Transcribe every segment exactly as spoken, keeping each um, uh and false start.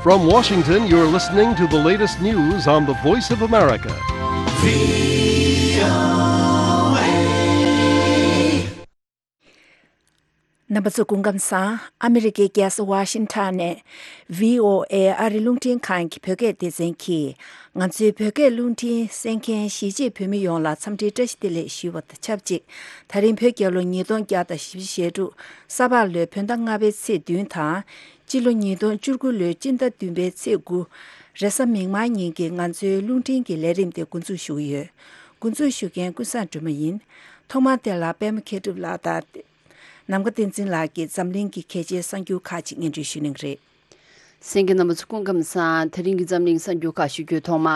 From Washington, you're listening to the latest news on the Voice of America. རྣམ་པ་ཚོ་སྐུ་ཁམས་བཟང་། ཨ་མི་རི་ཀའི་རྒྱལ་ས་ཝ་ཤིང་ཊོན་ནས་བྷི་ཨོ་ཨེ་ཨ་རི་རླུང་འཕྲིན་ཁང་གི་བོད་སྐད་སྡེ་ཚན་གྱིས། ང་ཚོའི་བོད་སྐད་རླུང་འཕྲིན་གསན་མཁན་གཞིས་བྱེས་བོད་མི་ཡོངས་ལ་འཚམས་འདྲིའི་བཀྲ་ཤིས་བདེ་ལེགས་ཞུ་བ་དང་ཆབས་ཅིག་ད་རིང་བོད་རྒྱལ་ལོ་ཉིས་སྟོང་བརྒྱ་དང་བཞི་བཅུ་ཞེ་དྲུག་ས་ཕག་ལོའི་བོད་ཟླ་ལྔ་པའི་ཚེས་བདུན་དང་། སྤྱི་ལོ་ཉིས་སྟོང་བཅུ་དགུ་ལོའི་སྤྱི་ཟླ་བདུན་པའི་ཚེས་དགུ་རེས་གཟའ་མིག་དམར་ཉིན་གྱི་ང་ཚོའི་རླུང་འཕྲིན་གྱི་ལས་རིམ་དེ་འགོ་འཛུགས་ཞུ་གི་ཡོད། འགོ་འཛུགས་ཞུ་མཁན་ཀུན་བཟང་སྒྲོལ་མ་ཡིན། ཐོག་མར་དེ་ལ་པད་མ་མཁས་གྲུབ་ལགས་དང་། ནམ་མཁའ་བསྟན་འཛིན་ལགས་ཀྱིས་འཛམ་གླིང་གི་གལ་ཆེའི་གསར་འགྱུར་ཁག་ཅིག་སྙན་སྒྲོན་ཞུ་གནང་གི་རེད། གསན་མཁན་རྣམ་པ་ཚོ་སྐུ་ཁམས་བཟང་། དེ་རིང་གི་འཛམ་གླིང་གསར་འགྱུར་ཁག་ཞུ་རྒྱུའི་ཐོག་མ།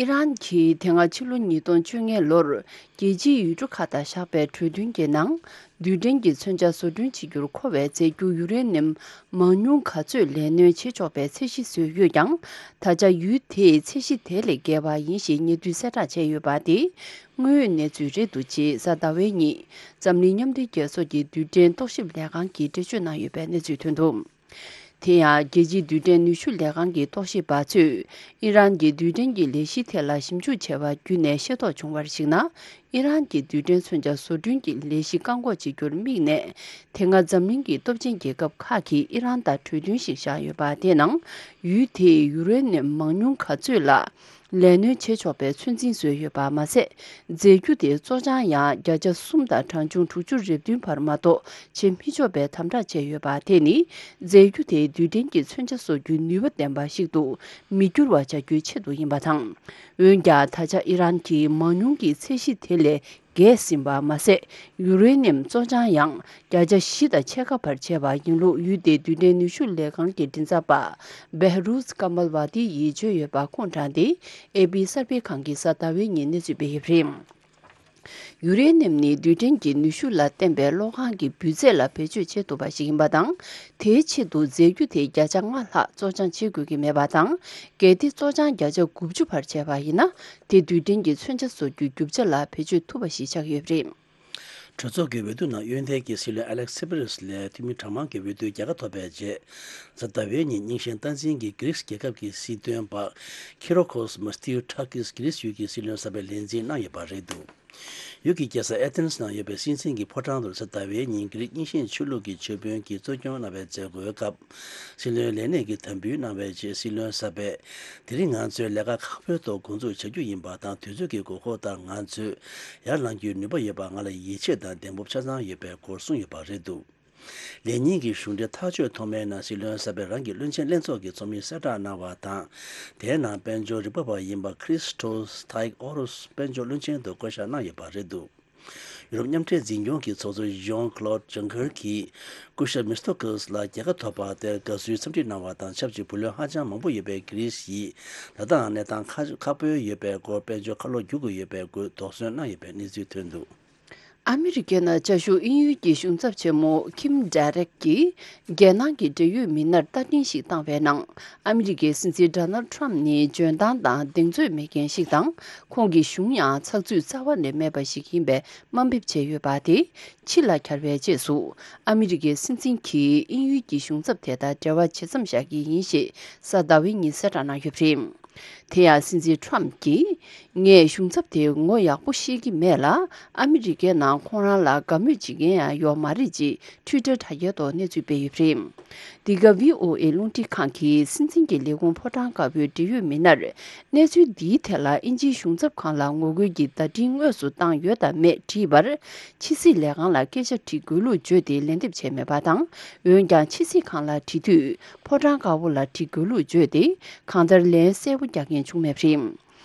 ཨི་རན་གྱིས་དེ་སྔ་ཕྱི་ལོ་ཉིས་སྟོང་བཅོ་ལྔ་ལོར་རྒྱལ་སྤྱིའི་ཡུལ་གྲུ་ཁག་དང་བཞག་པའི་གྲོས་མཐུན་གྱི་ནང་། རྡུལ་ཕྲན་གྱི་མཚོན་ཆ་བཟོ་སྐྲུན་བྱེད་རྒྱུར་མཁོ་བའི་རྫས་འགྱུར་ཡུ་རེ་ནིམ་མང་ཉུང་ག་ཚོད་ལས་སྣོན་བྱེད་ཆོག་པའི་ཚད་གཞི་བཟོས་ཡོད་ཀྱང་། ད་ཆ་ཡུལ་དེས་ཚད་གཞི་དེ་ལས་བརྒལ་བ་ཡིན་ཞེས་ཉེ་དུས་གསལ་བསྒྲགས་བྱས་ཡོད་པ་དེ་དངོས་ཡོད་གནས་ཚུལ་རེད་འདུག་ཅེས་གཟའ་ཟླ་བའི་ཉིན་འཛམ་གླིང་མཉམ་འབྲེལ་རྒྱལ་ཚོགས་ཀྱི་རྡུལ་ཕྲན་རྟོག་ཞིབ་ལས་ཁང་གིས་འགྲེལ་བརྗོད་གནང་ཡོད་པའི་གནས་ཚུལ་ཐོན་འདུག་དེ་ཡང་རྒྱལ་སྤྱིའི་རྡུལ་ཕྲན་ནུས་ཤུགས་ལས་ཁང་གི་རྟོག་ཞིབ་པ་ཚོས་ཨི་རན་གྱི་རྡུལ་ཕྲན་གྱི་ལས་གཞི་ཐད་ལ་ཞིབ་འཇུག་བྱས་པ་བརྒྱུད་ནས་ཤེས་རྟོགས་བྱུང་བར་གཞིགས་ན། ཨི་རན་གྱི་རྡུལ་ཕྲན་མཚོན་ཆ་བཟོ་སྐྲུན་གྱི་ལས་གཞི་བཀག་འགོག་བྱེད་རྒྱུར་དམིགས་ནས། དེ་སྔ་འཛམ་གླིང་གི་སྟོབས་ཆེན་རྒྱལ་ཁབ་ཁག་གིས་ཨི་རན་དང་གྲོས་མཐུན་ཞིག་བཞག་ཡོད་པ་དེ་ནང་ཡུལ་དེས་ཡུ་རེ་ནིམ་མང་ཉུང་ག་ཚོད་ལ་ལས་སྣོན་བྱེད་ཆོག་པའི་ཚོད་འཛིན་བཟོས་ཡོད་པ་མ་ཟད། རྫས་འགྱུར་དེ་བཙོ་སྦྱང་ཡང་བརྒྱ་ཆ་གསུམ་དང་གྲངས་ཆུང་དྲུག་ཅུ་རེ་བདུན་བར་མ་གཏོགས་བྱེད་མི་ཆོག་པའི་དམ་དྲག་བྱས་ཡོད་པ་དེ་ནི། རྫས་འགྱུར་དེ་རྡུལ་ཕྲན་གྱི་མཚོན་ཆ་བཟོ་རྒྱུའི་ནུས་པ་ལྡན་པ་ཞིག་ཏུ་མི་འགྱུར་བ་བྱ་རྒྱུའི་ཆེད་དུ་ཡིན་པ་དང་། འོན་ཀྱང་། ད་ཆ་ཨི་རན་གྱིས་མང་ཉུང་གི་ཚད་གཞི་དེ་ལས་བརྒལ་ཟིན་པ་མ་ཟད། ཡུ་རེ་ནིམ་བཙོ་སྦྱང་ཡང་བརྒྱ་ཆ་བཞི་དང་ཕྱེད་ཀ་བར་བྱས་པ་ཡིན་ལུགས། ཡུལ་དེའི་རྡུལ་ཕྲན་ནུས་ཤུགས་ལས་ཁང་གི་མགྲིན་ཚབ་པ་བེ་ཧ་རུས་ཀ་མལ་བ་ཏི་ཡིས་བརྗོད་ཡོད་པ་ཁུངས་དྲངས་ཏེ། ཨེ་པི་གསར་སྤེལ་ཁང་གིས་གཟའ་ཟླ་བའི་ཉིན་གནས་ཚུལ་སྤེལ་ཡོད་པ་རེད། ཡུ་རེ་ནིམ་ནི་རྡུལ་ཕྲན་གྱི་ནུས་ཤུགས་ལ་བརྟེན་པའི་གློག་ཁང་གི་འབུད་རྫས་ལ་བེད་སྤྱོད་བྱེད་ཐུབ་པ་ཞིག་ཡིན་པ་དང་། དེའི་ཆེད་དུ་རྫས་འགྱུར་དེ་བརྒྱ་ཆ་ལྔ་ལྷག་བཙོ་སྦྱང་བྱེད་དགོས་ཀྱི་མེད་པ་དང་། གལ་ཏེ་བཙོ་སྦྱང་བརྒྱ་ཆ་དགུ་བཅུ་བར་བྱས་པ་ཡིན་ན། དེ་རྡུལ་ཕྲན་གྱི་མཚོན་ཆ་བཟོ་རྒྱུའི་རྒྱུ་ཆ་ལ་བེད་སྤྱོད་ཐུབ་པ་ཞིག་ཆགས་ཡོད་པ་རེད། གྲོས་ཚོགས་ཀྱི་འོས་བསྡུ་ནང་གཡོན་ཐལ་གྱི་སྲིད་བློན་ཨ་ལེག་སི་པི་རེས་ལས་འཐུས་མི་གྲངས་མང་གི་འོས་བསྡུའི་རྒྱལ་ཁ་ཐོབ་པའི་རྗེས། གཟའ་ཟླ་བའི་ཉིན་རྙིང་ཞེན་སྟངས་འཛིན་གྱི་གྷི་རིག་རྒྱལ་ཁབ་ཀྱི་སྲིད་དོན་པ་ཁི་རོ་ཁོས་མི་ཐི་ཡུ་ཊ་ཀིས་གྷི་རིག་ཡུལ་གྱི་སྲིད་བློན་གསར་པའི་ལས་འཛིན་གནང་ཡོད་པ་རེད་འདུག་ཡུལ་གྱི་རྒྱལ་ས་ཨེ་ཐེན་ནང་ཡོད་པའི་སྲིད་འཛིན་གྱི་ཕོ་བྲང་དུ་གཟའ་ཟླ་བའི་ཉིན་གྷི་རིག་རྙིང་ཞེན་ཆོས་ལུགས་ཀྱི་ཆོས་དཔོན་གྱིས་གཙོ་སྐྱོང་གནང་བའི་མཛད་སྒོའི་སྐབས། སྲིད་བློན་ལས་གནས་ཀྱི་དམ་འབུལ་གནང་བའི་རྗེས་སྲིད་བློན་གསར་པས། དེ་རིང་ང་ཚོས་ལས་ཀ་ཁག་པོའི་ཐོག་འགོ་འཛུགས་བྱ་རྒྱུ་ཡིན་པ་དང་། དུས་ཚོད་ཀྱི་དགོས་མཁོ་ལྟར་ང་ཚོས་ཡར་ལངས་རྒྱུའི་ནུས་པ་ཡོད་པ་ང་ལ་ཡིད་ཆེས་དང་གདེང་སྤོབས་ཆ་ཚང་ཡོད་པའི་སྐོར་གསུངས་ཡོད་པ་རེད་འདུག་ལས་ཉིན་གྱི་གཞུང་འབྲེལ་ཐག་གཅོད་ཐོག་མའི་ནང་སྲིད་བློན་གསར་པས་རང་གི་བློན་ཆེན་ལྷན་ཚོགས་ཀྱི་ཚོགས་མིར་གསལ་བསྒྲགས་གནང་བ་དང་། དེའི་ནང་དཔལ་འབྱོར་རིག་པ་བ་ཡིན་པ་ཁྲིས་ཊོས་ཐའིག་ཨོ་རུས་དཔལ་འབྱོར་བློན་ཆེན་དུ་བསྐོ་གཞག་གནང་ཡོད་པ་རེད་འདུག་ཡུ་རོབ་མཉམ་འབྲེལ་འཛིན་སྐྱོང་གི་ཚོགས་གཙོ་ཇོན་ཁ་ལོད་ཇུང་ཁར་གྱིས་སྐུ་ཞབས་མི་སྟོ་ཀིར་ལ་རྒྱལ་ཁ་ཐོབ་པ་དེར་དགའ་བསུའི་འཚམས་འདྲི་གནང་བ་དང་ཆབས་ཅིག་བུ་ལོན་ཧ་ཅང་མང་པོ་ཡོད་པའི་གྷི་རིས་ཡིས་ད་ལྟའང་གནས་སྟངས་ཁ་ཁག་པོ་ཡོད་པའི་སྐོར། དཔལ་འབྱོར་ཁ་ལོ་བསྒྱུར་དགོས་ཡོད་པའི་སྐོར་དོགས་ཟོན་གནང་ཡོད་པའི་གནས་ཚུལ་ཐོན་འདུག་ཨ་མི་རི་ཀའི་ནང་བཅའ་བཞུགས་དབྱིན་ཡུལ་གྱི་གཞུང་ཚབ་ཆེན་མོ་ཁིམ་ཌེ་རེག་གིས་རྒྱལ་ནང་གི་འབྲེལ་ཡོད་མི་སྣར་བརྡ་འཕྲིན་ཞིག་བཏང་བའི་ནང་། ཨ་མི་རི་ཀའི་སྲིད་འཛིན་ཌོ་ནལ་ཌི་ཊརམ་ཕི་ནི་འཇོན་ཐང་དང་གདེང་ཚོད་མེད་མཁན་ཞིག་དང་། ཁོང་གི་གཞུང་ཡང་ཚགས་ཚུད་རྩ་བ་ནས་མེད་པ་ཞིག་ཡིན་པའི་དམའ་འབེབས་བྱས་ཡོད་པ་དེ་ཕྱི་ལ་གྱར་བའི་རྗེས་སུ། ཨ་མི་རི་ཀའི་སྲིད་འཛིན་གྱིས་དབྱིན་ཡུལ་གྱི་གཞུང་ཚབ་དེ་དང་འབྲེལ་བ་ཇི་ཙམ་བཞག་གི་ཡིན་ཞེས་གཟའ་ཟླ་བའི་ཉིན་གསལ་བསྒྲགས་གནང་ཡོད་པ་རེད། དེ་ཡང་སྲིད་འཛིན་ཊརམ་ཕི་གྱིས། ངས་གཞུང་ཚབ་དེ་ངོ་ཡག་པོ་ཤེས་ཀྱི་མེད་ལ། ཨ་མི་རི་ཀའི་ནང་ཁོང་རང་ལ་དགའ་མོས་བྱེད་མཁན་ཡང་ཡོད་མ་རེད་ཅེས་ཊུའི་ཊར་དྲ་རྒྱའི་ཐོག་གནས་ཚུལ་སྤེལ་ཡོད་པ་རེད། འདི་ག་བྷི་ཨོ་ཨེ་རླུང་འཕྲིན་ཁང་གིས་སྲིད་འཛིན་གྱི་ལས་ཁུངས་ཕོ་བྲང་དཀར་པོའི་འབྲེལ་ཡོད་མི་སྣར། གནས་ཚུལ་འདིའི་ཐད་ལ་དབྱིན་ཇིའི་གཞུང་ཚབ་ཁང་ལ་ངོ་རྒོལ་གྱི་བརྡ་འཕྲིན་དངོས་སུ་བཏང་ཡོད་དམ་མེད་དྲིས་པར། ཕྱི་སྲིད་ལས་ཁང་ལ་སྐད་ཆ་དྲི་དགོས་ལུགས་བརྗོད་དེ་ལན་འདེབས་བྱས་མེད་པ་དང་། འོན་ཀྱང་ཕྱི་སྲིད་ཁང་ལ་དྲི་དུས། ཕོ་བྲང་དཀར་པོ་ལ་དྲི་དགོས་ལུགས་བརྗོད་དེ། གང་ལྟར་ལན་གསལ་པོ་རྒྱག་མཁན་བྱུང་མེད་པ་རེད།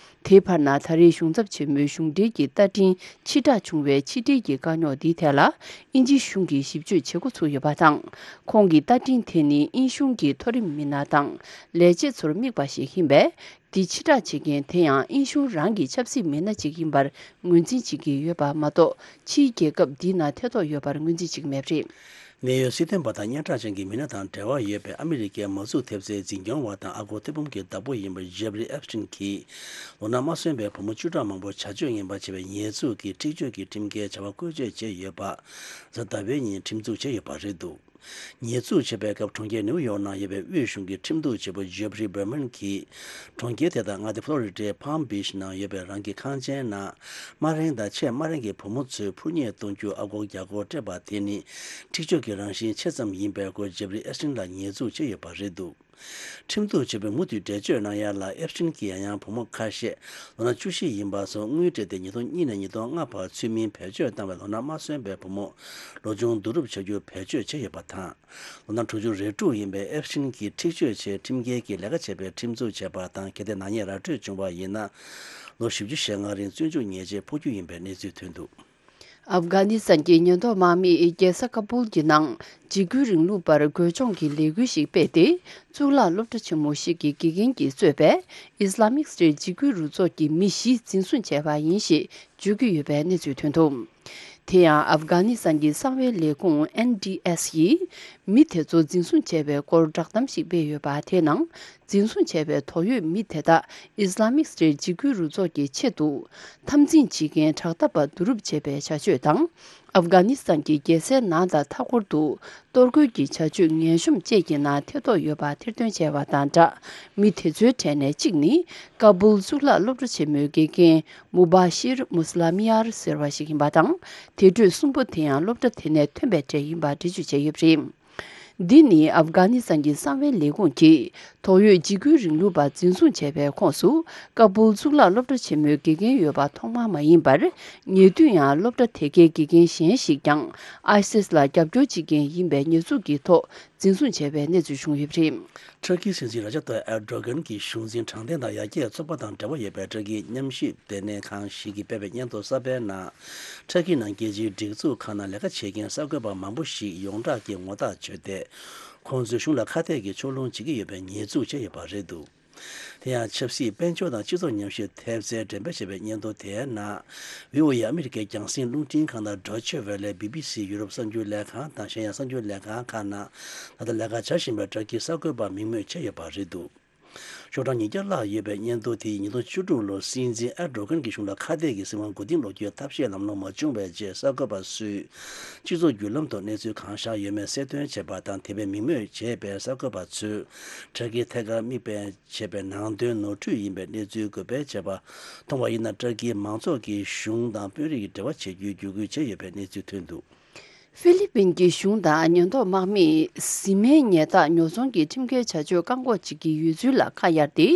དེའི་བར་ན་ད་རེས་གཞུང་ཚབ་ཆེན་མོའི་གཞུང་འབྲེལ་གྱི་བརྡ་འཕྲིན་ཕྱིར་བསྒྲགས་བྱུང་བའི་ཕྱི་འབྲེལ་གྱི་དཀའ་རྙོག་འདིའི་ཐད་ལ། དབྱིན་ཇིའི་གཞུང་གིས་ཞིབ་དཔྱོད་བྱེད་འགོ་ཚུགས་ཡོད་པ་དང་། ཁོང་གི་བརྡ་འཕྲིན་དེ་ནི་དབྱིན་གཞུང་གི་མཐོ་རིམ་མི་སྣ་དང་ལས་བྱེད་ཚོར་དམིགས་པ་ཞིག་ཡིན་པས། འདི་ཕྱིར་བསྒྲགས་བྱེད་མཁན་དེ་ཡང་དབྱིན་གཞུང་རང་གི་ཆབ་སྲིད་མི་སྣ་ཅིག་ཡིན་པར་ངོས་འཛིན་བྱེད་ཀྱི་ཡོད་པ་མ་གཏོགས། ཕྱིའི་རྒྱལ་ཁབ་འདིའི་ནང་ཐེ་གཏོགས་ཡོད་པར་ངོས་འཛིན་བྱེད་ཀྱི་མེད་པ་རེད། གནད་ཡོད་སྲིད་དོན་པ་དང་སྙན་གྲགས་ཅན་གྱི་མི་སྣ་དང་འབྲེལ་བ་ཡོད་པའི་ཨ་མི་རི་ཀའི་མ་འཛུགས་ཐེབས་རྩའི་འཛིན་སྐྱོང་བ་དང་ཨ་སྒོར་ཐེར་འབུམ་གྱི་བདག་པོ་ཡིན་པ་ཇེབ་རི་ཨེབ་སི་ཊིན་གྱིས། ལོ་ན་མ་སོན་པའི་བུ་མོ་བཅུ་ཕྲག་མང་པོ་བྱ་སྤྱོད་ངན་པ་བྱས་པའི་ཉེས་འཛུགས་ཀྱིས་འཁྲིག་སྤྱོད་ཀྱི་ཁྲིམས་འགལ་བྱ་བ་བཀོལ་སྤྱོད་བྱས་ཡོད་པ། གཟའ་ཟླ་བའི་ཉིན་ཁྲིམས་འཛུགས་བྱས་ཡོད་པ་རེད་འདུག་ཉེས་འཛུགས་བྱས་པའི་སྐབས་གྲོང་ཁྱེར་ནེའུ་ཡོག་ནང་ཡོད་པའི་དབུས་གཞུང་གི་ཁྲིམས་གཏུག་བྱེད་པོ་ཇེབ་རི་བྷར་མན་གྱིས། གྲོང་ཁྱེར་དེ་དང་མངའ་སྡེ་ཕོ་ལོ་རི་ཌའི་Palm Beach ནང་ཡོད་པའི་རང་གི་ཁང་ཆེན་ནང་དམའ་འབྲིང་དང་ཆེས་དམའ་འབྲིང་གི་བུ་མོ་ཚོའི་འཕུར་མཉེ་གཏོང་རྒྱུ་ཨ་སྒོར་བརྒྱ་སྐོར་སྤྲད་པ་དེ་ནི། འཁྲིག་སྤྱོད་ཀྱི་རང་བཞིན་ཆེ་ཙམ་ཡིན་པའི་སྐོར་ཇེབ་རི་ཨེ་སྟིན་ལ་ཉེས་འཛུགས་བྱས་ཡོད་པ་རེད་འདུག་ཁྲིམས་གཏུག་བྱེད་པོས་མུ་མཐུད་འགྲེལ་བརྗོད་གནང་ཡ་ལ། ཨེབ་སྟིན་གྱིས་ཡང་ཡང་བུ་མོ་ཁ་ཤས་ལོ་ན་བཅུ་བཞི་ཡིན་པ་ཚོ་དངུལ་སྤྲད་དེ་ཉིས་སྟོང་གཉིས་ནས་ཉིས་སྟོང་ལྔ་བར་ཚུལ་མིན་བེད་སྤྱོད་བཏང་བའི་ལོ་ན་མ་སོན་པའི་བུ་མོ་ལོ་ཆུང་བསྡུ་རུབ་བྱ་རྒྱུ་བེད་སྤྱོད་བྱས་ཡོད་པ་དང་། ལོ་ན་དྲུག་ཅུ་རེ་དྲུག་ཡིན་པའི་ཨེབ་སྟིན་གྱིས་འཁྲིག་སྤྱོད་ཆེད་ཁྲིམས་འགལ་གྱི་ལས་ཀ་བྱས་པའི་ཁྲིམས་འཛུགས་བྱས་པ་དང་། གལ་ཏེ་ནག་ཉེས་ར་སྤྲོད་བྱུང་བ་ཡིན་ན། ལོ་བཞི་བཅུ་ཞེ་ལྔ་རིང་བཙོན་འཇུག་ཉེས་ཆད་ཕོག་རྒྱུ་ཡིན་པའི་གནས་ཚུལ་ཐོན་འདུག་ཨབ་གྷ་ནི་སི་ཐན་གྱི་ཉེན་རྟོག་དམག་མིས་རྒྱལ་ས་ཀ་བུལ་གྱི་ནང་འཇིགས་སྐུལ་རིང་ལུགས་པར་རྒོལ་ལྕོག་གི་ལས་འགུལ་ཞིག་སྤེལ་ཏེ། གཙུག་ལག་སློབ་གྲྭ་ཆེན་མོ་ཞིག་གི་དགེ་རྒན་གྱིས་གཙོས་པའི་Islamic State འཇིགས་སྐུལ་རུ་ཚོགས་ཀྱི་མི་བཞི་འཛིན་བཟུང་བྱས་པ་ཡིན་ཞེས་བརྗོད་ཀྱི་ཡོད་པའི་གནས་ཚུལ་ཐོན་འདུག་དེ་ཡང་ཨབ་གྷ་ནི་སི་ཐན་གྱི་གསང་བའི་ལས་ཁུངས་ཨེན་ཌི་ཨེས་ཡིས་མི་དེ་ཚོ་འཛིན་བཟུང་བྱས་པའི་སྐོར་བསྒྲགས་གཏམ་ཞིག་སྤེལ་ཡོད་པ། དེའི་ནང་འཛིན་བཟུང་བྱས་པའི་དོགས་ཡོད་མི་དེ་དག་Islamic State འཇིགས་སྐུལ་རུ་ཚོགས་ཀྱི་ཆེད་དུ་འཐབ་འཛིང་བྱེད་མཁན་དྲག་མཐའ་པ་བསྡུ་རུབ་བྱས་པའི་བྱ་སྤྱོད་དང་། ཨབ་གྷ་ནི་སི་ཐན་གྱི་རྒྱལ་སའི་ནང་དང་མཐའ་འཁོར་དུ་གཏོར་རྒོལ་གྱི་བྱ་སྤྱོད་ངན་གཤོམ་བཅས་ཀྱི་ནང་ཐེ་གཏོགས་ཡོད་པ་ཐེར་འདོན་བྱས་པ་དང་སྦྲགས། མི་དེ་ཚོའི་གྲས་ནས་གཅིག་ནི་ཀ་བུལ་གཙུག་ལག་སློབ་གྲྭ་ཆེན་མོའི་དགེ་རྒན་མུ་བ་ཤིར་མུ་སི་ལ་མི་ཡར་ཟེར་བ་ཞིག་ཡིན་པ་དང་། དེ་འཕྲོས་གསུམ་པོ་དེ་ཡང་སློབ་གྲྭ་དེ་ནས་ཐོན་པའི་གྲས་ཡིན་པ་འགྲེལ་བརྗོད་བྱས་ཡོད་པ་རེད། འདི་ནི་ཨབ་གྷ་ནི་སི་ཐན་གྱི་གསང་བའི་ལས་ཁུངས་ཀྱིས་དོགས་ཡོད་འཇིགས་སྐུལ་རིང་ལུགས་པ་འཛིན་བཟུང་བྱས་པའི་ཁོངས་སུ་ཀ་བུལ་གཙུག་ལག་སློབ་གྲྭ་ཆེན་མོའི་དགེ་རྒན་ཡོད་པ་ཐོག་མ་མ་ཡིན་པར། ཉེ་དུས་ཡང་སློབ་གྲྭ་དེ་གའི་དགེ་རྒན་གཞན་ཞིག་ཀྱང་ཨའི་སིས་ལ་རྒྱབ་སྐྱོར་བྱེད་མཁན་ཡིན་པའི་ཉེས་འཛུགས་ཀྱི་ཐོག་འཛིན་བཟུང་བྱས་པའི་གནས་ཚུལ་བྱུང་ཡོད་པ་རེད། ཊར་ཀིའི་སྲིད་འཛིན་ར་ཇབ་ཏཱ་ཡིབ་ཨེར་ཌོ་གྷན་གྱི་གཞུང་འཛིན་དྲང་བདེན་དང་ཡར་རྒྱས་ཚོགས་པ་དང་འབྲེལ་བ་ཡོད་པའི་ཊར་ཀིའི་ཉམས་ཞིབ་ལྟེ་གནས་ཁང་ཞིག་གིས་སྤེལ་བའི་སྙན་ཐོ་གསར་པའི་ནང་། ཊར་ཀིའི་ནང་རྒྱལ་སྤྱིའི་སྒྲིག་འཛུགས་ཁག་ནང་ལས་ཀ་བྱེད་མཁན་གསར་འགོད་པ་མང་པོ་ཞིག་ཡོངས་གྲགས་ཀྱི་ངོ་རྟགས་བྱོས་ཏེ། ཁོང་ཚོས་གཞུང་ལ་ཁ་གཏད་ཀྱི་ཕྱོགས་ལྷུང་བྱེད་ཀྱི་ཡོད་པའི་ཉེས་འཛུགས་བྱས་ཡོད་པ་རེད་འདུག་དེ་ཡང་ཆབ་སྲིད་དཔལ་འབྱོར་དང་སྤྱི་ཚོགས་ཉམས་ཞིབ་ཐེབས་རྩའི་འགྲེམས་སྤེལ་བྱས་པའི་སྙན་ཐོ་དེའི་ནང་། བྷི་ཨོ་ཨེ་ཨ་མི་རི་ཀའི་རྒྱང་སྲིང་རླུང་འཕྲིན་ཁང་དང་ཌོ་ཆེ་ཝེ་ལེ། བི་བི་སི་ཡུ་རོབ་གསར་འགྱུར་ལས་ཁང་དང་གཞན་ཡང་གསར་འགྱུར་ལས་ཁང་ཁག་ནང་ད་ལྟ་ལས་ཀ་བྱ་བཞིན་པའི་ཊར་ཀིའི་གསར་འགོད་པ་མིང་སྨོས་བྱས་ཡོད་པ་རེད་འདུག་ཤོག་གྲངས་ཉིས་བརྒྱ་ལྷག་ཡོད་པའི་སྙན་ཐོ་དེ་ཡིས་ཉིས་སྟོང་བཅུ་དྲུག་ལོར་སྲིད་འཛིན་ཨེར་ཌོ་གྷན་གྱི་གཞུང་ལ་ཁ་གཏད་ཀྱི་སྲིད་དབང་མགོ་རྟིང་སློག་རྒྱུའི་ཐབས་ཤེས་ལམ་ལྷོང་མ་བྱུང་བའི་རྗེས། གསར་འགོད་པ་ཚོས་སྤྱི་ཚོགས་བརྒྱུད་ལམ་ཐོག་གནས་ཚུལ་གང་བཞག་ཡོད་མེད་གསལ་སྟོན་བྱས་པ་དང་། དེ་བས་མིང་སྨོས་བྱས་པའི་གསར་འགོད་པ་ཚོས་ཊར་ཀིའི་ཐད་ཀར་མིག་དཔེ་བྱས་པའི་ནང་དོན་ནོར་འཁྲུལ་ཡིན་པའི་གནས་ཚུལ་འགོད་སྤེལ་བྱས་པ་མཐོང་བ་ཡིན་ན། ཊར་ཀིའི་མང་ཚོགས་ཀྱིས་གཞུང་དང་དཔོན་རིགས་ཀྱི་འབྲེལ་བ་བྱེད་རྒྱུའི་བརྒྱུད་སྐུལ་བྱས་ཡོད་པའི་གནས་ཚུལ་ཐོན་འདུག་ཧྥི་ལི་པིན་གྱི་གཞུང་དང་ཉེན་རྟོག་དམག་མིས་བཟི་སྨན་ཉལ་ཐག་ཉོ་ཚོང་གི་ཁྲིམས་འགལ་བྱ་སྤྱོད་བཀག་འགོག་བྱེད་ཀྱི་ཡོད་ཚུལ་ལ་ཁ་གཡར་ཏེ།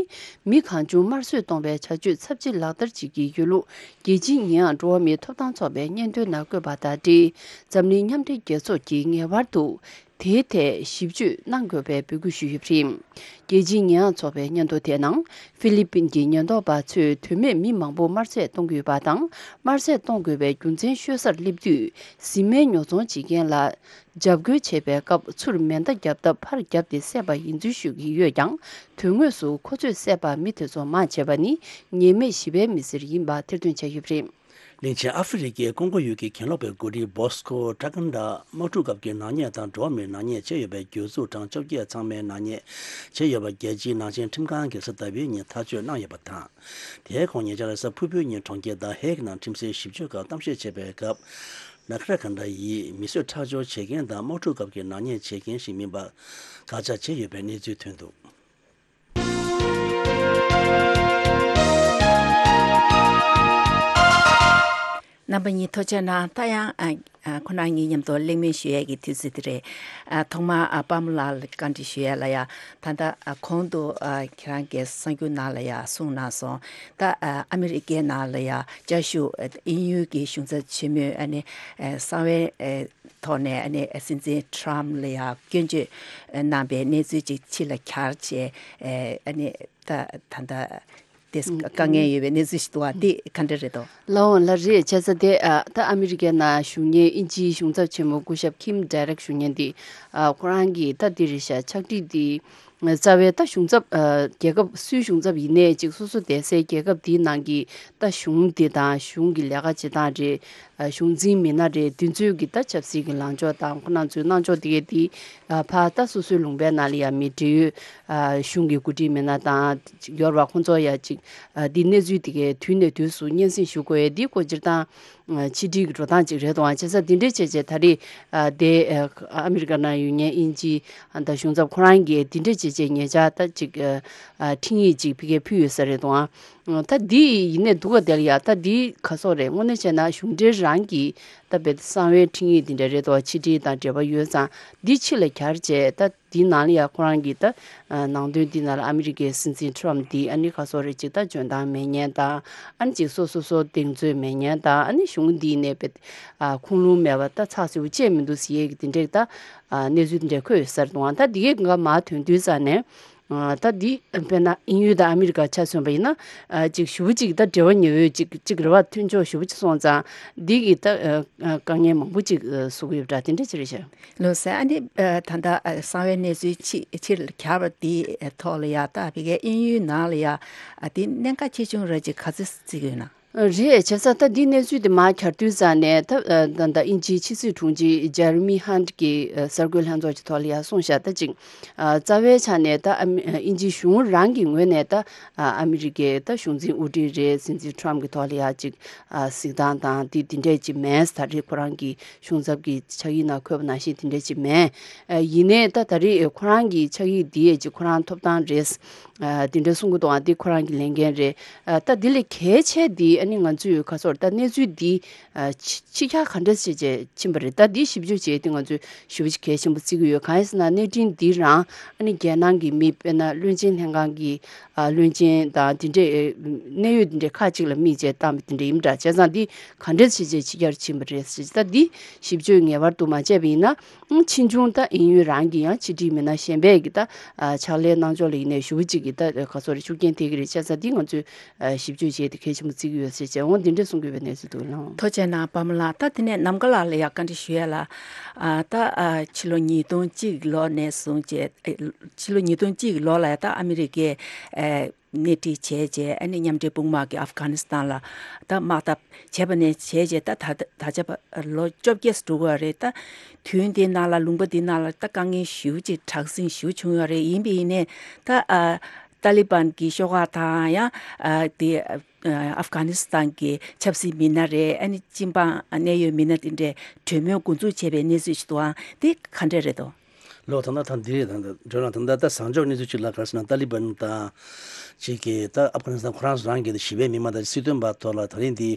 མི་གང་བྱུང་དམར་གསོད་གཏོང་བའི་བྱ་སྤྱོད་ཚབས་ཆེ་ལག་བསྟར་བྱེད་ཀྱི་ཡོད་ལུགས། རྒྱལ་སྤྱིའི་ཉེས་ཡངས་འགྲོ་བ་མིའི་ཐོབ་ཐང་ཚོགས་པའི་སྙན་ཐོའི་ནང་བཀོད་པ་དང་འབྲེལ། འཛམ་གླིང་མཉམ་འབྲེལ་རྒྱལ་ཚོགས་ཀྱིས་ངེས་པར་དུ་དེའི་ཐད་ཞིབ་དཔྱོད་གནང་དགོས་པའི་འབོད་སྐུལ་ཞུས་ཡོད་པ་རེད། རྒྱལ་སྤྱིའི་ཉེས་ཡངས་ཚོགས་པའི་སྙན་ཐོ་དེའི་ནང་། ཧྥི་ལི་པིན་གྱི་ཉེན་རྟོག་པ་ཚོས་དོན་མེད་མི་མང་པོ་དམར་གསོད་གཏོང་གི་ཡོད་པ་དང་། དམར་གསོད་གཏོང་དགོས་པའི་རྒྱུ་མཚན་ཤོད་སར་སླེབས་དུས། བཟི་སྨན་ཉོ་ཚོང་བྱེད་མཁན་ལ་འཇབ་རྒོལ་བྱེད་པའི་སྐབས་ཚུར་མེ་མདའ་བརྒྱབ་སྟབས་ཕར་བརྒྱབ་སྟེ་བསད་པ་ཡིན་ཚུལ་ཞུ་གི་ཡོད་ཀྱང་། དོན་དངོས་སུ་ཁོ་ཚོས་བསད་པ་མི་དེ་ཚོ་མང་ཆེ་བ་ནི་ཉེས་མེད་ཞི་བའི་མི་སེར་ཡིན་པ་ཐེར་འདོན་བྱས་ཡོད་པ་རེད། གླིང་ཆེན་ཨ་ཧྥེ་རི་ཁའི་ཀོང་གོ་ཡུལ་གྱི་གྱེན་ལོག་པའི་འགོ་ཁྲིད་བྷོ་སི་ཁོ་ཀྲ་ཀན་ཌ། དམག་འཁྲུག་སྐབས་ཀྱི་ནག་ཉེས་དང་འགྲོ་བ་མིའི་ནག་ཉེས་བྱས་ཡོད་པའི་གྱོད་འཛུགས་གྲངས་བཅོ་བརྒྱད་ཚང་མའི་ནག་ཉེས་བྱས་ཡོད་པ་རྒྱལ་སྤྱིའི་ནག་ཅན་ཁྲིམས་ཁང་གིས་གཟའ་ཟླ་བའི་ཉིན་ཐག་གཅོད་གནང་ཡོད་པ་དང་། དེའི་ཁོངས་ཉེ་ཆར་གཟའ་ཕུར་བུའི་ཉིན་གྲོང་ཁྱེར་ད་ཧེག་ནང་ཁྲིམས་སའི་ཞིབ་དཔྱོད་ཁག་གཏམ་བཤད་བྱས་པའི་སྐབས། ནཱ་ཁ་ར་ཀན་ཌ་ཡིས་མི་གསོད་ཁྲག་སྦྱོར་བྱེད་མཁན་དང་དམག་འཁྲུག་སྐབས་ཀྱི་ནག་ཉེས་བྱེད་མཁན་ཞིག་མིན་པ་དགག་བྱ་བྱས་ཡོད་པའི་གནས་ཚུལ་ཐོན་འདུག་རྣམ་པ་གཉིས་ཐུགས་རྗེ་གནང་། ད་ཡང་ཨ་ཨ་ཁོ་རང་གཉིས་མཉམ་དུ་གླེང་མོལ་ཞུ་ཡས་ཀྱི་དུས་ཚོད་དེ་རེད། ཨ་ཐོག་མར་ཨ་པདྨ་ལགས་ལ་བཀའ་འདྲི་ཞུ་ཡས་ལ་ཡ། ད་ལྟ་ཨ་གོང་དུ་ཨ་ཁྱེད་རང་གིས་གསར་འགྱུར་ནང་ལ་ཡ་གསུངས་གནང་སོང་། ད་ཨ་ཨ་མི་རི་ཀའི་ནང་ལ་ཡ་བཅའ་བཞུགས་ཨ་དབྱིན་ཡུལ་གྱི་གཞུང་ཚབ་ཆེན་མོས་ཨ་ནི་ཨ་གསང་བའི་ཨ་ཐོག་ནས་ཨ་ནི་སྲིད་འཛིན་ཊརམ་ཕ་ལ་ཡ་སྐྱོན་བརྗོད་གནང་པའི་གནས་ཚུལ་ཅིག་ཕྱི་ལ་གྱར་བྱས། ཨ་ནི་ད་ད་ལྟ་དེ་དཀའ་ངལ་ཡོད་པའི་གནས་ཚུལ་ཞིག་འདུག་བ། དེ་ག་འདྲ་རེད་དོ། ལགས་འོང་། ལགས་རེད། བྱས་ཙང་དེ་ཨ་ད་ཨ་མི་རི་ཀའི་ནང་བཞུགས་མཁན་དབྱིན་ཇིའི་གཞུང་ཚབ་ཆེན་མོ་སྐུ་ཞབས་ཁིམ་ཌེ་རེག་ཞུ་མཁན་དེ་ཨ་ཁོ་རང་གིས་ད་འདི་རེད་ཤག་ཕྱག་བྲིས་དེ། རྩ་བའི་ད་གཞུང་ཚབ་ཨ་རྒྱལ་ཁབ་སུའི་གཞུང་ཚབ་ཡིན་ནའི་ཅིག་སོ་སོ་བསྡད་སའི་རྒྱལ་ཁབ་དེའི་ནང་གི་ད་གཞུང་དེ་དང་གཞུང་གི་ལས་ཀ་བྱེད་སྟངས་རེད། ཨ་གཞུང་འཛིན་མི་སྣ་རེད། དེ་ཚོའི་གི་ད་ཆབ་སྲིད་ཀྱི་ལངས་ཕྱོགས་དང་ཁོ་རང་ཚོའི་གནང་ཕྱོགས་དེ་གའི་དེ་ཨ་ཕ་ད་སོ་སོའི་ལུང་པའི་ནང་ལ་ཡ་མི་འབྲེལ་ཡོད་ཨ་གཞུང་གི་འགོ་ཁྲིད་མི་སྣ་དང་ཡོད་རེད་བ། ཁོང་ཚོ་ཡ་ཅིག་ཨ་དེ་གནས་ཚུལ་དེ་གའི་དུས་ནས་དུས་སུ་སྙན་སེང་ཞུ་དགོས་ཡ་དེ་སྐོར་སྤྱིར་བཏང་ ཕྱི་འབྲེལ་གྱི་འགྲོ་སྟངས་ཅིག་རེད་འདུག་ཨང་། བྱས་ཙང་འདི་འདྲ་བྱས་བྱས་ད་རེས་ཨ་དེ་ཨ་ཨ་མི་རི་ཀ་ནང་ཡོད་མཁན་དབྱིན་ཇི་ཨ་ད་གཞུང་ཚབ་ཁོ་རང་གིས་འདི་འདྲ་བྱས་བྱས་ཉེ་ཆར་ད་ཅིག་ཨ་ཨ་འཕྲིན་ཡིག་ཅིག་ཕ་གིར་ཕུལ་ཡོད་ས་རེད་འདུག་ཨང་། ད་འདི་ཡིན་ནའི་འདུག་ག་དེ་ལ་ཡ་ད་འདི་ག་སོག་རེད། དངོས་གནས་བྱས་ན་གཞུང་འབྲེལ་རང་གི་ད་དཔེ་གསང་བའི་འཕྲིན་ཡིག་འདི་འདྲ་རེད་འདུག་ཕྱི་འབྲེལ་དང་འབྲེལ་བ་ཡོད་ཙང་འདི་ཕྱི་ལ་གྱར་བྱས་ད། འདི་ནང་ལ་ཡང་ཁོ་རང་གིས་ད་ནང་དོན་འདི་ནང་ལ་ཨ་མི་རི་ཀའི་སྲིད་འཛིན་ཊརམ་འདི་ཨ་ནི་ཁ་སོ་རེ་ཅིག་ད་འཇོན་ཐང་མེད་མཁན་དང་ཨ་ནི་ཅིག་སོ་སོ་སོ་གདེང་ཚོད་མེད་མཁན་དང་ཨ་ནི་གཞུང་འདིའི་ནས་པའི་ཁུངས་ལུང་མེད་པ་ད་ཚགས་ཚུད་པོ་བཅད་མི་འདུག་ཟེར་ཡས་ཀྱི་དེ་འདྲས་ད་གནས་ཚུལ་དེ་འདྲས་འཁོད་ཡོད་ས་རེད་འདུག་ད་འདི་གས་འགའ་མར་ཐོན་དུས་ཙང་ནས་ད་འདི་དཔེར་ན་དབྱིན་ཡུལ་དང་ཨ་མི་རི་ཀ་ཆ་མཚོན་པ་ཡིན་ན་ཅིག་ཞེ་པོ་ཅིག་ད་འབྲེལ་བ་ཉེ་བོའི་ཅིག་ཅིག་རེད་བ། མཐུན་ཕྱོགས་ཞེ་པོ་ཅིག་སོང་ཙང་འདི་གིས་ད་དཀའ་ངལ་མང་པོ་ཅིག་བཟོ་གི་ཡོད་པ་འདྲ་དེ་འདྲས་ཅིག་རེད་ཤག་ལོ་ཟེར། ཨ་ནི་ད་ལྟ་གསང་བའི་གནས་ཚུལ་ཕྱི་ཕྱིར་གྱར་བ་དེའི་ཐོག་ལ་ཡ་ད་ཕ་གིའི་དབྱིན་ཡུལ་ནང་ལ་ཡ་དེ་གནད་འགག་ཆེ་ཆུང་ར་ཅིག་ག་ཚོད་བརྩི་གི་ཡོད་ན། རེད། བྱས་ཙང་ད་འདི་གནས་ཚུལ་དེ་མར་གྱར་དུས་ཙང་ནས་ད་ད་ལྟ་དབྱིན་ཇིའི་ཕྱི་སྲིད་དྲུང་ཆེ་ཇེ་རི་མི་ཧན་གྱིས་གསར་འགོད་ལྷན་ཚོགས་ཀྱི་ཐོག་ལ་ཡ་གསུངས་ཤག་ད་ཅིག་རྩ་བའི་ཆ་ནས་ད་ཨ་མི་དབྱིན་ཇིའི་གཞུང་རང་གི་ངོས་ནས་ད་ཨ་མི་རི་ཀའི་ད་གཞུང་འཛིན་དབུ་ཁྲིད་རེད། སྲིད་འཛིན་ཊརམ་གྱི་ཐོག་ལ་ཡ་ཅིག་གཟིགས་སྟངས་དང་དེ་དེ་འདྲས་ཅིག་མེད། ད་རེས་ཁོ་རང་གི་གཞུང་ཚབ་ཀྱི་ཕྱག་ཡིག་ནང་འཁོད་པ་ནང་བཞིན་དེ་འདྲ་ཅིག་མེད། ཡིན་ནའི་ད་ད་རེས་ཁོ་རང་གི་ཕྱག་ཡིག་འདི་ཡས་ཅིག་ཁོ་རང་ཐོབ་ཐང་རེད། དེ་འདྲ་གསུང་གི་འདུག་ཨ་འདི་ཁོ་རང་གི་ལས་འགན་རེད། ད་འདི་ལས་གལ་ཆེ་འདི་ཨ་ནི་ང་ཚོས་ག་སོར་ད་གནས་ཚུལ་འདི་ཕྱི་ཁྱག་ག་འདྲ་བྱས་བྱས་ཕྱིན་པ་རེད། ད་འདི་ཞིབ་འཇུག་བྱས་ཏེ་ང་ཚོས་ཞེ་པོ་ཅིག་གལ་ཆེན་པོ་བརྩི་གི་ཡོད། གང་ཡིན་ཟེར་ན་གནས་འཕྲིན་འདི་རང་ཨ་ནི་རྒྱལ་ནང་གི་མི་དཔེར་ན་བློན་ཆེན་ལྷན་ཁང་གི་ཨ་བློན་ཆེན་དང་དེ་འདྲའི་གནད་ཡོད་དེ་འདྲའི་ཁག་ཅིག་ལ་དམིགས་བྱས་བཏང་བ་དེ་འདྲ་ཡིན་པ་འདྲ། བྱས་ཙང་འདི་ག་འདྲས་བྱས་བྱས་ཕྱི་གྱར་ཕྱིན་པ་རེད་ཟེར། ད་འདི་ཞིབ་དཔྱོད་ངེས་པར་དུ་མ་བྱས་པ་ཡིན་ན་ཕྱིས་འབྱུང་ད་དབྱིན་ཡུལ་རང་གི་ཡང་ཕྱི་དྲིལ་མི་སྣ་གཞན་པས་ཀྱི་ད་ཕྱག་ལས་གནང་ཕྱོགས་ལ་ཡིན་ནའི་ཞེ་པོ་ཅིག་གི་ད་ག་ཚོད་རེད་ཤུགས་རྐྱེན་ཐེབས་ཀྱི་རེད། བྱས་ཙང་འདི་ང་ཚོས་ཞིབ་དཔྱོད་བྱས་ཏེ་གལ་ཆེན་པོ་བརྩི་གི་ཡོད་ཟེར་བྱས་འོ་འདི་འདྲས་གསུང་གི་ཡོད་པའི་གནས་ཚུལ་འདུག་ལགས། ཐུགས་རྗེ་གནང་པདྨ་ལགས། ད་དེ་ནས་ནམ་མཁའ་ལགས་ལ་ཡང་བཀའ་འདྲི་ཞུ་ཡ་ལ། ཨ་ད་ཨ་ཕྱི་ལོ་ཉིས་སྟོང་གཅིག་ལོ་ནས་བཟུང་བྱས་ཨེ་ཕྱི་ལོ་ཉིས་སྟོང་གཅིག་ལོ་ལ་ཡ་ད་ཨ་མི་རི་ཀའི་ཨེ་སྣེ་ཁྲིད་བྱས་རྗེས་ཨ་ནི་མཉམ་འབྲེལ་དཔུང་དམག་གིས་ཨབ་གྷ་ནི་སི་ཐན་ལ་ད་དམག་འཐབ་བྱས་པ་ནས་བྱས་རྗེས་ད་ད་ད་ཆ་བར་ལོ་བཅོ་བརྒྱད་འགྲོ་གི་རེད། ད་དུས་འདི་ནང་ལ་ལུང་པ་འདི་ནང་ལ་ད་དཀའ་ངལ་ཞེ་པོ་ཅིག་དྲག་ཟིང་ཞེ་པོ་བྱུང་ཡོད་རེད། ཡིན་པ་ཡིན་ནའི་ད་ཨ་ཏཱ་ལི་བན་གྱི་ཤོག་ཁག་དང་ཡང་ཨ་དེ་ཨ་ཨབ་གྷ་ནི་སི་ཐན་གྱི་ཆབ་སྲིད་མི་སྣ་རེད། ཨ་ནི་སྤྱི་འབངས་གནད་ཡོད་མི་སྣ་དེ་འདྲས་གྲོས་མོལ་འགོ་འཛུགས་བྱས་པའི་གནས་ཚུལ་ཞིག་འདུག་ཨང་། དེ་ག་འདྲས་རེད་དོ། ལོ་ད་ལྟ་ད་འདི་རེད། ད་ལྟ་ད་ལྟ་ད་བཟང་ཕྱོགས་གནས་ཚུལ་ཅིག་ལ་ག་རེ་ཟེར་ན་ཏཱ་ལི་བན་དང་ཅིག་གིས་ད་ཨབ་གྷ་ནི་སི་ཐན་ཁོ་རང་ཚོ་རང་གི་ཞི་བའི་མི་མང་དང་སྲིད་དོན་པ་ཐོག་ལ་ད་རིང་འདི་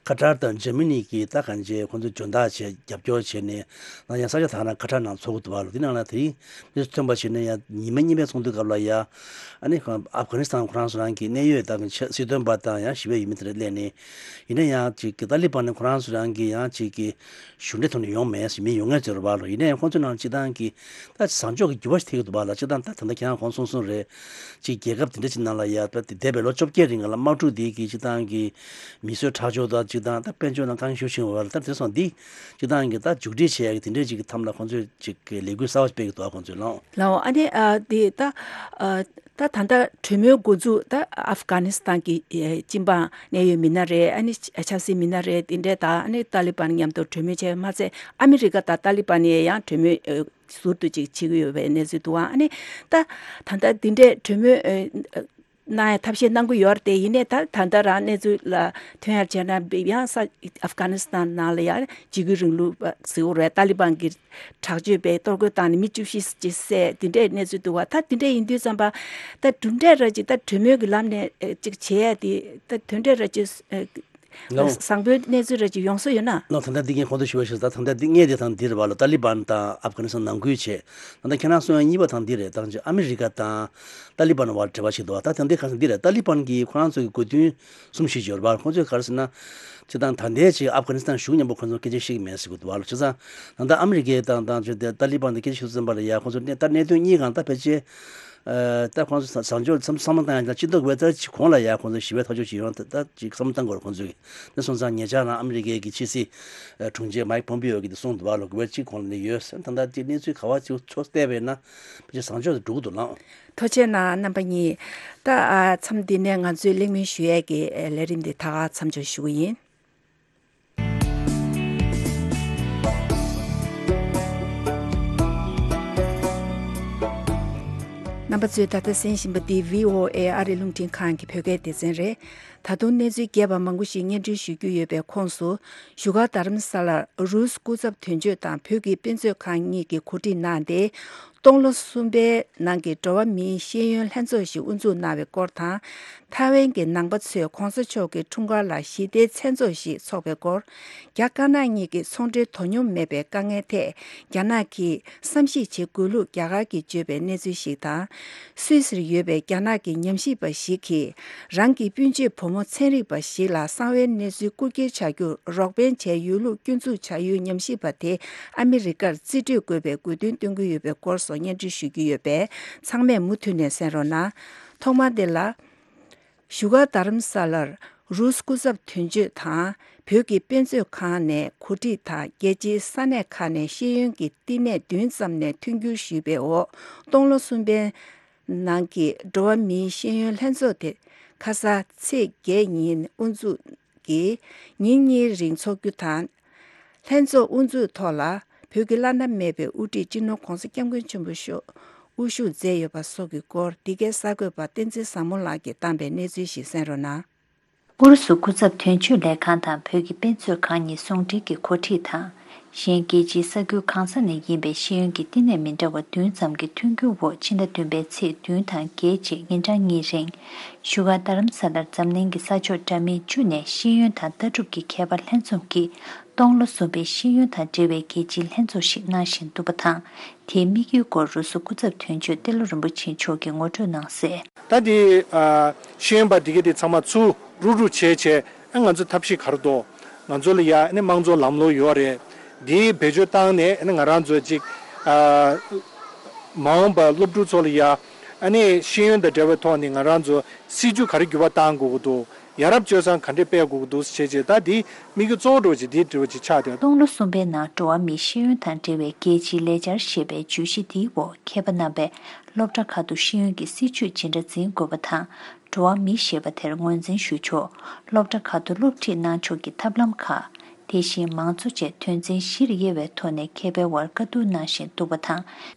ཁ་ཏར་དང་འཇར་མ་ནི་གིས་ད་གང་བྱས་ཁོང་ཚོ་འཇོན་ཐང་བྱས་རྒྱབ་སྐྱོར་བྱས་ནས་ད་ཡང་ས་ཆ་དག་ན་ཁ་ཏར་ནང་ཚོགས་ཀྱི་འདུག་བ་ལོ། འདི་ནང་ལ་དེ་རིང་གནས་ཚུལ་ཐོན་པ་བྱས་ནས་ཡང་ཉི་མ་གཉིས་པའི་ཚོགས་འདུའི་སྐབས་ལ་ཡ་ཨ་ནི་ཁོང་ཨབ་གྷ་ནི་སི་ཐན་ཁོ་རང་ཚོ་རང་གི་གནད་ཡོད་ད་གང་བྱས་སྲིད་དོན་པ་དང་ཡང་ཞི་བའི་ཡུལ་མི་དེ་འདྲ་སླེབས་ནས་ཡིན་ན་ཡང་ཅིག་གི་ཏཱ་ལི་བན་ནི་ཁོ་རང་ཚོ་རང་གི་ཡང་ཅིག་གི་གཞུང་འབྲེལ་ཐོག་ནས་ཡོང་མེད་ཟེར་མི་ཡོང་ངེས་ཟེར་བ་ལོ། ཡིན་ན་ཡང་ཁོང་ཚོའི་ནང་སྤྱི་བཏང་གི་ད་བཟང་ཕྱོགས་ཀྱི་འགྱུར་བ་ཞིག་ཐེབས་ཀྱི་འདུག་བ་ལ། སྤྱི་བཏང་ད་ད་ལྟ་ཁྱེད་རང་གོང་གསུངས་གསུངས་རེད། ཅིག་རྒྱལ་ཁབ་དེ་འདྲ་ཅིག་ནང་ལ་ཡ་ད་འདས་པའི་ལོ་བཅོ་བརྒྱད་རིང་ལ་དམག་འཁྲུག་འདི་གི་སྤྱི་བཏང་གི་མི་གསོད་ཁྲག་སྦྱོར་དང་སྤྱི་བཏང་ད་དཔལ་འབྱོར་ནང་དཀའ་ངལ་ཞེ་པོ་བྱུང་བ་ལ། ད་དེ་སོང་འདི་སྤྱི་བཏང་གི་ད་མཇུག་སྒྲིལ་བྱེད་ཡ་གི་དེ་འདྲ་ཅིག་གི་ཐབས་ལ་ཁོང་ཚོས་ཅིག་གི་ལས་འགུལ་གསར་བ་སྤེལ་གྱི་འདུག་བ་ཁོང་ཚོས་ལོ། ལའོ། ཨ་ནི་ཨ་དེ་ད་ཨ་ད་ད་ལྟ་གྲོས་མོལ་འགོ་འཛུགས་ད་ཨབ་གྷ་ནི་སི་ཐན་གྱི་ཨེ་སྤྱི་འབངས་གནད་ཡོད་མི་སྣ་རེད། ཨ་ནི་ཆབ་སྲིད་མི་སྣ་རེད། དེ་འདྲས་དང་ཨ་ནི་ཏཱ་ལི་བན་མཉམ་དུ་གྲོས་མོལ་བྱས་མ་ཚད་ཨ་མི་རི་ཀ་དང་ཏཱ་ལི་བན་ཡས་ཡང་གྲོས་མོལ་ཨེ་ཟུར་དུ་ཅིག་བྱེད་ཀྱི་ཡོད་པའི་གནས་ཚུལ་འདུག་ཨ། ཨ་ནི་ད་ད་ལྟ་འདི་འདྲས་གྲོས་མོལ་ཨེ་གནང་ཡ་ཐབས་ཤེས་གནང་གི་ཡོད་རེད་དེ། ཡིན་ནའི་ད་ད་ལྟ་རང་གནས་ཚུལ་ལ་ཐོན་ཡར་བྱས་ན་ཡང་ས་ཨབ་གྷ་ནི་སི་ཐན་ནང་ལ་ཡང་འཇིགས་སྐུལ་རིང་ལུགས་ཟེར་བ་རེད། ཏཱ་ལི་བན་གྱི་དྲག་སྤྱོད་པས་གཏོར་རྒོལ་བཏང་ནས་མི་བཅུ་བཞི་ཅིག་བསད་དེ་འདྲའི་གནས་ཚུལ་འདུག་བ། ད་དེ་འདྲ་ཡིན་དུས་ཙམ་པ་ད་གྲུབ་འབྲས་ར་ཅིག་ད་གྲོས་མོལ་གྱི་ལམ་ནས་ཨེ་ཅིག་བྱེད་ཡ་དེ་ད་དོན་འབྲས་ར་ཅིག་ཨེ་ལོ། བཟང་པོའི་གནས་ཚུལ་ར་ཅིག་ཡོང་ས་ཡོད་ན། ལོ། ད་ལྟ་འདི་ངས་གོང་དུ་ཞུ་བ་ཞིག་ད་ད་ལྟ་འདི་ངས་དེ་དང་འདི་རེད་བ་ལོ། ཏཱ་ལི་བན་དང་ཨབ་གྷ་ནི་སི་ཐན་ནང་ཁུལ་བྱས། ད་ལྟ་ཁྱེད་རང་གསུང་ཡ་གཉིས་པ་དང་འདི་རེད། ད་ཅིག་ཨ་མི་རི་ཀ་དང་ཏཱ་ལི་བན་བར་འབྲེལ་བ་ཞིག་འདུག་བ། ད་དེ་འདི་ག་ས་འདི་རེད། ཏཱ་ལི་བན་གྱིས་ཁོ་རང་ཚོ་གི་དགོས་འདུན་གསུམ་བཞི་ཡོད་རེད་བ། ཁོང་ཚོས་ག་རེ་ཟེར་ན། སྤྱིར་བཏང་ད་ལྟའི་ཅིག་ཨབ་གྷ་ནི་སི་ཐན་གཞུང་མཉམ་པོ་ཁོང་ཚོ་སྐད་ཆ་བཤད་ཀྱི་མེད་ཟེར་གྱི་འདུག་བ་ལ། བྱས་ཙང་ད་ལྟ་ཨ་མི་རི་ཀའི་དང་དང་ཅིག་ཏཱ་ལི་བན་དང་སྐད་ཆ་ཞུ་ཙམ་པ་ལ་ཡ་ཁོང་ཚོ་གནད་ད་གནད་དོན་གཉིས་སྒང་ད་ཕལ་ཆེར་ཨ་ད་ཁོང་ཚོ་བཟང་ཕྱོགས་བསམ་བསམ་བློ་བཏང་ཡ་ཅིག་འདུག་བས། ད་ཅིག་གོང་ལ་ཡ་ཁོང་ཚོ་ཞི་བའི་ཐག་གཅོད་ཅིག་ཡོང་ད་ད་ཅིག་བསམ་བློ་བཏང་དགོས་རེད་ཁོང་ཚོས་ཀྱི། དེ་སོང་ཙང་ཉེ་ཆར་རང་ཨ་མི་རི་ཀའི་གི་ཕྱི་སྲིད་དྲུང་ཆེ་མའིག་པོམ་པིའོ་གིས་དེ་གསུངས་འདུག་བ་ལ། དགོས་པ་ཅིག་གོང་ལ་ནས་ཡོད་ཟེར། ད་ད་ཅིག་གནས་ཚུལ་ག་བ་ཅིག་ཕྱོགས་བལྟས་པས་ན་ཕལ་ཆེར་བཟང་ཕྱོགས་སུ་འགྲོ་གི་འདུག་ལགས། ཐུགས་རྗེ་གནང་རྣམ་པ་གཉིས། ད་ཨ་མཚམས་འདི་ནས་ང་ཚོའི་གླེང་མོལ་ཞུ་ཡས་ཀྱི་ཨེ་ལས་རིམ་འདི་ད་ག་མཚམས་འཇོག་ཞུ་གི་ཡིན། རྣམ་པ་ཚོས་ད་ལྟ་གསན་བཞིན་པ་འདི་བྷི་ཨོ་ཨེ་ཨ་རི་རླུང་འཕྲིན་ཁང་གི་བོད་སྐད་སྡེ་ཚན་རེད། ད་དུང་གནས་ཚུལ་རྒྱས་པ་མང་པོ་ཞིག་སྙན་སྒྲོན་ཞུ་རྒྱུ་ཡོད་པའི་ཁོངས་སུ། བཞུགས་སྒར་རྡ་རམ་ས་ལར་རུས་སྐུ་ཚབ་དོན་གཅོད་དང་བོད་ཀྱི་དཔེ་མཛོད་ཁང་གཉིས་ཀྱིས་གོ་སྒྲིག་གནང་སྟེ། སྟོང་ལོ་གསུམ་པའི་ནང་གི་འགྲོ་བ་མིའི་ཤེས་ཡོན་ལྷན་ཚོགས་ཤིག་དབུ་འཛུགས་གནང་བའི་སྐོར་དང་། ཐའེ་ཝན་གྱི་ནང་པ་ཚོས་༧གོང་ས་མཆོག་གི་འཁྲུངས་སྐར་ལ་ཞི་བདེའི་མཚན་ཚོགས་ཤིག་འཚོགས་པའི་སྐོར། རྒྱ་དཀར་ནག་གཉིས་ཀྱི་ཚོང་འབྲེལ་དོ་སྙོམས་མེད་པའི་དཀའ་ངལ་ཐད་རྒྱ་ནག་གིས་བསམ་གཞིག་བྱེད་དགོས་ལུགས་རྒྱ་གར་གྱིས་བརྗོད་པའི་གནས་ཚུལ་ཞིག་དང་། སུད་སིར་ཡོད་པའི་རྒྱ་ནག་གི་ཉམས་ཞིབ་པ་ཞིག་གིས་རང་གི་སྤུན་མཆེད་བུ་མོ་ཚན་རིག་པ་ཞིག་ལ་གསང་བའི་གནས་ཚུལ་རྐུ་འཁྱེར་བྱ་རྒྱུར་རོགས་ཕན་བྱས་ཡོད་ལུགས་སྐྱོན་འཛུགས་བྱ་ཡུལ་ཉམས་ཞིབ་པ་དེ་ཨ་མི་རི་ཀར་རྩིས་སྤྲོད་དགོས་པའི་དགོས་འདུན་བཏོན་གྱི་ཡོད་པའི་སྐོར་སོགས་སྙན་སྒྲོན་ཞུ་རྒྱུ་ཡོད་པས་ཚང་མས་མུ་མཐུད་ནས་གསན་རོགས་གནང་། ཐོག་མར་འདི་ལ། བཞུགས་སྒར་རྡ་རམ་ས་ལར་རུས་སྐུ་ཚབ་དོན་གཅོད་དང་བོད་ཀྱི་དཔེ་མཛོད་ཁང་ནས་གོ་སྒྲིག་དང་རྒྱལ་སྤྱིའི་ས་གནས་ཁག་ནས་ཤེས་ཡོན་གྱི་བསྟི་གནས་བདུན་ཙམ་ནས་མཐུན་འགྱུར་ཞུས་པའི་འོག་སྟོང་ལོ་གསུམ་པའི་ནང་གི་འགྲོ་བ་མིའི་ཤེས་ཡོན་ལྷན་ཚོགས་དེ་ཁ་ས་ཚེས་བརྒྱད་ཉིན་དབུ་འཛུགས་ཀྱིས་ཉིན་གཉིས་རིང་འཚོགས་རྒྱུ་དང་། ལྷན་ཚོགས་དབུ་འཛུགས་ཐོག་ལ་བོད་ཀྱི་བླ་ན་མེད་པའི་དབུ་ཁྲིད་སྤྱི་ནོར་༧གོང་ས་༧སྐྱབས་མགོན་ཆེན་པོ་མཆོག་དབུ་བཞུགས་མཛད་ཡོད་པ་སོགས་ཀྱི་སྐོར་འདི་གའི་གསར་འགོད་པ་བསྟན་འཛིན་བཟང་མོ་ལགས་ཀྱིས་བཏང་པའི་གནས་ཚུལ་ཞིག་གསན་རོགས་གནང་། ཨུ་རུ་སུ་སྐུ་ཚབ་དོན་གཅོད་ལས་ཁང་དང་བོད་ཀྱི་དཔེ་མཛོད་ཁང་གཉིས་ཟུང་འབྲེལ་གྱིས་གོ་སྒྲིག་དང་། གཞན་རྒྱལ་སྤྱིའི་ས་ཁུལ་གང་ས་ནས་ཡིན་པའི་ཤེས་ཡོན་གྱི་བསྟི་གནས་མི་འདྲ་བ་བདུན་ཙམ་གྱི་མཐུན་འགྱུར་འོག་ཕྱི་ཟླ་བདུན་པའི་ཚེས་བདུན་དང་བརྒྱད་བཅས་ཉིན་གྲངས་གཉིས་རིང་། བཞུགས་སྒར་རྡ་རམ་ས་ལར་འཛམ་གླིང་གི་ས་ཕྱོགས་འདྲ་མིན་བཅུ་ནས་ཤེས་ཡོན་དང་ལྟ་གྲུབ་ཀྱི་མཁས་པ་ལྷན་འཛོམས་ཀྱིས། སྟོང་ལོ་གསུམ་པའི་ཤེས་ཡོན་དང་འབྲེལ་བའི་རྒྱལ་སྤྱིའི་ལྷན་ཚོགས་ཤིག་གནང་བཞིན་འདུག་པ་དང་། དེའི་དམིགས་ཡུལ་སྐོར་རུ་སུ་སྐུ་ཚབ་དོན་གཅོད་ཏེ་ལོ་རིན་པོ་ཆེ་མཆོག་གིས་ངོ་སྤྲོད་གནང་གསལ། ད་དེ་ཨ་ཤེས་ཡོན་པ་འདི་ག་དེ་ཚང་མ་ཚུར་རུག་རུག་བྱས་བྱས་ཨ་ང་ཚོ་ཐབས་ཤེས་ག་རེ་འདུག་ང་ཚོ་ལ་ཡ་ཨ་ནི་དམངས་གཙོ་ལམ་ལུགས་ཡོད་རེད། འདི་བེད་སྤྱོད་བཏང་ནས་ཨ་ནི་ང་རང་ཚོ་ཅིག་ཨ་མ་འོངས་པ་སློབ་ཕྲུག་ཚོ་ལ་ཡ་ཨ་ནི་ཤེས་ཡོན་དང་འབྲེལ་བའི་ཐོག་ནས་ང་རང་ཚོ་སྲིད་ཇུས་ག་རེ་འགྱུར་བ་གཏང་དགོས་ཀྱི་འདུག་ཡ་རབས་སྤྱོད་བཟང་ག་འདྲས་སྤེལ་དགོས་ཀྱི་འདུག་ཟེར་བྱས་བྱས་ད་འདི་དམིགས་ཡུལ་གཙོ་བོ་འདྲ་བོ་ཅིག་འདིའི་འདྲ་བོ་ཅིག་ཆགས་བསྡད། སྟོང་ལོ་གསུམ་པའི་ནང་འགྲོ་བ་མིའི་ཤེས་ཡོན་དང་འབྲེལ་བའི་རྒྱལ་སྤྱིའི་ལས་འཆར་ཞེས་པའི་བརྗོད་གཞི་འདིའི་འོག་མཁས་པ་རྣམ་པས་སློབ་གྲྭ་ཁག་ཏུ་ཤེས་ཡོན་གྱི་སྲིད་ཇུས་ཇི་འདྲ་འཛིན་དགོས་པ་དང་། འགྲོ་བ་མི་ཞེས་པ་དེར་ངོས་འཛིན་ཞུ་ཕྱོགས། སློབ་གྲྭ་ཁག་ཏུ་སློབ་ཁྲིད་གནང་ཕྱོགས་ཀྱི་ཐབས་ལམ་ཁག་དེ་བཞིན་མང་གཙོ་བཅས་དོན་ཚན་བཞིར་དབྱེ་བའི་ཐོག་ནས་མཁས་པའི་དབར་བཀའ་བསྡུར་གནང་བཞིན་འདུག་པ་དང་།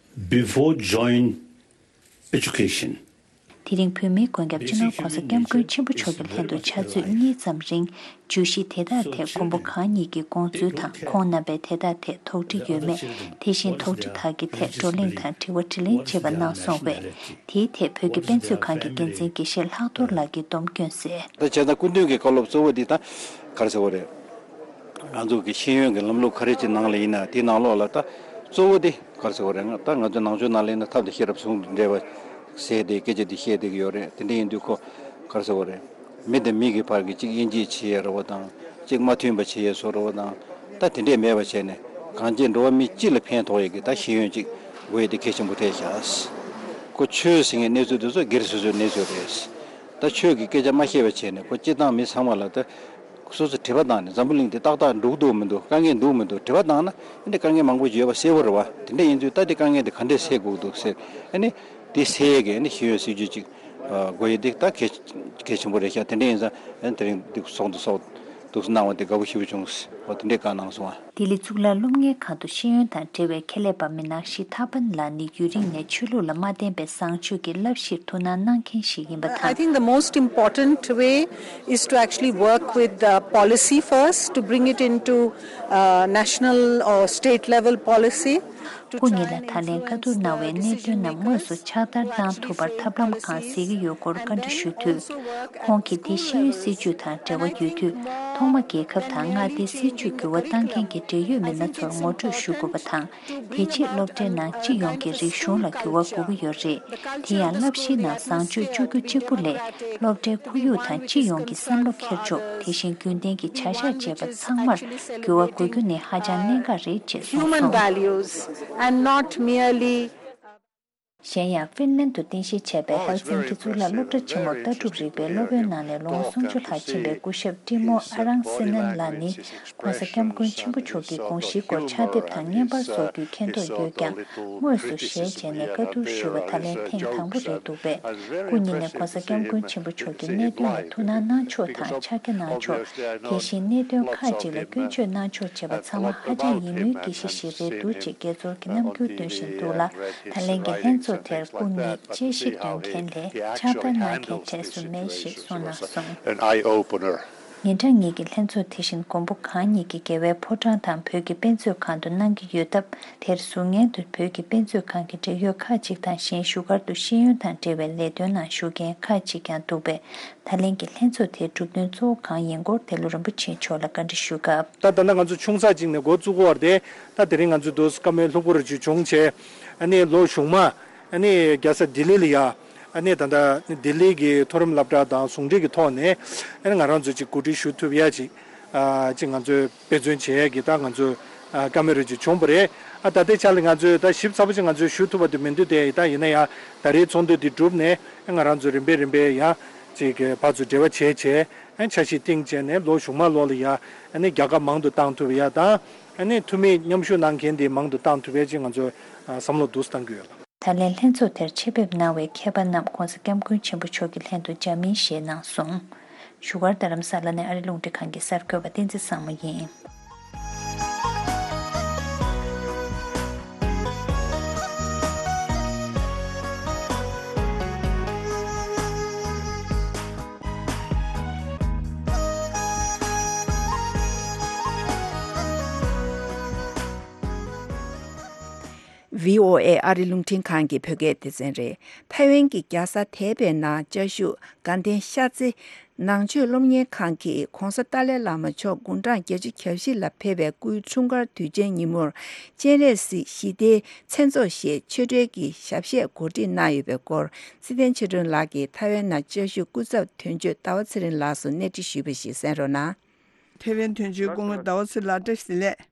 Before joint education. དེ་རིང་བོད་མིའི་མགོན་སྐྱབས་སྤྱི་ནོར་༧གོང་ས་༧སྐྱབས་མགོན་ཆེན་པོ་མཆོག་གི་ལྷན་དུ་ཕྱག་ཚོད་གཉིས་ཙམ་རིང་བརྗོད་གཞི་དེ་དག་ཐད་མགོན་པོ་གང་ཉིད་ཀྱི་དགོངས་ཚུལ་དང་ཁོང་རྣམ་པས་དེ་དག་ཐད་དོགས་འདྲི་ཡོད་མེད། དེ་བཞིན་དོགས་འདྲི་དག་གི་ཐད་བགྲོ་གླེང་དང་དྲི་བ་དྲིས་ལན་བྱེད་པ་གནང་སོང་བས། དེའི་ཐད་བོད་ཀྱི་དཔེ་མཛོད་ཁང་གི་འགན་འཛིན་དགེ་བཤེས་ལྷག་རྡོར་ལགས་ཀྱིས་སྡོམ་བསྐྱོན་གསལ། ད་བྱས་ཙང་སྐུ་མདུན་གྱི་བཀའ་སློབ་གཙོ་བོ་འདི་ད་ག་རེ་ཟེར་བ་རེད། ང་ཚོ་གི་ཤེས་ཡོན་གྱི་ལམ་ལུགས་ག་རེ་ཅིག་ནང་ལ་ཡིན་ན་དེའི་ནང་ལོགས་ལ་ད་གཙོ་བོ་དེ་ག་རེ་ཟེར་བ་རེད། ང་ད་ང་ཚོ་ནང་ཆོས་ནང་ལ་ཡིན་ན་ཐབས་དང་ཤེས་རབ་ཟུང་དུ་འབྲེལ་བ་ཟེར་དེ་སྐད་ཆ་དེ་བཤད་བསྡད་ཀྱི་ཡོད་རེད། དེ་འདྲ་ཡིན་དུས་ཁོ་ག་རེ་ཟེར་བ་རེད། མི་དང་མི་གི་བར་གྱི་གཅིག་དབྱེ་འབྱེད་བྱེད་ཡས་རེད་བ་དང་གཅིག་མ་མཐུན་པ་བྱེད་ཡས་བཟོ་རེད་བ་དང་ད་དེ་འདྲས་མེད་པ་བྱས་ནས་གང་ཅི་འགྲོ་བ་མི་སྤྱི་ལ་ཕན་ཐོགས་ཡས་ཀྱི་ད་ཤེས་ཡོན་ཅིག་དགོས་ཡས་དེ་གལ་ཆེན་པོ་ཐལ་ཤག་ཁོ་ཆོས་ཟེར་མཁན་གནས་ཚུལ་དེ་ཚོ་སྒེར་སོ་སོའི་གནས་ཚུལ་རེད། ད་ཆོས་ཀྱི་སྐད་ཆ་མ་བཤད་པ་བྱས་ནས་ཁོ་སྤྱི་བཏང་མི་ཚང་མ་ལ་ད། སོ་སོ་དྲི་བ་བཏང་ནས་འཛམ་བུ་གླིང་འདི་ཏག་ཏག་འགྲོ་གི་འདུག་མི་འདུག་དཀའ་ངལ་འདུག་མི་འདུག་དྲི་བ་བཏང་ན་ཨ་ནི་དཀའ་ངལ་མང་པོ་ཡོད་པ་གསལ་པོ་རེད་བ། དེ་འདྲ་ཡིན་དུས་ད་འདི་དཀའ་ངལ་འདི་ག་འདྲས་སེལ་དགོས་ཀྱི་འདུག་ཟེར་ཨ་ནི་འདི་སེལ་ཡས་ཀྱི་ཨ་ནི་ཤེས་ཡོན་སྲིད་ཇུས་ཅིག་དགོས་ཡས་འདི་ད་གལ་གལ་ཆེན་པོ་རེད་ཤག་དེ་འདྲ་ཡིན་ཙང་ཨ་ནི་དེ་རིང་འདི་ཚོགས་འདུ་ཚོགས་འདུག་གནང་བ་འདི་དགའ་པོ་ཞེ་པོ་བྱུང་། འོ་དེ་འདྲས་བཀའ་གནང་སོང་ཨ། ལྡི་ལི་གཙུག་ལག་སློབ་གཉེར་ཁང་དུ་ཤེས་ཡོན་དང་འབྲེལ་བའི་ཁྱད་ལས་པ་མི་ནག་ཤི་ཐ་པན་ལགས་ནི་ཡུན་རིང་ནས་ཆོས་ལུགས་ལ་མ་བརྟེན་པའི་བཟང་སྤྱོད་ཀྱི་བསླབ་གཞིར་ཐུགས་སྣང་གནང་མཁན་ཞིག་ཡིན་པ་དང་། I think the most important way is to actually work with the policy first to bring it into uh, national or state level policy. སྐུ་ཉིད་ལ་ད་ལན་བཀའ་བསྡུར་གནང་བའི་གནད་དོན་རྣམས་དངོས་སུ་ཕྱག་བསྟར་གནང་ཐུབ་པར་ཐབས་ལམ་གང་གཟིགས་ཀྱི་ཡོད་སྐོར་བཀའ་འདྲི་ཞུས་དུས། ཁོང་གིས་དེ་ཤེས་ཡོན་སྲིད་ཇུས་དང་འབྲེལ་བ་ཡོད་དུས། ཐོག་མ་རྒྱལ་ཁབ་དང་མངའ་སྡེའི་སྲིད་ཇུས་འགྱུར་བ་གཏང་མཁན་གྱི་འབྲེལ་ཡོད་མི་སྣ་ཚོར་ངོ་སྤྲོད་ཞུ་དགོས་པ་དང་། དེ་རྗེས་སློབ་གྲྭའི་ནང་སྤྱི་ཡོངས་ཀྱི་རིག་གཞུང་ལ་འགྱུར་བ་དགོས་ཀྱི་ཡོད་རེད། དེ་ཡང་བསླབ་གཞིའི་ནང་བཟང་སྤྱོད་བཅུག་རྒྱུ་གཅིག་པུ་ལས། སློབ་གྲྭའི་ཁོར་ཡུག་དང་སྤྱི་ཡོངས་ཀྱི་བསམ་བློ་འཁྱེར་ཕྱོགས་དེ་བཞིན་རྒྱུན་ལྡན་གྱི་བྱ་གཞག་བཅས་པ་ཚང་མར་འགྱུར་བ་དགོས་རྒྱུ་ནི་ཧ་ཅང་གནད་འགག་རེད་ཅེས་གསུངས་སོང་། Human values and not merely གཞན་ཡང་ཧྥིན་ལན་དུ་རྟེན་གཞི་བྱས་པའི་ཧེལ་སིན་ཀི་གཙུག་ལག་སློབ་གྲྭ་ཆེན་མོར་ལྟ་གྲུབ་རིག་པའི་སློབ་དཔོན་གནང་ནས་ལོ་ངོ་སུམ་ཅུ་ལྷག་ཕྱིན་པའི་སྐུ་ཞབས་ཏི་མོ་ཨ་རང་སི་ནན་ལགས་ནི། ྋགོང་ས་ྋསྐྱབས་མགོན་ཆེན་པོ་མཆོག་གི་དགོངས་གཞིའི་སྐོར་ཕྱག་དེབ་དང་བརྙན་པར་སོགས་ཀྱི་མཁྱེན་རྟོགས་ཡོད་ཀྱང་། དངོས་སུ་ཞལ་མཇལ་ནས་བཀའ་བསྡུར་ཞུས་པ་ད་ལན་ཐེངས་དང་པོ་རེད་འདུག་པས། སྐུ་ཉིད་ནས་ྋགོང་ས་ྋསྐྱབས་མགོན་ཆེན་པོ་མཆོག་གི་གནད་དོན་ལ་ཐུགས་སྣང་གནང་ཕྱོགས་དང་ཕྱག་རྒྱ་གནང་ཕྱོགས། དེ་བཞིན་གནད་དོན་ཁག་ཅིག་ལ་སྐྱོན་བརྗོད་གནང་ཕྱོགས་བཅས་པ་ཚང་མ་ཧ་ཅང་ཡིད་སྨོན་སྐྱེ་གཞི་ཞིག་རེད་འདུག་ཅེས་དགྱེས་ཚོར་གྱི་རྣམ་འགྱུར་སྟོན་བཞིན་འདུག་ལ། ད་ལན་གྱི་ལྷན་ཚོགས། དེར་སྐུ་ཉིད་དཔྱད་ཞིབ་འདོན་མཁན་ལས་ཕྱག་བསྟར་གནང་མཁན་གྲས་སུ་མེད་ཞེས་གསུངས་གནང་སོང་། ཉིན་གྲངས་གཉིས་ཀྱི་ལྷན་ཚོགས་དེ་བཞིན་མགོན་པོ་གང་ཉིད་ཀྱི་རྒྱལ་བའི་ཕོ་བྲང་དང་བོད་ཀྱི་དཔེ་མཛོད་ཁང་དུ་གནང་གི་ཡོད་སྟབས། དེར་ཟུར་ཉན་དུ་བོད་ཀྱི་དཔེ་མཛོད་ཁང་གི་འབྲེལ་ཡོད་ཁག་ཅིག་དང་། གཞན་བཞུགས་སྒར་དུ་ཤེས་ཡོན་དང་འབྲེལ་བའི་ལས་དོན་ནང་ཞུགས་མཁན་ཁག་ཅིག་ཀྱང་འདུག་པས། ད་ལན་གྱི་ལྷན་ཚོགས་དེའི་གྲུབ་དོན་གཙོ་བོ་གང་ཡིན་སྐོར་དེ་ལུ་རིན་པོ་ཆེ་མཆོག་ལ་བཀའ་འདྲི་ཞུས་སྐབས། ད་ད་ལྟ་ང་ཚོ་ཆུང་ཙག་ཅིག་ནས་འགོ་བཙུགས་པ་རེད་དེ། ད་དེ་རིང་ང་ཚོ་འདུག་བཀའ་མོལ་ལྷུག་པོ་རེ་ཅིག་བྱུང་བྱས། ཨ་ནི་ལོ་གཞུག་མ་ཨ་ནི་རྒྱལ་ས་ལྡི་ལི་ལ་ཡ། ཨ་ནི་ད་ལྟ་ལྡི་ལི་གི་མཐོ་རིམ་སློབ་གྲྭ་དང་ཟུང་འབྲེལ་གྱི་ཐོག་ནས་ཨ་ནི་ང་རང་ཚོ་ཅིག་གོ་སྒྲིག་ཞུ་ཐུབ་ཡ་ཅིག་ཨ་ཅིག་ང་ཚོས་དཔེ་མཚོན་བྱེད་ཡ་གི་ད་ང་ཚོས་ཨ་བཀའ་མོལ་རེ་ཅིག་བྱུང་བ་རེད། ཨ་ད་ལྟའི་ཆ་ལ་ང་ཚོས་ད་ཞིབ་ཚགས་པོ་ཅིག་ང་ཚོས་ཞུ་ཐུབ་པ་དེ་མི་འདུག་སྟེ། ད་ཡིན་ན་ཡང་ད་རེས་ཚོགས་འདུ་འདི་གྲུབ་ནས་ང་རང་ཚོ་རིམ་པས་རིམ་པས་ཡ་ཅིག་ཕར་ཚུར་འབྲེལ་བ་བྱས་བྱས། ཨ་འཆར་གཞི་བཏིང་བྱས་ནས་ལོ་གཞུག་མ་ལོ་ལ་ཡ་ཨ་ནི་རྒྱལ་ཁ་མང་དུ་བཏང་ཐུབ་ཡ་དང་། ཨ་ནི་འཐུས་མི་མཉམ་ཞུགས་གནང་མཁན་དེ་མང་དུ་བཏང་ཐུབ་ཡ་ཅིག་ང་ཚོས་ཨ་བསམ་བློ་འདུག་སེ་བཏང་གི་ཡོད་ལགས། ད་ལན་ལྷན་ཚོགས་དེར་ཆེད་ཕེབས་གནང་བའི་མཁས་པ་རྣམས་༸གོང་ས་༸སྐྱབས་མགོན་ཆེན་པོ་མཆོག་གི་ལྷན་དུ་འཇགས་མིན་ཞེས་གནང་སོང་། བཞུགས་སྒར་རྡ་རམ་ས་ལ་ནས་ཨ་རི་རླུང་འཕྲིན་ཁང་གི་གསར་འགོད་པ་བསྟན་འཛིན་བཟང་མོ་ཡིན། བྷི་ཨོ་ཨེ་ཨ་རི་རླུང་འཕྲིན་ཁང་གི་བོད་སྐད་སྡེ་ཚན་རེད། ཐའེ་ཝན་གྱི་རྒྱལ་ས་དེ་པེ་ནང་བཅའ་བཞུགས་དགའ་ལྡན་ཤར་རྩེ་ནང་ཆོས་སློབ་གཉེར་ཁང་གིས་༸གོང་ས་ཏཱ་ལའི་བླ་མ་མཆོག་དགུང་གྲངས་བརྒྱད་ཅུ་གྱ་བཞི་ལ་ཕེབས་པའི་སྐུའི་འཁྲུངས་སྐར་དུས་ཆེན་ཉིན་མོར་སྤྱན་རས་གཟིགས་ཞི་བདེའི་མཚན་ཚོགས་ཞེས་ཆོས་འབྲེལ་གྱི་ཞབས་གཞས་གོ་སྒྲིག་གནང་ཡོད་པའི་སྐོར། ཚེ་བརྟན་ཆོས་སྒྲོན་ལགས་ཀྱིས་ཐའེ་ཝན་ནང་བཅའ་བཞུགས་སྐུ་ཚབ་དོན་གཅོད་ཟླ་བ་ཚེ་རིང་ལགས་སུ་གནས་འདྲི་ཞུས་པ་ཞིག་གསན་རོགས་གནང་། ཐའེ་ཝན་དོན་གཅོད་སྐུ་ངོ་ཟླ་བ་ཚེ་ལགས་བཀྲ་ཤིས་བདེ་ལེགས།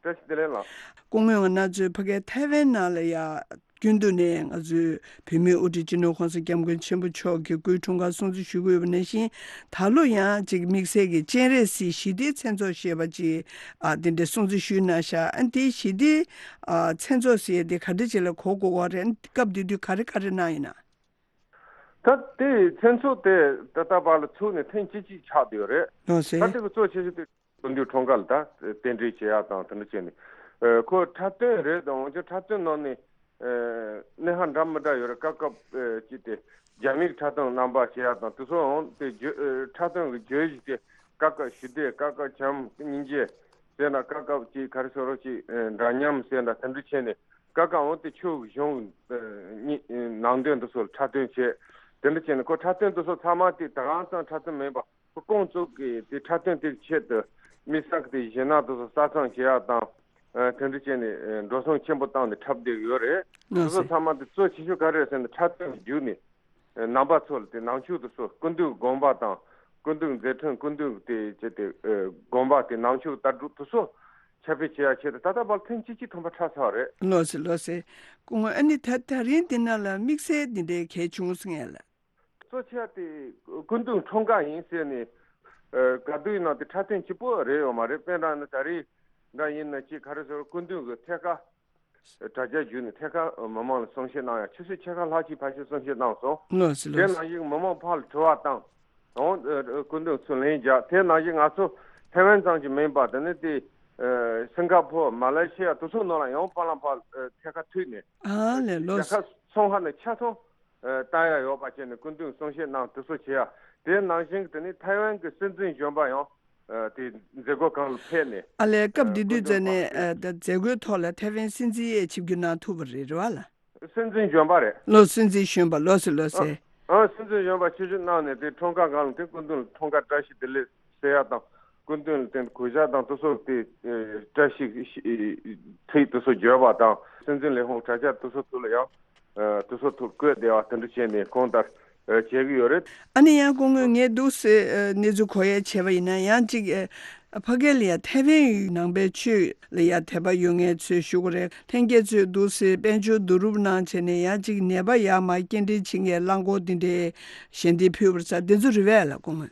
བཀྲ་ཤིས་བདེ་ལེགས་ལགས། སྐུ་ངོ་ང་རང་ཚོའི་ཕ་གིའི་ཐའེ་ཝན་ནང་ལ་ཡ་རྒྱུན་དུ་ནས་ང་ཚོའི་བོད་མིའི་དབུ་ཁྲིད་སྤྱི་ནོར་༸གོང་ས་༸སྐྱབས་མགོན་ཆེན་པོ་མཆོག་གི་སྐུའི་འཁྲུངས་སྐར་སྲུང་བརྩི་ཞུ་གི་ཡོད་པ་ནང་བཞིན། ད་ལོ་ཡང་ཅིག་དམིགས་བསལ་གྱི་སྤྱན་རས་གཟིགས་ཞི་བདེའི་མཚན་ཚོགས་ཞེས་པ་ཅིག་ཨ་དེ་འདྲའི་སྲུང་བརྩི་ཞུས་གནང་ཤག་ཨ་དེའི་ཞི་བདེའི་ཨ་མཚན་ཚོགས་ཟེར་དེ་ག་འདྲ་ཅིག་ལ་གོ་དགོས་པ་རེད། སྐབས་དེ་དུས་ག་རེ་ག་རེ་གནང་ཡིན་ན། ད་དེའི་མཚན་ཚོགས་དེ་ད་ལྟ་བར་ལ་ཚུགས་ནས་ཐེངས་གཅིག་གཅིག་ཆགས་བསྡད་ཡོད་རེད། ལགས་སེ། ད་དེ་གི་གཙོ་ཆེ་ཤོས་དེ་སྐུ་མདུན་འཁྲུངས་སྐར་ལ་ད་རྟེན་འབྲེལ་བྱེད་ཡག་དང་དེ་འདྲ་བྱས་ནས། ཨ་ཁོ་འཁྲབ་སྟོན་རེད་དང་། འོན་ཀྱང་འཁྲབ་སྟོན་ནང་ནས་ཨ་སྣེ་ཧ་འདྲ་མི་འདྲ་ཡོད་རེད། སྐབས་སྐབས་ཨ་ཅིག་དེ་རྒྱ་མིའི་འཁྲབ་སྟོན་རྣམ་པ་བྱེད་ཡག་དང་དེ་ཚོའང་དེ་བརྗོད་ཨ་འཁྲབ་སྟོན་གྱི་བརྗོད་གཞི་དེ་སྐབས་སྐབས་ཞི་བདེ། སྐབས་སྐབས་བྱམས་སྙིང་རྗེ་ཟེར་ན། སྐབས་སྐབས་ཅིག་ག་རེ་ཟེར་རོགས་ཅིག་ཨ་འདྲ་མཉམ་ཟེར་ན། དེ་འདྲ་བྱས་ནས་སྐབས་སྐབས་འོང་དེ་ཆོས་གཞུང་ཨ་གཉིས་ཨ་ནང་དོན་དེ་ཚོ་ལ་འཁྲབ་སྟོན་བྱས། དེ་འདྲ་བྱས་ནས་ཁོ་འཁྲབ་སྟོན་དེ་ཚོ་ཚང་མ་དེ་ད་གང་ཙམ་འཁྲབ་སྟོན་མིན་པ། ཁོ་ཁོང་ཚོ་གིས་དེ་འཁྲབ་སྟོན་དེ་གི་ཆེད་དུ་དམིགས་བསལ་གྱི་དེ་གཞས་སྣ་དེ་ཚོ་གསར་རྩོམ་བྱེད་ཡག་དང་། ཨ་དེ་འདྲ་བྱས་ནས་ཨ་འགྲོ་སོང་ཆེན་པོ་བཏང་ནས་འཁྲབ་བསྡད་ཡོད་རེད། དེ་ལགས་ཚོ་སེ། ཚང་མ་དེ་གཙོ་ཆེ་ཤོས་ག་རེ་རེད་ཟེར་ན། འཁྲབ་སྟོན་བརྒྱུད་ནས་ཨ་རྣམ་པ་ཚོ་ལ་དེ་ནང་ཆོས་དེ་ཚོ། སྐུ་མདུན་དགོངས་པ་དང་། སྐུ་མདུན་མཛད་འཕྲིན། སྐུ་མདུན་དེ་ཅེས་དེ་ཨ་དགོངས་པ་དེ། ནང་ཆོས་ལྟ་གྲུབ་དེ་ཚོ་ཁྱབ་སྤེལ་བྱེད་ཡག་ཆེད་དུ་ད་ལྟ་བར་ཐེངས་གཅིག་གཅིག་ཐམ་པ་འཁྲབ་ཚར་བ་རེད། ལགས་སེ། ལགས་སེ། སྐུ་ངོ་ཨ་ནི་ད་ད་རིང་འདི་ནང་ལ་དམིགས་བསལ་འདི་འདྲའི་གལ་བྱུང་སོང་ངས་ལ། གཙོ་ཆེ་བ་དེ་སྐུ་མདུན་འཁྲུངས་སྐར་ཡིན་ཟེར་ནས། ཨ་ག་དུས་ཡིན་ན་དེ་འཁྲབ་སྟོན་གཅིག་པོ་རེད་ཡོད་མ་རེད། དཔེར་ན་ད་རེས་འདྲ་ཡིན་ན་ཅིག་ག་རེ་ཟེར། སྐུ་མདུན་གྱི་ཐད་ཀར་དྲ་རྒྱ་བརྒྱུད་ནས་ཐད་ཀར་མི་མང་ལ་གསུང་བཤད་གནང་ཡག་ཆུ་ཚོད་ཕྱེད་ཀ་ལྷག་ཅིག་ཕལ་ཆེར་གསུང་བཤད་གནང་སོང་། ལགས་སེ། དེ་ལགས་སེ། ནང་བཞིན་མི་མང་ཕར་ལ་དྲི་བ་བཏང་། འོང་ཨ་སྐུ་མདུན་ཚུར་ལན་རྒྱག་དེ་ནང་བཞིན་ང་ཚོ་ཐའེ་ཝན་ཙམ་གྱི་མིན་པ། དེ་ནས་དེ་ཨ་སིང་ག་ཕོར། མ་ལེ་ཤི་ཡ་དེ་ཚོ་ནང་ལ་ཡང་ཕར་ལ་ཕར་ཨ་ཐད་ཀར་མཐུད་ནས། ཨ་ལས། ལགས་རྒྱལ་ཁབ་སོ་སོ་ནས་ཆ་ཚང་ཨ་བཏང་ཡག་ཡོད་པ་བྱས་ནས་སྐུ་མདུན་གསུང་བཤད་གནང་། དེ་ཚོ་བྱེད་ཡག་དེ་ནང་བཞིན་དེ་ནས་ཐའེ་ཝན་གྱི་སྲིད་འཛིན་གཞོན་པ་ཡང་ཨ་དེ་མཛད་སྒོ་སྒང་ལ་ཕེབས་ནས། ཨ་ལས། སྐབས་དེ་དུས་ཙམ་ནས་ཨ་ད་མཛད་སྒོའི་ཐོག་ལ་ཐའེ་ཝན་སྲིད་འཛིན་ཡས་ཆིབས་བསྒྱུར་གནང་ཐུབ་པ་རེད། རེད་བ་ལ། སྲིད་འཛིན་གཞོན་པ་རེད། ལགས། སྲིད་འཛིན་གཞོན་པ། ལགས་སེ། ལགས་སེ། ཨ་སྲིད་འཛིན་གཞོན་པ་ཆིབས་བསྒྱུར་གནང་ནས་དེ་འཁྲུངས་སྐར་སྒང་ལ་དེ་སྐུ་མདུན་ལ་འཁྲུངས་སྐར་བཀྲ་ཤིས་བདེ་ལེགས་ཟེར་ཡག་དང་། སྐུ་མདུན་ལ་དེ་གུས་ཞབས་དང་དེ་ཚོ་དེ་ཨ་བཀྲ་ཤིས་ཚིག་དེ་ཚོ་བརྗོད་པ་དང་། སྲིད་འཛིན་ལས་ཁུངས་དྲ་རྒྱ་དེ་ཚོ་ཚུར་ལ་ཡང་ཨ་དེ་ཚོ་ཐོག་བཀོད་བསྡད་པ་དེ་འདྲ་བྱས་ནས་གང་ལྟར་ཨ་བྱེད་ཀྱི་ཡོད་རེད། ཨ་ནི་ཡང་སྐུ་ངོ་ངས་འདུག་སེ་ཨ་གནས་ཚུལ་གོ་ཡ་བྱས་པ་ཡིན་ན། ཡང་ཅིག་ཨ་ཕ་གི་ལ་ཡ་ཐའེ་ཝན་ནང་པའི་ཆོས་ལ་ཡ་དད་པ་ཡོད་མཁན་ཚོས་ཞུ་གི་རེད། ལྷན་རྒྱས་ཚོས་འདུག་སེ་དཔལ་འབྱོར་བསྡུ་རུབ་གནང་བྱས་ནས་ཡང་ཅིག་ནད་པ་ཡར་མར་སྐྱེལ་འདྲེན་བྱེད་མཁན་རླངས་འཁོར་འདི་འདྲའི་ཞལ་འདེབས་ཕུལ་བ་རེད་ཟེར། འདི་ཚོ་རེད་པས་ལགས་སྐུ་ངོ།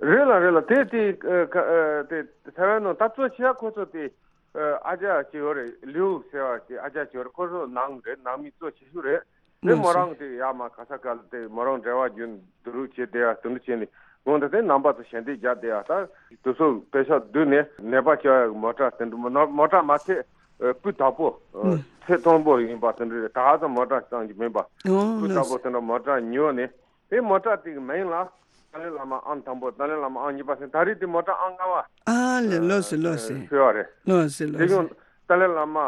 རེད་ལགས། རེད་ལགས། དེ་དེ་ཨ་ཁ་ཨ་དེ་ཐའེ་ཝན་ནང་ད་གཙོ་ཆེ་བ་ཁོ་ཚོ་དེ་ཨ་ཨ་ཅག་ཅིག་ཡོད་རེད། ལིའུ་ཟེར་བ་དེ་ཨ་ཅག་ཅིག་ཡོད་རེད། ཁོ་ཚོ་ནང་རེད། ནང་མི་གཙོ་ཆེ་ཤོས་རེད། དེ་ལགས་མོ་སེ། རང་དེ་ཡར་མར་ག་ས་ག་ལ་དེ་མོ་རང་འབྲེལ་བ་རྒྱུན་བསྡུ་རུབ་བྱས་བསྡད་ཡག་དེ་འདྲ་བྱས་ནས། འོང་དེ་དེ་རྣམ་པ་ཚོ་ཞལ་འདེབས་རྒྱག་བསྡད་ཡག་ད་དེ་ཚོ་པེ་ཤག་བསྡུས་ནས་ནད་པ་སྐྱེལ་ཡག་གི་མོ་ཊ་དེ་འདྲ། མོ་མོ་ཊ་མ་ཚད་ཨ་སྤུས་དག་པོ་ཨ་ལགས། ཐད་གཏོང་པོ་ཡིན་པ་དེ་འདྲ་རེད། ད་ཧ་ཙམ་མོ་ཊ་གཙང་གི་མིན་པ། ཨོ་ཁོ་ལྟ་བུ་དེ་འདྲ་མོ་ཊ་ཉོས་ནས་དེ་མོ་ཊ་དེ་གི་མིང་ལ་ཏཱ་ལའི་བླ་མ་ཨང་དང་པོ། ཏཱ་ལའི་བླ་མ་ཨང་གཉིས་པ་ཟེར། ད་རེས་དེ་མོ་ཊ་ཨང་ལྔ་པ། ཨ་ལས། ལགས་སོ་ལགས་སོ། ཕུལ་བ་རེད། ལགས་སོ་ལགས་སོ། དེ་ཡང་ཏཱ་ལའི་བླ་མ་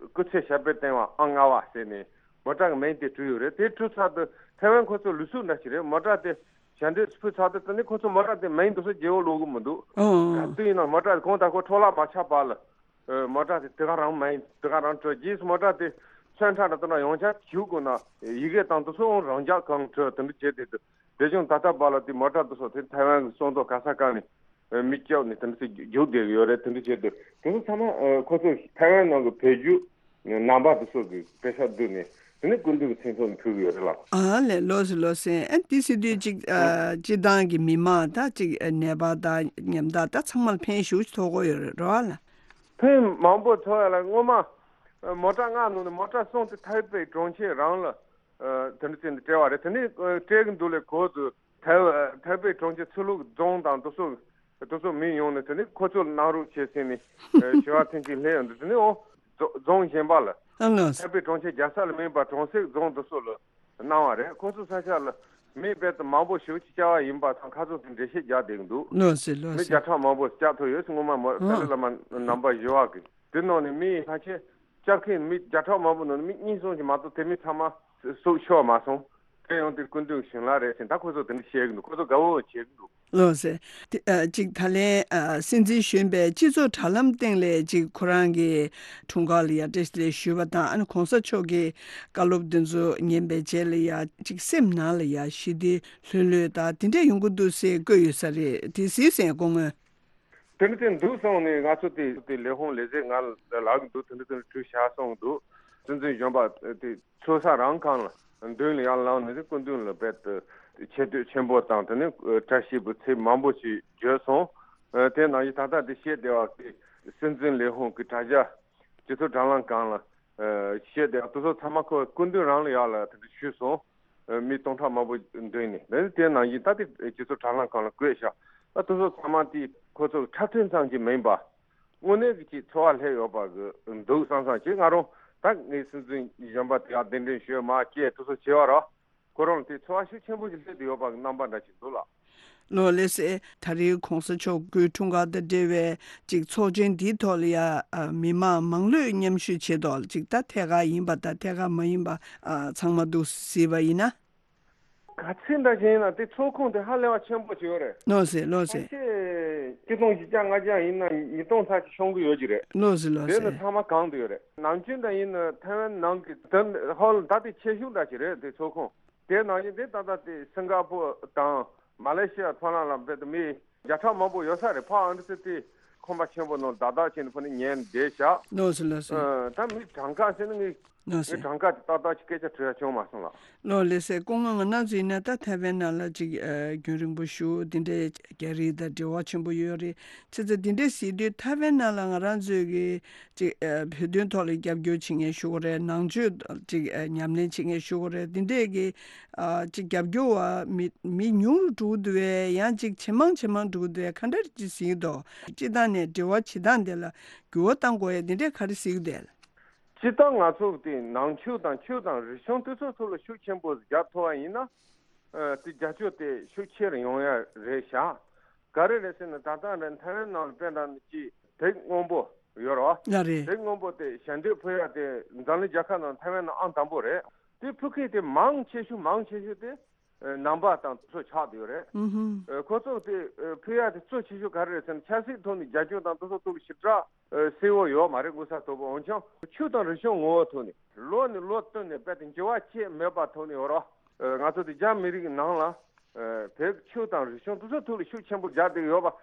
སྐུ་ཚེ་ཞབས་པད་བརྟན་པ་ཨང་ལྔ་པ་ཟེར་ནས་མོ་ཊ་གི་མིང་དེ་བྲིས་ཡོད་རེད། དེ་བྲིས་ཚར་དུས་ཐའེ་ཝན་ཁོ་ཚོ་ལུགས་སྲོལ་འདྲ་ཞིག་རེད། མོ་ཊ་དེ་ཞལ་འདེབས་ཕུལ་ཚར་དུས་དེ་ནས་ཁོ་ཚོ་མོ་ཊ་དེ་མིང་དེ་ཚོ་བརྗེ་པོ་ལོག་གི་མི་འདུག་ཨོ། ག་དུས་ཡིན་ན་མོ་ཊ་དེ་གང་ལྟར་ཁོ་འཕྲོ་བརླག་མ་ཆགས་བར་ལ། ཨ། མོ་ཊ་དེ་དེ་ག་རང་མིན། དེ་ག་རང་བྲོས། རྗེས་སུ་མོ་ཊ་དེ་ཚོན་ཁྲ་འདྲ་དེ་འདྲ་ཡོངས་ཁྱབ་བྱུག་དགོས་ན་ཡི་གེ་དང་དེ་ཚོ་རང་འཇགས་གང་བྲོས་དེ་འདྲ་བྱས་ཏེ། དེ་བྱུང་ད་ལྟ་བར་ལ་དེ་མོ་ཊ་དེ་ཚོ་དེ་ཐའེ་ཝན་གྱི་སོང་ཐོག་ག་ས་ག་ནས་མི་སྐྱོབ་ནས་དེ་འདྲ་ཚོ་རྒྱུག་བསྡད་ཡོད་རེད། དེ་འདྲ་བྱས་ཏེ་དེ་ཚོ་ཚང་མ་ཨ་ཁོ་ཚོ་ཐའེ་ཝན་ནང་གི་བོད་བརྒྱུད་རྣམ་པ་དེ་ཚོ་གི་པེ་ས་བསྡུས་ནས་དེ་ནས་སྐུ་མདུན་གྱི་མཚན་ཐོག་ནས་ཕུལ་གི་ཡོད་རེད་ལགས། ཨ་ལས། ལགས་སོ་ལགས་སོ། ཨ་དེ་ཟེར་དུས་ཅིག་ཨ་སྤྱི་བཏང་གི་མི་མང་ད་ཅིག་ཨ་ནད་པ་དང་ཉམ་ཐག་ད་ཚང་མ་ལ་ཕན་ཞེ་པོ་ཅིག་ཐོགས་ཀྱི་ཡོད་རེད་རེད་བ་ལགས། ཕན་མང་པོ་ཐོགས་ཡ་ལ་སྔོན་མ་ཨ་མོ་ཊ་ལྔ་ནང་ནས་མོ་ཊ་གསུམ་དེ་ཐའེ་པེ་གྲོང་ཁྱེར་རང་ལ་ཨ་དེ་འདྲ་བྱས་ནས་སྤྲད་པ་རེད། དེ་ནས་ཨ་སྤྲད་གི་འདུག་ལས་གོ་དུས་ཐའེ་ཐའེ་པེ་གྲོང་ཁྱེར་ཆོས་ལུགས་རྫོང་དང་དེ་ཚོ་དེ་ཚོ་མི་ཡོང་ནས་དེ་ནས་ཁོ་ཚོ་ལ་གནང་རོགས་བྱས་ཟེར་ནས་ཨ་ཞུ་བ་ཐེངས་གཅིག་སླེབས་ཡོང་དུས་དེ་ནས་ཨོ་རྫོ་རྫོང་གཞན་པ་ལ། ཨ་ལགས། ཐའེ་པེ་གྲོང་ཁྱེར་རྒྱལ་ས་ལ་མིན་པ་གྲོང་གསེབ་རྫོང་དེ་ཚོ་ལ་གནང་བ་རེད། ཁོ་ཚོ་ས་ཆ་ལ་མི་རྦད་དེ་མང་པོ་ཞེ་པོ་ཅིག་བསྐྱབས་པ་ཡིན་པ་དང་ཁ་སང་དེ་འགྲེལ་བཤད་རྒྱག་བསྡད་ཀྱི་འདུག་ལགས་སོ་ལགས་སོ། མི་བརྒྱ་ཕྲག་མང་པོ་བསྐྱབས་ཐུབ་ཡོད་ཟེར། སྔོན་མ་མོ་ཨ་ཏཱ་ལའི་བླ་མ་རྣམ་པ་བཞི་པ་གིས། དེ་ནང་ནས་མི་ཕལ་ཆེར་བསྐྱབས་མཁན་མི་བརྒྱ་ཕྲག་མང་པོ་ནང་ནས་མི་གཉིས་གསུམ་ཞིག་མ་གཏོགས་དེ་མི་ཚང་མ་སྲོག་ཤོར་མ་སོང་། དེ་ཡང་དེ་སྐུ་མདུན་གྱི་བྱིན་རླབས་རེད་ཟེར། ད་ཁོ་ཚོ་དེ་འདྲ་བཤད་ཀྱི་འདུག་ཁོ་ཚོ་དགའ་བོ་བྱེད་ཀྱི་འདུག་ལགས་སོ། དེ་ཨ་གཅིག་ད་ལན་ཨ་སྲིད་འཛིན་གཞོན་པས་སྤྱི་ཚོགས་དྲ་ལམ་སྟེང་ལས་གཅིག་ཁོ་རང་གི་འཁྲུངས་སྐར་ལ་ཡ་བཀྲ་ཤིས་བདེ་ལེགས་ཞུས་པ་དང་། ཨ་ནི་གོང་ས་མཆོག་གི་བཀའ་སློབ་དེ་ཚོ་ཉན་པའི་རྗེས་ལ་ཡ་གཅིག་སེམས་ནང་ལ་ཡ་ཞི་བདེ་ལྷོད་ལྷོད་དང་དེ་འདྲས་ཡོང་གི་འདུག་ཟེར་བཀོད་ཡོད་ས་རེད། དེ་གཟིགས་ཟིན་སྐུ་ངོ། དེ་འདྲ་དེ་འདུག་སོང་ནས་ང་ཚོ་དེ་དེ་ལས་ཁུངས་ལས་བྱེད་ང་ལ་ལབ་ཀྱི་འདུག་དེ་འདྲ་དེ་འདྲ་བྲིས་བཞག་སོང་གི་འདུག་སྲིད་འཛིན་གཞོན་པ་དེ་ཚོགས་ས་རང་ཁང་ལ་མདུན་ལ་ཡར་ལངས་ནས་སྐུ་མདུན་ལ་རྦད་དེ་ཆེ་བསྟོད་ཆེན་པོ་དང་དེ་ནས་བཀྲ་ཤིས་པའི་ཚིག་མང་པོ་ཞིག་བརྗོད་སོང་། དེ་ནང་བཞིན་ད་ལྟ་དེ་བཤད་བསྡད་པ་དེ་སྲིད་འཛིན་ལས་ཁུངས་ཀྱི་དྲ་རྒྱ་སྤྱི་ཚོགས་དྲ་ལམ་སྒང་ལ་བཤད་བསྡད་པ་དེ་ཚོ་ཚང་མ་ཁོ་སྐུ་མདུན་རང་ལ་ཡར་ལ་དེ་འདྲ་ཞུས་སོང་། མི་སྟོང་ཕྲག་མང་པོ་མདུན་ནས། དེ་དེ་ནང་བཞིན་ད་དེ་སྤྱི་ཚོགས་དྲ་ལམ་སྒང་ལ་བཀོད་བཞག་ད་དེ་ཚོ་ཚང་མ་དེ་ཁོ་ཚོ་འཁྲབ་སྟོན་ཙམ་གྱིས་མིན་པ། དངོས་གནས་ཀྱི་ཅིག་ཚོར་བ་སླེབས་ཡོད་པ་གི་འདུག་བསམ་བསམ་བྱས། ང་རང་ད་ངའི་སྲིད་འཛིན་གཞོན་པ་དེ་ཡར་གདན་འདྲེན་ཞུས་མ་སྐད་དེ་ཚོ་བྱས་པ་ར། ཁོ་རང་ལ་དེ་ཚོར་བ་ཤུགས་ཆེན་པོ་ཞིག་སླེབས་བསྡད་ཡོད་པ་གི་རྣམ་པ་འདྲ་ཞིག་འདུག་ལགས། ལགས་ལགས་སེ། ད་རེས་གོང་ས་མཆོག་སྐུའི་འཁྲུངས་སྐར་དང་འབྲེལ་བའི་ཅིག་ཚོགས་ཆེན་འདིའི་ཐོག་ལ་ཡ་ཨ་མི་མང་མང་ལོས་མཉམ་ཞུགས་བྱེད་དོ་ཅིག་ད་ཐད་ཀར་ཡིན་པ་དང་ཐད་ཀར་མ་ཡིན་པ་ཨ་ཚང་མ་འདུག་གཟིགས་པ་ཡིན་ན། ག་ཚོད་འདྲ་ཞིག་ཡིན་ན་དེ་ཚོགས་ཁང་དེ་ཧ་ལས་པ་ཆེན་པོ་ཞིག་ཡོད་རེད། ལགས་སེ་ལགས་སེ། ཕལ་ཆེར་ཆིག་སྟོང་བཞི་བརྒྱ་ལྔ་བརྒྱ་ཡིན་ན་ཉིས་སྟོང་ཚར་ཅིག་ཤོང་གི་ཡོད་ཀྱི་རེད། ལགས་སེ་ལགས་དེ་སེ། ནི་ཚང་མ་གང་དུ་ཡོད་རེད། ནམ་རྒྱུན་འདྲ་ཡིན་ན་ཐའེ་ཝན་ནང་གི་དེ་ཧོལ་ད་དེ་ཆེ་ཤོས་འདྲ་ཞིག་རེད་དེ་ཚོགས་ཁང་། དེ་ནང་བཞིན་དེ་ད་ལྟ་དེ་སིང་ག་པུར་དང་མ་ལེ་ཤི་ཡ་ཕོ་ལང་ལ་རྦད་དེ་མི་བརྒྱ་ཕྲག་མང་པོ་ཡོད་ས་རེད། ཕ་ཨ་འདྲ་ཚོ་དེ་ཁང་པ་ཆེན་པོ་ནང་བདག་བདག་བྱས་ནས་ཕ་ནས་ཉལ་བསྡད་བཞག་ལགས་སོ་ལགས་སོ། ཨ་ད་མི་གྲངས་ཀ་བྱས་ན་ངས་ལགས་ངས་སོ། གྲངས་ཀ་དེ་ཏག་ཏག་ཅིག་སྐད་ཆ་དྲི་ཡ་བྱུང་མ་སོང་ལགས། ལགས་ལགས་སེ། སྐུ་ངོ་ང་རང་ཚོ་ཡིན་ན་ད་ཐའེ་ཝན་ནང་ལ་ཅིག་ཨ་རྒྱུན་རིང་པོ་བཞུགས། དེ་འདྲའི་རྒྱ་རིགས་དང་འབྲེལ་བ་ཆེན་པོ་ཡོད་རེད། བྱས་ཙང་དེ་འདྲའི་ཟེར་དུས་ཐའེ་ཝན་ནང་ལ་ང་རང་ཚོས་ཀྱི་ཅིག་ཨ་བོད་དོན་ཐོག་ལ་རྒྱབ་སྐྱོར་བྱེད་མཁན་ཞུ་དགོས་རེད། ནང་ཆོས་ཅིག་ཨ་ཉམས་ལེན་བྱེད་མཁན་ཞུ་དགོས་རེད། དེ་འདྲས་ཀྱི་ཨ་ཅིག་རྒྱབ་སྐྱོར་བ་མི་མི་ཉུང་རུ་འགྲོ་གི་འདུག་བས། ཡང་ཅིག་ཇེ་མང་ཇེ་མང་འགྲོ་གི་འདུག་བས། ག་འདྲ་ཅིག་ཟེར་གྱི་འདུག་སྤྱིར་བཏང་ནས་འབྲེལ་བ་བྱེད་སྟངས་དེ་ལ་འགྱུར་བ་གཏང་དགོས་ཡ་དེ་འདྲས་ག་རེ་ཟེར་གྱི་འདུག་སྤྱིར་བཏང་ང་ཚོ་དེ་ནང་ཆོས་དང་ཆོས་དང་རིག་གཞུང་དེ་ཚོ་ཐོག་ལ་ཤུགས་ཆེན་པོ་རྒྱག་ཐུབ་པ་ཡིན་ན། ཨ་དེ་རྒྱབ་སྐྱོར་དེ་ཤུགས་ཆེ་རུ་ཡོང་ཡ་རེད་ཤག་ག་རེ་རེད་ཟེར་ན་ད་ལྟ་རེད་ཐའེ་ཝན་ནང་ལ་དཔེ་འདྲ་ནི་ཅིག་དེབ་སྔོན་པོ་ཡོད་རེད་བ། ལགས་རེད། དེབ་སྔོན་པོ་དེ་ཞལ་འདེབས་ཕུལ་ཡ་དེ་འཛམ་གླིང་རྒྱལ་ཁབ་ནང་ཐའེ་ཝན་ནང་ཨང་དང་པོ་རེད། དེ་ཕུལ་མཁན་དེ་མང་ཆེ་ཤོས་མང་ཆེ་ཤོས་དེ་ཨ་ནང་པ་དང་དེ་ཚོ་ཆགས་བསྡད་ཡོད་རེད། ཨུ་ཧུམ། ཨ་ཁོ་ཚོ་དེ་ཨ་ཕུལ་ཡ་དེ་གཙོ་ཆེ་ཤོས་ག་རེ་རེད་ཟེར་ན་ཆབ་སྲིད་ཐོག་ནས་རྒྱབ་སྐྱོར་དང་དེ་ཚོ་ཐོག་ལ་ཞེ་དྲག་ཨ་གསལ་བོ་ཡོད་མ་རེད། མངོན་གསལ་དོད་པོ། འོན་ཀྱང་ཆོས་དང་རིག་གཞུང་ངོ་བོ་ཐོག་ནས་ལོ་ནས་ལོ་བསྟུད་ནས་རྦད་དེ་འགྱུར་བ་ཆེ་མེད་པ་ཐོག་ནས་ཡོད་རེད། ཨ་ང་ཚོ་དེ་རྒྱ་མི་རིགས་ཀྱི་ནང་ལ་ཨ་བོད་ཀྱི་ཆོས་དང་རིག་གཞུང་དེ་ཚོ་ཐོག་ལ་ཤུགས་ཆེན་པོ་རྒྱག་བསྡད་ཡོད་པ།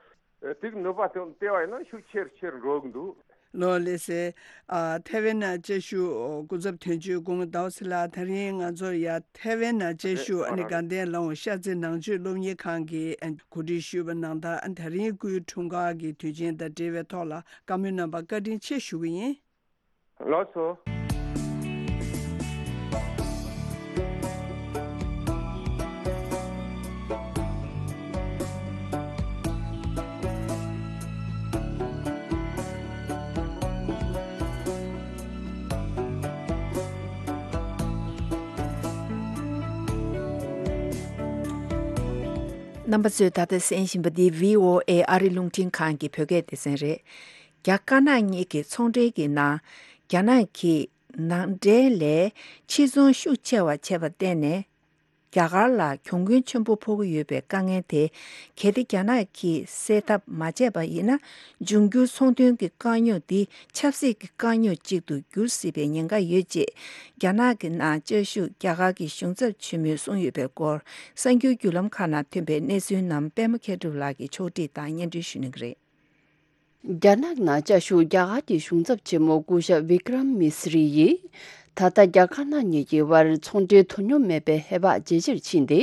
ཨ་དེ་གི་ནུས་པ་དེ་བལྟས་པ་ཡིན་ན་ཤུགས་ཆེ་རུ་ཆེ་རུ་འགྲོ་གི་འདུག་ལགས་ལགས་སེ། ཨ་ཐའེ་ཝན་ནང་བཅའ་བཞུགས་སྐུ་ཚབ་དོན་གཅོད་སྐུ་ངོ་ཟླ་བ་ཚེ་ལགས། ད་རིང་ང་ཚོ་ཡ་ཐའེ་ཝན་ནང་བཅའ་བཞུགས་ཨ་ནི་དགའ་ལྡན་ལགས་ཤར་རྩེ་ནང་ཆོས་སློབ་གཉེར་ཁང་གིས་ཨ་གོ་སྒྲིག་ཞུས་པ་ནང་ལྟར་ཨ་ད་རིང་སྐུའི་འཁྲུངས་སྐར་གྱི་དུས་ཆེན་དང་འབྲེལ་བའི་ཐོག་ལ་བཀའ་མོལ་གནང་བར་བཀའ་དྲིན་ཆེ་ཞུ་གི་ཡིན། ལགས་སོ། རྣམ་པ་ཚོས་ད་ལྟ་གསན་བཞིན་པ་འདི་བྷི་ཨོ་ཨེ་ཨ་རི་རླུང་འཕྲིན་ཁང་གི་བོད་སྐད་སྡེ་ཚན་རེད། རྒྱ་དཀར་ནག་གཉིས་ཀྱི་ཚོང་འབྲེལ་གྱི་ནང་རྒྱ་ནག་གིས་ནང་འདྲེན་ལས་ཕྱིར་ཚོང་ཤུགས་ཆེ་བ་བྱས་པར་བརྟེན་ནས། རྒྱ་གར་ལ་གྱོང་གུན་ཆེན་པོ་ཕོག་གི་ཡོད་པའི་དཀའ་ངལ་དེ། གལ་ཏེ་རྒྱ་ནག་གིས་སེལ་ཐབས་མ་བྱས་པ་ཡིན་ན། འབྱུང་འགྱུར་ཚོང་དོན་གྱི་དཀའ་རྙོག་འདི་ཆབ་སྲིད་ཀྱི་དཀའ་རྙོག་ཅིག་ཏུ་འགྱུར་སྲིད་པའི་ཉེན་ཁ་ཡོད་ཅེས། རྒྱ་ནག་གི་ནང་བཅའ་བཞུགས་རྒྱ་གར་གྱི་གཞུང་ཚབ་ཆེན་མོས་གསུངས་ཡོད་པའི་སྐོར། གསར་འགྱུར་བརྒྱུད་ལམ་ཁག་ནང་ཐོན་པའི་གནས་ཚུལ་རྣམས་པད་མ་མཁས་གྲུབ་ལགས་ཀྱིས་ཕྱོགས་སྒྲིག་དང་སྙན་སྒྲོན་ཞུ་གནང་གི་རེད། རྒྱ་ནག་ནང་བཅའ་བཞུགས་རྒྱ་གར་གྱི་གཞུང་ཚབ་ཆེན་མོ་སྐུ་ཞབས་བི་ཀྲམ་མི་སི་རི་ཡིས། ད་ལྟ་རྒྱ་དཀར་ནག་གཉིས་ཀྱི་དབར་ཚོང་འབྲེལ་དོ་སྙོམས་མེད་པའི་ཧེ་བག་ཇེ་ཆེར་ཕྱིན་ཏེ།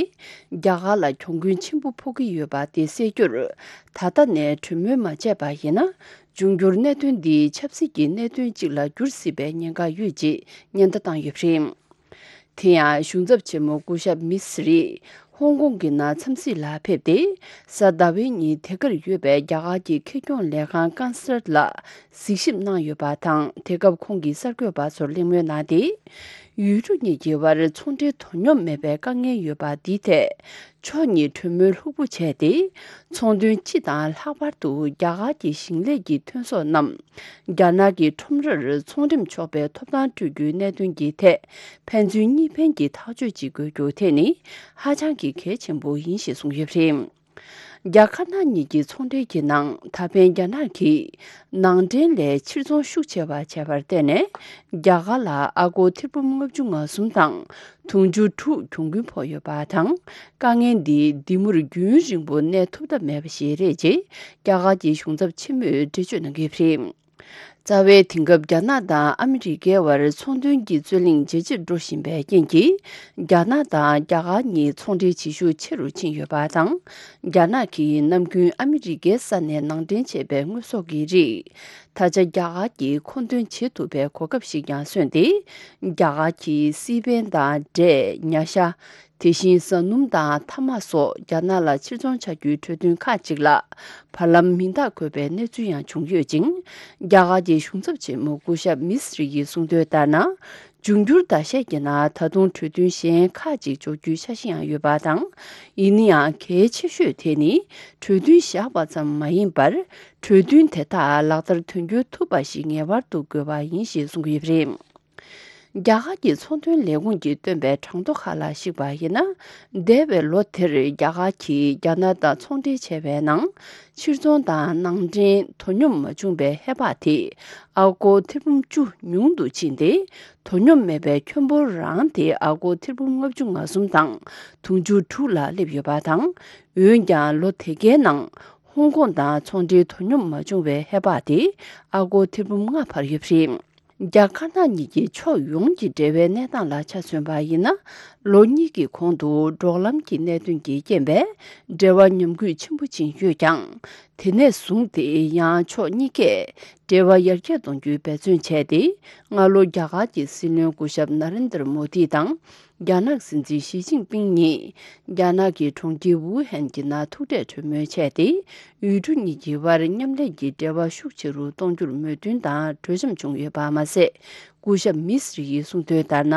རྒྱ་གར་ལ་གྱོང་གུན་ཆེན་པོ་ཕོག་གི་ཡོད་པ་དེ་སེལ་རྒྱུར། ད་ལྟ་ནས་གྲོས་མོལ་མ་བྱས་པ་ཡིན་ན། འབྱུང་འགྱུར་གནད་དོན་འདི་ཆབ་སྲིད་ཀྱི་གནད་དོན་ཅིག་ལ་འགྱུར་སྲིད་པའི་ཉེན་ཁ་ཡོད་ཅེས་ཉེན་བརྡ་བཏང་ཡོད་པ་རེད། དེ་ཡང་གཞུང་ཚབ་ཆེན་མོ་སྐུ་ཞབས་མི་སི་རི། ཧོང་ཀོང་གི་ནང་འཚམས་གཟིགས་ལ་ཕེབས་ཏེ། གཟའ་ཟླ་བའི་ཉིན་དེ་གར་ཡོད་པའི་རྒྱ་གར་གྱི་ཁེ་གྱོང་ལས་ཁང་ཀན་སལ་ལ་གཟིགས་ཞིབ་གནང་ཡོད་པ་དང་། དེ་སྐབས་ཁོང་གིས་གསར་འགོད་པ་ཚོར་གླེང་མོལ་གནང་སྟེ། ཡུལ་གྲུ་གཉིས་ཀྱི་དབར་ཚོང་འབྲེལ་དོ་སྙོམས་མེད་པའི་དཀའ་ངལ་ཡོད་པ་འདིའི་ཐད། ཕྱོགས་གཉིས་གྲོས་མོལ་ལྷུག་པོ་བྱས་ཏེ། ཚོང་དོན་སྤྱི་དང་ལྷག་པར་དུ་རྒྱ་གར་གྱི་ཞིང་ལས་ཀྱི་ཐོན་ཟོག་རྣམས། རྒྱ་ནག་གི་ཁྲོམ་རར་ཚོང་འགྲེམས་ཆོག་པའི་ཐོབ་ཐང་སྤྲོད་རྒྱུའི་གནད་དོན་གྱི་ཐད། ཕན་ཚུན་གཉིས་ཕན་གྱི་ཐག་གཅོད་ཅིག་དགོས་རྒྱུ་དེ་ནི་ཧ་ཅང་གི་གལ་ཆེན་པོ་ཡིན་ཞེས་གསུངས་ཡོད་པ་རེད། རྒྱ་དཀར་ནག་གཉིས་ཀྱི་ཚོང་འབྲེལ་གྱི་ནང་ད་ཕན་རྒྱ་ནག་གིས་ནང་འདྲེན་ལས་ཕྱིར་ཚོང་ཤུགས་ཆེ་བ་བྱས་པར་བརྟེན་ནས། རྒྱ་གར་ལ་ཨ་སྒོར་ཐེར་འབུམ་ལྔ་བཅུ་ང་གསུམ་དང་། དུང་ཕྱུར་དྲུག་གྱོང་གུན་ཕོག་ཡོད་པ་དང་། དཀའ་ངལ་འདི་འདི་མུར་རྒྱུན་རིང་པོ་གནས་ཐུབ་ཐབས་མེད་པ་ཞིག་རེད་ཅེས་རྒྱ་གར་གྱི་གཞུང་ཚབ་ཆེན་མོས་འགྲེལ་བརྗོད་གནང་གི་ཡོད་པ་རེད། རྩ་བའི་དེང་སྐབས་རྒྱ་ནག་དང་ཨ་མི་རི་ཀའི་དབར་ཚོང་དོན་གྱི་རྩོད་གླེང་ཇེ་ཆེར་འགྲོ་བཞིན་པའི་རྐྱེན་གྱིས། རྒྱ་ནག་དང་རྒྱ་གར་གཉིས་ཚོང་འབྲེལ་བྱེད་ཤུགས་ཆེ་རུ་ཕྱིན་ཡོད་པ་དང་། རྒྱ་ནག་གིས་ནམ་རྒྱུན་ཨ་མི་རི་ཀའི་ས་ནས་ནང་འདྲེན་བྱས་པའི་དངོས་ཟོག་གི་རིགས། ད་ཆ་རྒྱ་གར་གྱིས་མཁོ་འདོན་བྱེད་ཐུབ་པའི་གོ་སྐབས་ཤིག་ཀྱང་སོན་ཏེ། རྒྱ་གར་གྱིས་སི་པན་དང་འབྲས། ཉ་ཤ། དེ་བཞིན་བཟའ་སྣུམ་དང་ཐ་མག་སོགས་རྒྱ་ནག་ལ་ཕྱིར་ཚོང་བྱ་རྒྱུའི་གྲོས་མཐུན་ཁག་ཅིག་ལ་བར་ལམ་མིང་རྟགས་འཁོད་པའི་གནས་ཚུལ་ཡང་བྱུང་ཡོད་ཅིང་། རྒྱ་གར་གྱི་གཞུང་ཚབ་ཆེན་མོ་སྐུ་ཞབས་མི་སི་རི་ཡིས་གསུངས་དོན་ལྟར་ན། འབྱུང་འགྱུར་ཟླ་ཤས་ཀྱི་ནང་ད་དུང་གྲོས་མཐུན་གཞན་ཁག་ཅིག་འཇོག་རྒྱུའི་འཆར་གཞི་ཡང་ཡོད་པ་དང་། ཡིན་ན་ཡང་གལ་ཆེ་ཤོས་དེ་ནི་གྲོས་མཐུན་བཞག་པ་ཙམ་མ་ཡིན་པར། གྲོས་མཐུན་དེ་དག་ལག་བསྟར་དོན་འཁྱོལ་ཐུབ་པ་ཞིག་ངེས་པར་དུ་དགོས་པ་ཡིན་ཞེས་གསུངས་ཡོད་པ་རེད། རྒྱ་གར་གྱི་ཚོང་དོན་ལས་ཁུངས་ཀྱིས་བཏོན་པའི་གྲངས་ཐོ་ཁག་ལ་གཞིགས་པ་ཡིན་ན། འདས་པའི་ལོ་དེར་རྒྱ་གར་གྱིས་རྒྱ་ནག་དང་ཚོང་འབྲེལ་བྱས་པའི་ནང་། ཕྱིར་ཚོང་དང་ནང་འདྲེན་དོ་སྙོམས་མ་བྱུང་བའི་ཧེ་བག་དེ་ཨ་སྒོར་ཐེར་འབུམ་བཅུ་ཉུང་དུ་ཕྱིན་ཏེ། དོ་སྙོམས་མེད་པའི་ཁྱོན་འབོར་རང་དེ་ཨ་སྒོར་ཐེར་འབུམ་ལྔ་བཅུ་ང་གསུམ་དང་དུང་ཕྱུར་དྲུག་ལ་སླེབས་ཡོད་པ་དང་། འོན་ཀྱང་ལོ་དེ་གའི་ནང་ཧོང་ཀོང་དང་ཚོང་འབྲེལ་དོ་སྙོམས་མ་བྱུང་བའི་ཧེ་བག་དེ་ཨ་སྒོར་ཐེར་འབུམ་ལྔ་འཕར་ཡོད་པ་རེད། རྒྱ་དཀར་ནག་གཉིས་ཀྱི་ཕྱོགས་ཡོངས་ཀྱི་འབྲེལ་བའི་གནས་སྟངས་ལ་ཆ་མཚོན་པ་ཡིན་ན། ལོ་གཉིས་ཀྱི་གོང་དུ་འབྲོག་ལམ་གྱི་གནད་དོན་གྱི་རྐྱེན་པས་འབྲེལ་བ་ཉམས་རྒུད་ཆེན་པོ་ཕྱིན་ཡོད་ཀྱང་། དེ་ནས་བཟུང་སྟེ་ཡང་ཕྱོགས་གཉིས་ཀས་འབྲེལ་བ་ཡར་རྒྱས་གཏོང་རྒྱུའི་འབད་བརྩོན་བྱས་ཏེ། སྔ་ལོ་རྒྱ་གར་གྱི་སྲིད་བློན་སྐུ་ཞབས་ན་རེན་དར་མོ་དི་དང་། རྒྱ་ནག་སྲིད་འཛིན་ཞི་ཅིན་ཕིང་གཉིས་རྒྱ་ནག་གི་གྲོང་ཁྱེར་ཝུ་ཧན་གྱི་ནང་ཐུག་འཕྲད་གྲོས་མོལ་བྱས་ཏེ། ཡུལ་གྲུ་གཉིས་ཀྱི་དབར་མཉམ་ལས་ཀྱི་འབྲེལ་བ་ཤུགས་ཆེ་རུ་གཏོང་རྒྱུར་མོས་མཐུན་དང་གྲོས་འཆམ་བྱུང་ཡོད་པ་མ་ཟད། སྐུ་ཞབས་མི་སི་རི་ཡིས་གསུངས་དོན་ལྟར་ན།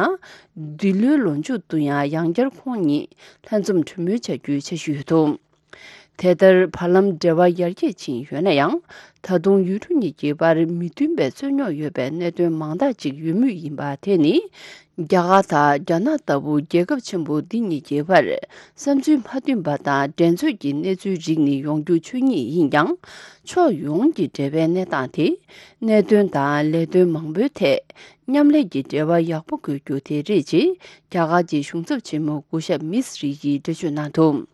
འདི་ལོའི་ལོ་མཇུག་ཏུ་ཡང་ཡང་བསྐྱར་ཁོང་གཉིས་ལྷན་འཛོམས་གྲོས་མོལ་བྱ་རྒྱུའི་འཆར་གཞི་ཡོད་འདུག་དེ་ལྟར་བར་ལམ་འབྲེལ་བ་ཡར་རྒྱས་ཕྱིན་ཡོད་ན་ཡང་། ད་དུང་ཡུལ་གྲུ་གཉིས་ཀྱི་བར་མི་མཐུན་པའི་རྩོད་རྙོག་ཡོད་པའི་གནད་དོན་མང་དག་ཅིག་ཡོད་མུས་ཡིན་པ་དེ་ནི། རྒྱ་གར་དང་རྒྱ་ནག་ལྟ་བུ་རྒྱལ་ཁབ་ཆེན་པོ་འདི་གཉིས་ཀྱི་བར་བསམ་ཚུལ་མ་མཐུན་པ་དང་འགྲན་རྩོད་ཀྱི་གནས་ཚུལ་རིགས་ནི་ཡོང་རྒྱུ་ཆོས་ཉིད་ཡིན་ཀྱང་། ཕྱོགས་ཡོངས་ཀྱི་འབྲེལ་བའི་གནས་སྟངས་དེ། གནད་དོན་དང་ལས་དོན་མང་པོའི་ཐད་མཉམ་ལས་ཀྱི་འབྲེལ་བ་ཡག་པོ་དགོས་རྒྱུ་དེ་རེད་ཅེས་རྒྱ་གར་གྱི་གཞུང་ཚབ་ཆེན་མོ་སྐུ་ཞབས་མི་སི་རི་ཡིས་འགྲེལ་བརྗོད་གནང་འདུག་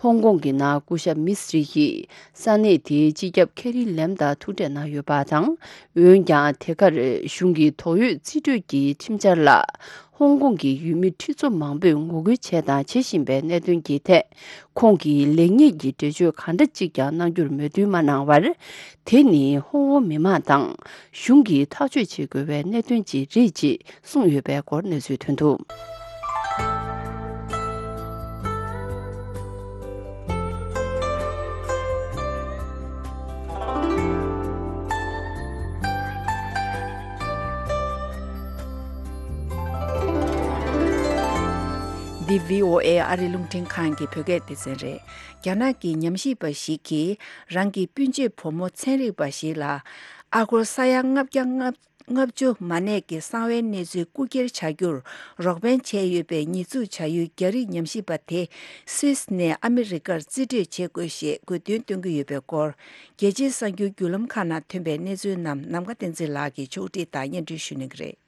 ཧོང་ཀོང་གི་ནང་སྐུ་ཞབས་མི་སི་རི་ཡིས་ས་གནས་དེའི་སྤྱི་ཁྱབ་ཁེ་རི་ལེམ་དང་ཐུག་འཕྲད་གནང་ཡོད་པ་དང་། འོན་ཀྱང་དེ་གར་གཞུང་གི་དོགས་ཡོད་རྩིས་སྤྲོད་ཀྱི་ཁྲིམས་འཆར་ལ་ཧོང་ཀོང་གི་ཡུལ་མི་ཁྲི་ཚོ་མང་པོས་ངོ་རྒོལ་བྱས་དང་བྱེད་བཞིན་པའི་གནད་དོན་གྱི་ཐད། ཁོང་གིས་ལེགས་ཉེས་ཀྱི་འགྲེལ་བརྗོད་གང་འདྲ་གཅིག་ཀྱང་གནང་རྒྱུར་མོས་མཐུན་མ་གནང་བར། དེ་ནི་ཧོང་ཀོང་མི་མང་དང་གཞུང་གིས་ཐག་གཅོད་བྱེད་དགོས་པའི་གནད་དོན་ཅིག་རེད་ཅེས་གསུངས་ཡོད་པའི་སྐོར་གནས་ཚུལ་ཐོན་འདུག་འདི་བྷི་ཨོ་ཨེ་ཨ་རིའི་རླུང་འཕྲིན་ཁང་གི་བོད་སྐད་སྡེ་ཚན་རེད། རྒྱ་ནག་གི་ཉམས་ཞིབ་པ་ཞིག་གིས་རང་གི་སྤུན་མཆེད་བུ་མོ་ཚན་རིག་པ་ཞིག་ལ་ཨ་སྒོར་ས་ཡ་ལྔ་བརྒྱ་ལྔ་ལྔ་བཅུ་མ་གནས་ཀྱི་གསང་བའི་གནས་ཚུལ་རྐུ་འཁྱེར་བྱ་རྒྱུར་རོགས་ཕན་བྱས་ཡོད་པའི་ཉེས་འཛུགས་བྱ་ཡུལ་རྒྱ་རིགས་ཉམས་ཞིབ་པ་དེ་སུད་སི་ནས་ཨ་མི་རི་ཀར་རྩིས་སྤྲོད་བྱེད་དགོས་ཞེས་དགོས་འདུན་བཏོན་གྱི་ཡོད་པའི་སྐོར། རྒྱལ་སྤྱིའི་གསར་འགྱུར་བརྒྱུད་ལམ་ཁག་ནང་ཐོན་པའི་གནས་ཚུལ་རྣམས་ནམ་མཁའ་བསྟན་འཛིན་ལགས་ཀྱིས་ཕྱོགས་སྒྲིག་དང་སྙན་སྒྲོན་ཞུ་གནང་གི་རེད།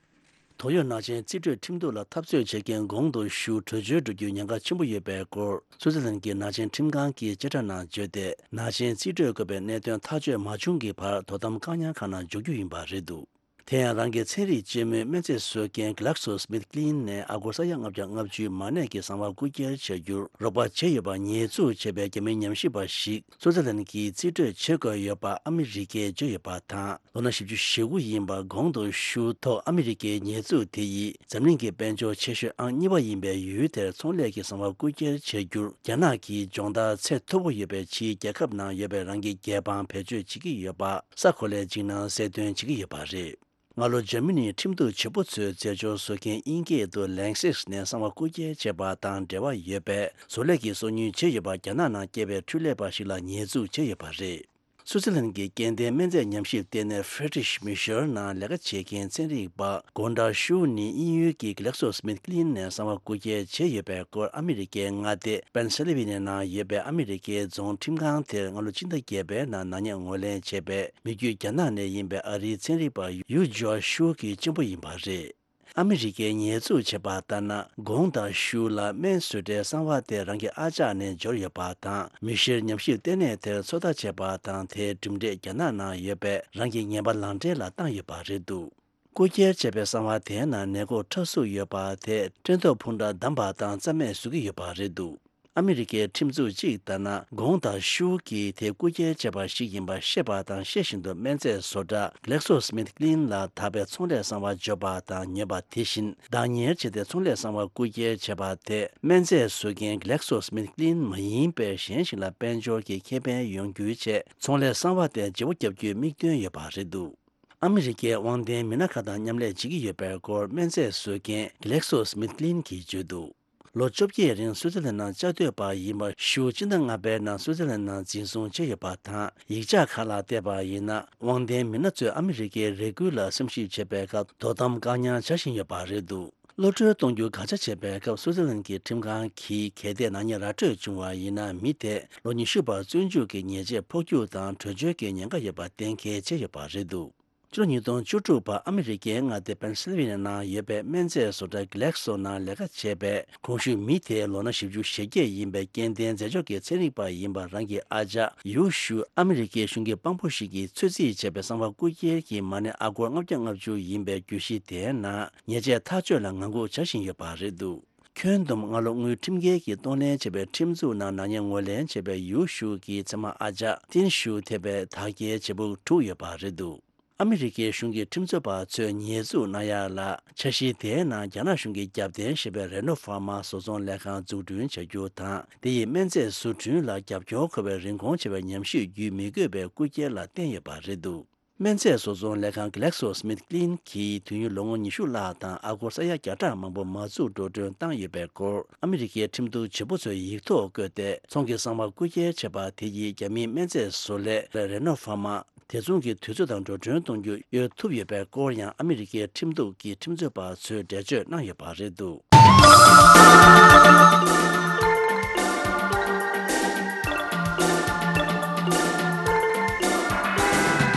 ཏོག་དབྱིབས་ནག་ཅན་རྩིས་སྤྲོད་ཁྲིམས་གཏུག་ལ་འཐབ་རྩོད་བྱེད་མཁན་གོང་དུ་ཞུ་བྲོས་བྱོལ་འགྲོ་རྒྱུའི་ཉེན་ཁ་ཆེན་པོ་ཡོད་པའི་སྐོར། སུའུ་ཙེར་ལན་གྱི་ནག་ཅན་ཁྲིམས་ཁང་གིས་བཅད་ཁྲ་ནང་བརྗོད་དེ། ནག་ཅན་རྩིས་སྤྲོད་དགོས་པའི་གནད་དོན་ཐག་གཅོད་མ་བྱུང་གི་བར་དོ་དམ་བཀག་ཉར་ཁང་ནང་འཇོག་རྒྱུ་ཡིན་པ་རེད་འདུག་དེ་ཡང་རང་གི་ཚན་རིག་སྤྱི་མོས་སྨན་རྫས་བཟོ་མཁན་Glaxo Smith Kline ནས་ཨ་སྒོར་ས་ཡ་ལྔ་བརྒྱ་ལྔ་བཅུའི་མ་གནས་ཀྱི་གསང་བ་རྐུ་འཁྱེར་བྱ་རྒྱུར་རོགས་པ་བྱས་ཡོད་པ་ཉེས་འཛུགས་བྱས་པའི་རྒྱ་མིའི་ཉམས་ཞིབ་པ་ཞིག་སུའུ་ཙེར་ལན་གྱིས་རྩིས་སྤྲོད་བྱེད་དགོས་ཡོད་པ་ཨ་མི་རི་ཀས་བརྗོད་ཡོད་པ་དང་། ལོ་ན་བཞི་བཅུ་ཞེ་དགུ་ཡིན་པ་གོང་དུ་ཞུ་ཐོག་ཨ་མི་རི་ཀའི་ཉེས་འཛུགས་དེ་ཡིས་འཛམ་གླིང་གི་དཔལ་འབྱོར་ཆེ་ཤོས་ཨང་གཉིས་པ་ཡིན་པའི་ཡུལ་དེར་ཚོང་ལས་ཀྱི་གསང་བ་རྐུ་འཁྱེར་བྱ་རྒྱུར་རྒྱ་ནག་གིས་སྦྱོང་བརྡར་ཚད་མཐོ་པོ་ཡོད་པའི་ཕྱིའི་རྒྱལ་ཁབ་ནང་ཡོད་པའི་རང་གི་རྒྱལ་འབངས་བེད་སྤྱོད་བྱེད་ཀྱི་ཡོད་པ་གསར་འགོད་ལས་བྱེད་ནང་གསལ་སྟོན་བྱེད་ཀྱི་ཡོད་པ་རེད། སྔ་ལོ་འཇར་མ་ནིའི་ཁྲིམས་གཏུག་བྱེད་པོ་ཚོས་རྫས་སྦྱོར་བཟོ་མཁན་དབྱིན་སྐད་དུ་Lanxess ནས་གསང་བ་རྐུ་འཁྱེར་བྱས་པ་དང་འབྲེལ་བ་ཡོད་པའི་བཟོ་ལས་ཀྱི་སོ་ཉུལ་བྱས་ཡོད་པ་རྒྱ་ནག་ནང་སྐྱེས་པའི་འཕྲུལ་ལས་པ་ཞིག་ལ་ཉེས་འཛུགས་བྱས་ཡོད་པ་རེད། སུའུ་ཙེར་ལན་གྱི་སྐྱེ་ལྡན་སྨན་རྫས་ཉམས་ཞིབ་ལྟེ་གནས་Friedrich Michel ནང་ལས་ཀ་བྱེད་མཁན་ཚན་རིག་པ་Gonda Xu ནི་དབྱིན་ཡུལ་གྱི་Glaxo Smith Kline ནས་གསང་བ་རྐུ་འཁྱེར་བྱས་ཡོད་པའི་སྐོར་ཨ་མི་རི་ཀའི་མངའ་སྡེ་Pennsylvania ནང་ཡོད་པའི་ཨ་མི་རི་ཀའི་རྫོང་ཁྲིམས་ཁང་དེར་སྔ་ལོ་སྤྱི་ཟླ་བརྒྱད་པའི་ནང་ནག་ཉེས་ངོས་ལེན་བྱས་པའི་མི་རྒྱུད་རྒྱ་ནག་ནས་ཡིན་པའི་ཨ་རིའི་ཚན་རིག་པ་Yu Jia Xu གི་གཅེན་པོ་ཡིན་པ་རེད། ཨ་མི་རི་ཀས་ཉེས་འཛུགས་བྱས་པ་ལྟར་ན། Gonda Xu ལ་སྨན་བཟོ་གྲྭའི་གསང་བ་དེ་རང་གི་ཨ་ཅག་ནས་འབྱོར་ཡོད་པ་དང་། Michel ཉམས་ཞིབ་ལྟེ་གནས་དེར་ཚོད་ལྟ་བྱས་པ་དང་། དེའི་གྲུབ་འབྲས་རྒྱ་ནག་ནང་ཡོད་པའི་རང་གི་ངན་པ་ལག་འབྲེལ་ལ་བཏང་ཡོད་པ་རེད་འདུག་རྐུ་འཁྱེར་བྱས་པའི་གསང་བ་དེའི་ནང་ནད་འགོག་ཁྲག་གཟུགས་ཡོད་པ་དེ་སྐྲན་ཐོག་འཕུར་མདའ་བསྡམས་པ་དང་རྩ་མེད་བཟོ་གི་ཡོད་པ་རེད་འདུག་ཨ་མི་རི་ཀའི་ཁྲིམས་འཛུགས་གཅིག་ལྟར་ན། Gonda Xu གིས་དེ་རྐུ་འཁྱེར་བྱས་པ་ཞིག་ཡིན་པ་ཤེས་པ་དང་ཤེས་བཞིན་དུ་སྨན་རྫས་བཟོ་གྲྭ་Glaxo Smith Kline ལ་ད་བར་ཚོང་ལས་གསང་བ་འབྱོར་པ་དང་ཉོས་པ་དེ་བཞིན་བདག་གཉེར་བྱས་ཏེ་ཚོང་ལས་གསང་བ་རྐུ་འཁྱེར་བྱས་པ་དེ་སྨན་རྫས་བཟོ་མཁན་Glaxo Smith Kline མ་ཡིན་པའི་གཞན་ཞིག་ལ་དཔལ་འབྱོར་གྱི་ཁེ་ཕན་ཡོང་རྒྱུའི་ཆེད་ཚོང་ལས་གསང་བ་དེ་བརྗེ་པོ་བརྒྱབ་རྒྱུའི་དམིགས་འདུན་ཡོད་པ་རེད་འདུག་ཨ་མི་རི་ཀའི་དབང་ལྡན་མི་སྣ་ཁག་དང་མཉམ་ལས་བྱེད་ཀྱི་ཡོད་པའི་སྐོར་སྨན་རྫས་བཟོ་མཁན་Glaxo Smith Kline གྱིས་བརྗོད་འདུག་ལོ་བཅོ་བརྒྱད་རིང་སུའུ་ཙེར་ལན་ནང་བཅའ་སྡོད་པ་ཡིན་པ་ཞུ་སྤྱི་ཟླ་ལྔ་པའི་ནང་སུའུ་ཙེར་ལན་ནང་འཛིན་བཟུང་བྱས་ཡོད་པ་དང་། ཡིག་ཆ་ཁག་ལ་བལྟས་པ་ཡིན་ན། དབང་ལྡན་མི་སྣ་ཚོས་ཨ་མི་རི་ཀའི་རེ་སྐུལ་ལ་སེམས་ཞིབ་བྱེད་པའི་སྐབས་དོ་དམ་བཀག་ཉར་བྱ་བཞིན་ཡོད་པ་རེད་འདུག་གློད་གྲོལ་གཏོང་རྒྱུ་དགག་བྱ་བྱས་པའི་སྐབས་སུའུ་ཙེར་ལན་གྱི་ཁྲིམས་ཁང་གིས་གལ་ཏེ་ནག་ཉེས་ར་སྤྲོད་བྱུང་བ་ཡིན་ན། མི་དེ་ལོ་ཉི་ཤུ་བར་བཙོན་འཇུག་གི་ཉེས་ཆད་ཕོག་རྒྱུ་དང་བྲོས་བྱོལ་གྱི་ཉེན་ཁ་ཡོད་པ་གཏན་འཁེལ་བྱས་ཡོད་པ་རེད་འདུག་ཕྱི་ལོ་ཉིས་སྟོང་བཅུ་དྲུག་པར་ཨ་མི་རི་ཀའི་མངའ་སྡེ་Pennsylvania ནང་ཡོད་པའི་སྨན་རྫས་བཟོ་གྲྭ་Glaxo ནང་ལས་ཀ་བྱས་པའི་གོང་ཞུས་མི་དེའི་ལོ་ན་བཞི་བཅུ་ཞེ་བརྒྱད་ཡིན་པའི་སྐྱེ་ལྡན་རྫས་སྦྱོར་གྱི་ཚན་རིག་པ་ཡིན་པ་རང་གི་ཨ་ཅག་Yu Xu ཨ་མི་རི་ཀའི་གཞུང་གི་དཔང་པོ་ཞིག་གིས་ཚོད་རྩིས་བྱས་པའི་གསང་བ་རྐུ་འཁྱེར་གྱི་མ་གནས་ཨ་སྒོར་ལྔ་བརྒྱ་ལྔ་བཅུ་ཡིན་པའི་གྱོད་གཞི་དེའི་ནང་ཉེས་ཆད་ཐག་གཅོད་ལ་ངང་སྒུག་བྱ་བཞིན་ཡོད་པ་རེད་འདུག་ཁྱོན་བསྡོམས་སྔ་ལོ་དངུལ་ཁྲིམས་འགལ་གྱིས་གཏོང་ལེན་བྱས་པའི་ཁྲིམས་འཛུགས་ནང་ནག་ཉེས་ངོས་ལེན་བྱས་པའི་Yu Xu གི་མཚེ་མ་ཨ་ཅག་Tin Xu ཐེ་བའི་དག་སྐྱེལ་བྱེད་ཕོགས་དྲུག་ཡོད་པ་རེད་འདུག་ཨ་མི་རི་ཀའི་གཞུང་གི་ཁྲིམས་རྩོད་པ་ཚོས་ཉེས་འཛུགས་གནང་ཡག་ལ་འཆར་གཞི་དེའི་ནང་རྒྱ་ནག་གཞུང་གིས་རྒྱབ་རྟེན་བྱས་པའི་Reno Pharma བཟོ་ཚོང་ལས་ཁང་འཛུགས་སྐྲུན་བྱ་རྒྱུ་དང་། དེ་ཡིས་སྨན་རྫས་བཟོ་སྐྲུན་ལ་རྒྱབ་སྐྱོར་དགོས་པའི་རིན་གོང་ཆེ་བའི་ཉམས་ཞིབ་བརྒྱུད་མི་དགོས་པའི་རྐུ་འཁྱེར་ལ་བརྟེན་ཡོད་པ་རེད་འདུག་སྨན་རྫས་བཟོ་ཚོང་ལས་ཁང་Glaxo Smith Kline གྱིས་དུས་ཡུན་ལོ་ངོ་ཉི་ཤུ་ལྷག་དང་ཨ་སྒོར་ས་ཡ་བརྒྱ་ཕྲག་མང་པོ་མ་འཛུགས་འགྲོ་གྲོན་བཏང་ཡོད་པའི་སྐོར་ཨ་མི་རི་ཀའི་ཁྲིམས་གཏུག་བྱེད་པོ་ཚོས་ཡིག་ཐོག་བཀོད་དེ། ཚོང་གི་གསང་བ་རྐུ་འཁྱེར་བྱས་པ་དེ་ཡིས་རྒྱ་མིའི་སྨན་རྫས་བཟོ་ལས་Reno Pharma དེ་མཚུངས་ཀྱི་དུས་ཚོད་དང་འགྲོ་གྲོན་གཏོང་རྒྱུ་གཡོལ་ཐུབ་ཡོད་པའི་སྐོར་ཡང་ཨ་མི་རི་ཀའི་ཁྲིམས་གཏུག་གི་ཁྲིམས་རྩོད་པ་ཚོས་འགྲེལ་བརྗོད་གནང་ཡོད་པ་རེད་འདུག་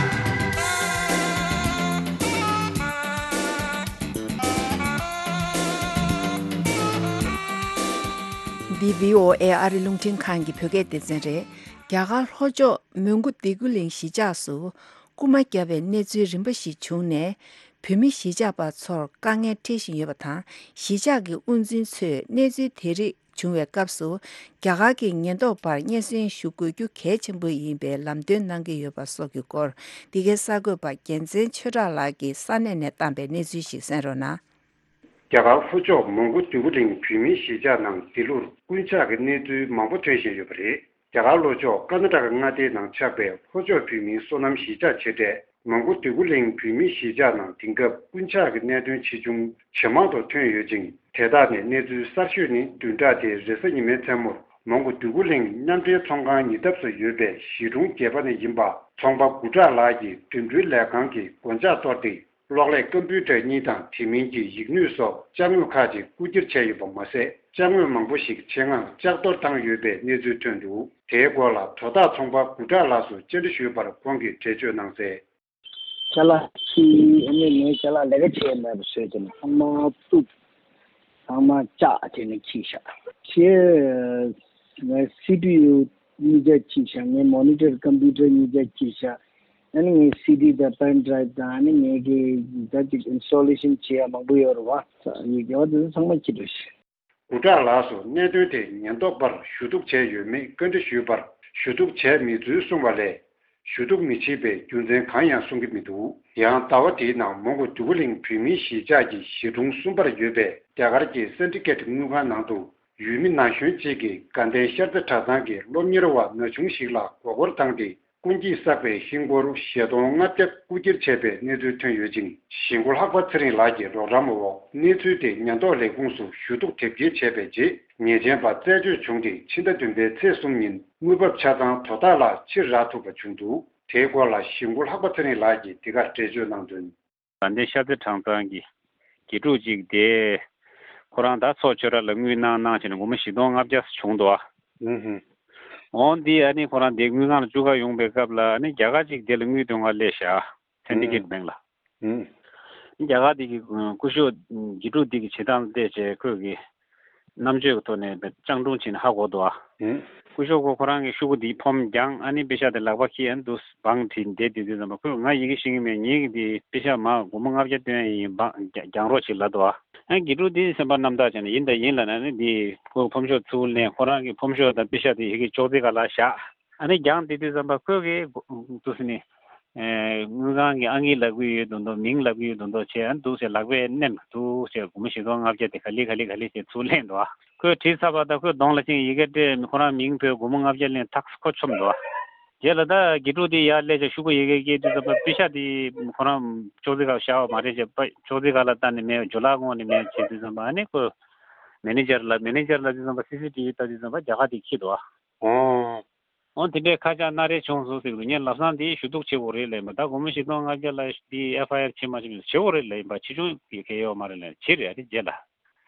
འདི་བྷི་ཨོ་ཨེ་ཨ་རི་རླུང་འཕྲིན་ཁང་གི་བོད་སྐད་སྡེ་ཚན་རེད། རྒྱ་གར་ལྷོ་ཕྱོགས་མོན་གྷོ་སྡེ་དགུ་གླིང་གཞིས་ཆགས་སུ་རྐུན་མ་བརྒྱབ་པའི་གནས་ཚུལ་རིམ་པ་ཞིག་བྱུང་ནས། བོད་མི་གཞིས་ཆགས་པ་ཚོར་དཀའ་ངལ་འཕྲད་བཞིན་ཡོད་པ་དང་། གཞིས་ཆགས་ཀྱི་དབུ་འཛིན་ཚོས་གནས་ཚུལ་དེ་རིགས་བྱུང་བའི་སྐབས་སུ། རྒྱ་གར་གྱི་ཉེན་རྟོག་པར་སྙན་སེང་ཞུ་དགོས་རྒྱུ་གལ་ཆེན་པོ་ཡིན་པའི་ལམ་སྟོན་གནང་གི་ཡོད་པ་སོགས་ཀྱི་སྐོར། འདི་གའི་གསར་འགོད་པ་རྒྱལ་མཚན་ཆོས་གྲགས་ལགས་ཀྱིས་ས་གནས་ནས་བཏང་པའི་གནས་ཚུལ་ཞིག་གསན་རོགས་གནང་། རྒྱ་གར་ལྷོ་ཕྱོགས་མོན་གྷོ་སྡེ་དགུ་གླིང་བོད་མིའི་གཞིས་ཆགས་ནང་འདི་ལོར་རྐུན་ཇག་གི་གནས་ཚུལ་མང་པོ་ཐོན་བཞིན་ཡོད་པ་རེད། རྒྱ་གར་ལྷོ་ཕྱོགས་ཀར་ནཱ་ཊ་ཀ་མངའ་སྡེའི་ནང་ཆགས་པའི་ལྷོ་ཕྱོགས་བོད་མིའི་སོ་ནམ་གཞིས་ཆགས་ཆེ་གྲས་ མོན་གྷོ་འདོད་རྒུ་གླིང་བོད་མིའི་གཞིས་ཆགས་ནང་དེང་སྐབས་རྐུན་ཇག་གི་གནད་དོན་ཇི་བྱུང་ཇེ་མང་དུ་ཐོན་ཡོད་ཅིང་། དེ་དག་ནས་གནས་ཚུལ་གསར་ཤོས་ནི་བདུན་ཕྲག་འདིའི་རེས་གཟའ་ཉི་མའི་མཚན་མོར་མོན་གྷོ་འདོད་རྒུ་གླིང་མཉམ་འབྲེལ་ཚོང་ཁང་ཉེ་འདབས་སུ་ཡོད་པའི་གཞིས་གྲོང་བརྒྱད་པ་ནས་ཡིན་པ་ཚོང་པ་དགུ་བྲག་ལགས་ཀྱིས་འགྲིམ་འགྲུལ་ལས་ཁང་གི་སྒོ་ལྕགས་གཏོར་ཏེ། གློག་ཀླད་ཀམ་པུའུ་ཊར་གཉིས་དང་དེ་མིན་གྱི་ཡིག་སྣོད་སོགས་ཅ་དངོས་ཁག་ཅིག་རྐུ་འཁྱེར་བྱས་ཡོད་པ་མ་ཟད། ཅ་དངོས་མང་པོ་ཞིག་ཆེད་མངགས་ལྕགས་གཏོར་བཏང་ཡོད་པའི་གནས་ཚུལ་ཐོན་འདུག་དེའི་སྐོར་ལ་དོ་བདག་ཚོང་པ་དགུ་བྲག་ལགས་སུ་བཅར་འདྲི་ཞུས་པར་ཁོང་གིས་འགྲེལ་བརྗོད་གནང་གསལ། ཅ་ལག་ཁྱི་ཨ་ནི་ངའི་ཅ་ལག་ལས་ཀ་བྱས་མེད་པ་བཟོས་ཏེ་ཚང་མ་གཏུབ། ཚང་མ་ལྕགས་བྱས་ནས་ཁྱེར་ཤག་ཁྱེར། ངའི་སི་པི་ཡུ་གཉིས་ཀ་ཁྱེར་ཤག་ངའི་མོ་ནི་ཊར་ཀམ་པུ་ཊར་གཉིས་ཀ་ཁྱེར་ཤག་ཨ་ནི་ངའི་སི་ཌི་དང་པེན་ཌ་རའིབ་དང་ཨ་ནི་ངའི་གི་ད་ཅིག་ཨིན་སི་ཊོ་ལེ་ཤན་བྱེད་ཡ་མང་པོ་ཡོད་རེད་བ། ཡི་གེ་བ་དེ་ཚོ་ཚང་མ་ཁྱེར་འགྲོ་ཤག་དགུ་བྲག་ལགས་སུ་གནད་དོན་དེ་ཉེན་རྟོག་པར་ཞུ་གཏུག་བྱས་ཡོད་མེད་བཀའ་འདྲི་ཞུས་པར། ཞུ་གཏུག་བྱས་མེད་ཚུལ་གསུངས་པ་ལས། ཞུ་གཏུག་མི་བྱེད་པའི་རྒྱུ་མཚན་གང་ཡང་གསུང་གི་མི་འདུག་ཡང་ཟླ་བ་འདིའི་ནང་མོན་གྷོ་འདོད་རྒུ་གླིང་བོད་མིའི་གཞིས་ཆགས་ཀྱི་གཞིས་གྲོང་གསུམ་པར་ཡོད་པའི་རྒྱ་གར་གྱི་སན་ཌི་ཀེཊ་དངུལ་ཁང་ནང་དུ་ཡུལ་མི་ན་གཞོན་གཅིག་གིས་དགའ་ལྡན་ཤར་རྩེ་གྲྭ་ཚང་གི་སློབ་གཉེར་བ་ན་ཆུང་ཞིག་ལ་མགོ་སྐོར་བཏང་སྟེ། རྐུན་གྱིས་བསགས་པའི་ཧིན་སྒོར་བཞི་སྟོང་ལྔ་བརྒྱ་རྐུ་འཁྱེར་བྱས་པའི་གནས་ཚུལ་ཐོན་ཡོད་ཅིང་། གཞིས་འགོ་ལྷག་པ་ཚེ་རིང་ལགས་ཀྱི་རོགས་རམ་འོག་གནས་ཚུལ་དེ་ཉེན་རྟོག་ལས་ཁུངས་སུ་ཞུ་གཏུག་དེབ་སྐྱེལ་བྱས་པའི་རྗེས། ཉེས་ཅན་པ་རྩད་གཅོད་བྱུང་སྟེ། ཕྱི་ཟླ་བདུན་པའི་ཚེས་གསུམ་ཉིན་དངུལ་འབབ་ཆ་ཚང་དོ་བདག་ལ་ཕྱིར་རག་ཐུབ་པ་བྱུང་འདུག་དེའི་སྐོར་ལ་གཞིས་འགོ་ལྷག་པ་ཚེ་རིང་ལགས་ཀྱིས་འདི་གར་འགྲེལ་བརྗོད་གནང་དོན། དགའ་ལྡན་ཤར་རྩེ་གྲྭ་ཚང་གི་དགེ་ཕྲུག་ཅིག་དེ་ཁོ་རང་ད་ཚོགས་ཆོས་ར་ལ་དངུལ་གནང་གནང་བྱས་ནས་སྒོར་མོ་བཞི་སྟོང་ལྔ་བརྒྱ་བྱུང་འདུག་ཨ། ཧུམ་ཧུམ། འོང་འདི་ཨ་ནི་ཁོ་རང་དེ་དངུལ་ཁང་ལ་བཅུག་ག་ཡོང་པའི་སྐབས་ལ་ཨ་ནི་རྒྱ་གར་ཅིག་དེ་ལ་དངུལ་སྟོན་ག་སླེབས་ཤག་ཨ། སེན་ཌི་ཀེཊ་བེང་ལ། ཧུམ། རྒྱ་གར་དེ་གི་སྐུ་ཞབས་དགེ་ཕྲུག་དེ་གི་བྱེད་སྟངས་བལྟས་བྱས་ཁོས་གི་རྣམ་དཔྱོད་ཀྱི་ཐོག་ནས་སྤྱང་གྲུང་བྱས་ནས་ཧ་གོ་འདུག་ཨ། ཧུམ། སྐུ་ཞབས་ཁོ་ཁོ་རང་གི་ཤོག་གུ་འདིའི་ཕོམ་བརྒྱངས། ཨ་ནི་པེ་ཤག་དེ་ལག་པ་འཁྱེར། ཨ་ནི་འདུག་བང་བྲིས་བསྡད་དུས་དུས་ཙམ་པ་ཁོས་ང་ཡི་གེ་ཤེས་ཀྱི་མེད། ངེད་ཀྱི་འདི་པེ་ཤག་མར་སྒོར་མོ་ལྔ་བརྒྱ་བཏོན་ཡ་ཡིན། བང་བརྒྱ་བརྒྱངས་རོགས་བྱེད་ལབ་འདུག་ཨ། ཨ་ནི་དགེ་ཕྲུག་དེ་སེམས་པ་རྣམ་དག་བྱས་ནས་ཡིན་དང་ཡིན་ལབ་ནས། ཨ་ནི་འདི་ཁོའི་ཕོམ་ཤོག་ཚུར་ལེན། ཁོ་རང་གི་ཕོམ་ཤོག་དང་པེ་ཤག་དེ་ཡི་གེ་ཅོག་ཙེ་སྒང་ལ་བཞག་ཨ་ནི་བརྒྱངས་བསྡད་དུས་ཙམ་པ་ཁོས་གི་འདུག་སེ་ནི། ཨེ། དངུལ་ཁང་གི་ཨང་ཀི་ལབ་ཀྱི་ཡོད་མདོག་མདོག་མིང་ལབ་ཀྱི་ཡོད་མདོག་མདོག་བྱས། ཨ་ནི་འདུག་སེ་ལག་པས་མནན། འདུག་སེ་སྒོར་མོ་བཞི་སྟོང་ལྔ་བརྒྱ་དེ་ག་ལེ་ག་ལེ་ག་ལེ་བྱས་ཚུར་ལེན་འདུག་ཨ། ཁོས་བྲིས་ཚར་བ་དང་ཁོའི་གདོང་ལ་ཕྱིན། ཡི་གེ་སྤྲད། ཁོ་རང་མིང་བོས། སྒོར་མོ་ལྔ་བརྒྱ་ལེན། ཐག་ཁོ་ཆོམ་འདུག་ཨ། རྗེས་ལ་ད་དགེ་ཕྲུག་དེ་ཡར་སླེབས་བྱས་ཤོག་གུ་ཡི་གེ་བཀལ་དུས་ཙམ་པ་པེ་ཤག་དེ་ཁོ་རང་ཅོག་ཙེ་སྒང་བཞག་པ་མ་རེད་ཅེས། པ་ཅོག་ཙེ་སྒང་ལ་བལྟས་ནས་མེད། ཇོ་ལགས་བསྔོགས་ནས་མེད་བྱས་དུས་ཙམ་པ། ཨ་ནི་ཁོས་མེ་ནེ་ཇར་ལ། མེ་ནེ་ཇར་ལབ་དུས་ཙམ་པ་སི་སི་ཊི་ཝི་ལྟ་དུས་ཙམ་པ་རྒྱ་གར་དེ་འཁྱེར་འདུག་ཨ། ཨོ། འོ་དེ་འདྲའི་ཁ་བྱང་སྣ་རལ་བྱུང་སོང་ཟེར་གི་འདུག་ངས་ལམ་སང་དེ་ཞུ་གཏུག་བྱེད་དགོས་རེད་ལབ་ཡིན་པ། ད་སྒོར་མོ་བཞི་སྟོང་ལྔ་བརྒྱ་ལ་དེ་ཨེཕ་ཨའི་ཨར་བྱེད་མ་བྱེད་མི་བྱེད་དགོས་རེད་ལབ་ཡིན་པ། ཆེ་ཆུང་གི་གལ་ཡོད་མ་རེད་ལབ། བྱེད་རེད་ཨ། དེ་རྗེས་ལ།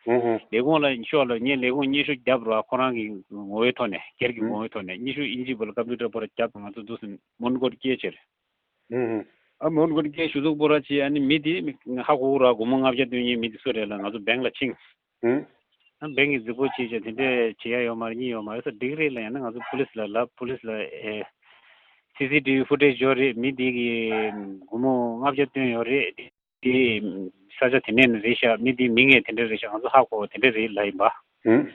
ཧུམ་ཧུམ། ལས་ཁུངས་ལ་ཤོག་ལ། ངས་ལས་ཁུངས་སྙན་ཞུ་བརྒྱབ་རོགས། ཁོ་རང་གི་ངོ་བོའི་ཐོག་ནས། སྒེར་གྱི་ཧུམ། ངོ་བོའི་ཐོག་ནས་སྙན་ཞུ་ཨིན་ཇི་བོད་ལ་ཀམ་པུ་ཊར་པོ་ར་བརྒྱབ། ང་ཚོ་འདུག་སེ་མོན་གྷོར་སྐྱེལ་བྱས་རེད། ཧུམ་ཧུམ། ཨ་མོན་གྷོར་སྐྱེལ། ཞུ་གཏུག་པོ་ར་བྱས། ཨ་ནི་མི་དེ་ཧ་གོ་གི་ར། སྒོར་མོ་ལྔ་བརྒྱ་སྟོན་མཁན་མི་དེ་སུ་རེད་ལབ། ང་ཚོ་བེང་ལ་ཕྱིན། ཧུམ། ཨ་བེང་གི་རྫིག་པོ་བྱས་བྱས་དེ་འདྲས་བྱེད་ཡ་ཡོད་མ་རེད། གཉིས་ཡོད་མ་རེད་ཟེར། འགྲིག་རེད་ལབ། ཡང་ན་ང་ཚོ་པུ་ལིས་ལ་ལབ། པུ་ལིས་ལ་ཨེ། སི་སི་ཊི་ཝི་ཕུ་ཊེ་ཇི་ཡོད་རེད། མི་དེ་གིས་སྒོར་མོ་ལྔ་བརྒྱ་བཏོན་ཡོད་རེད། དེ་ས་ཆ་དེ་ནས་ནི་རེད་ཤག་མི་དེའི་མིང་ངས་དེ་འདྲ་རེད་ཤག་ང་ཚོ་ཧ་གོ་བ་དེ་འདྲ་རེད་ལབ་ཡིན་པ། ཧུམ།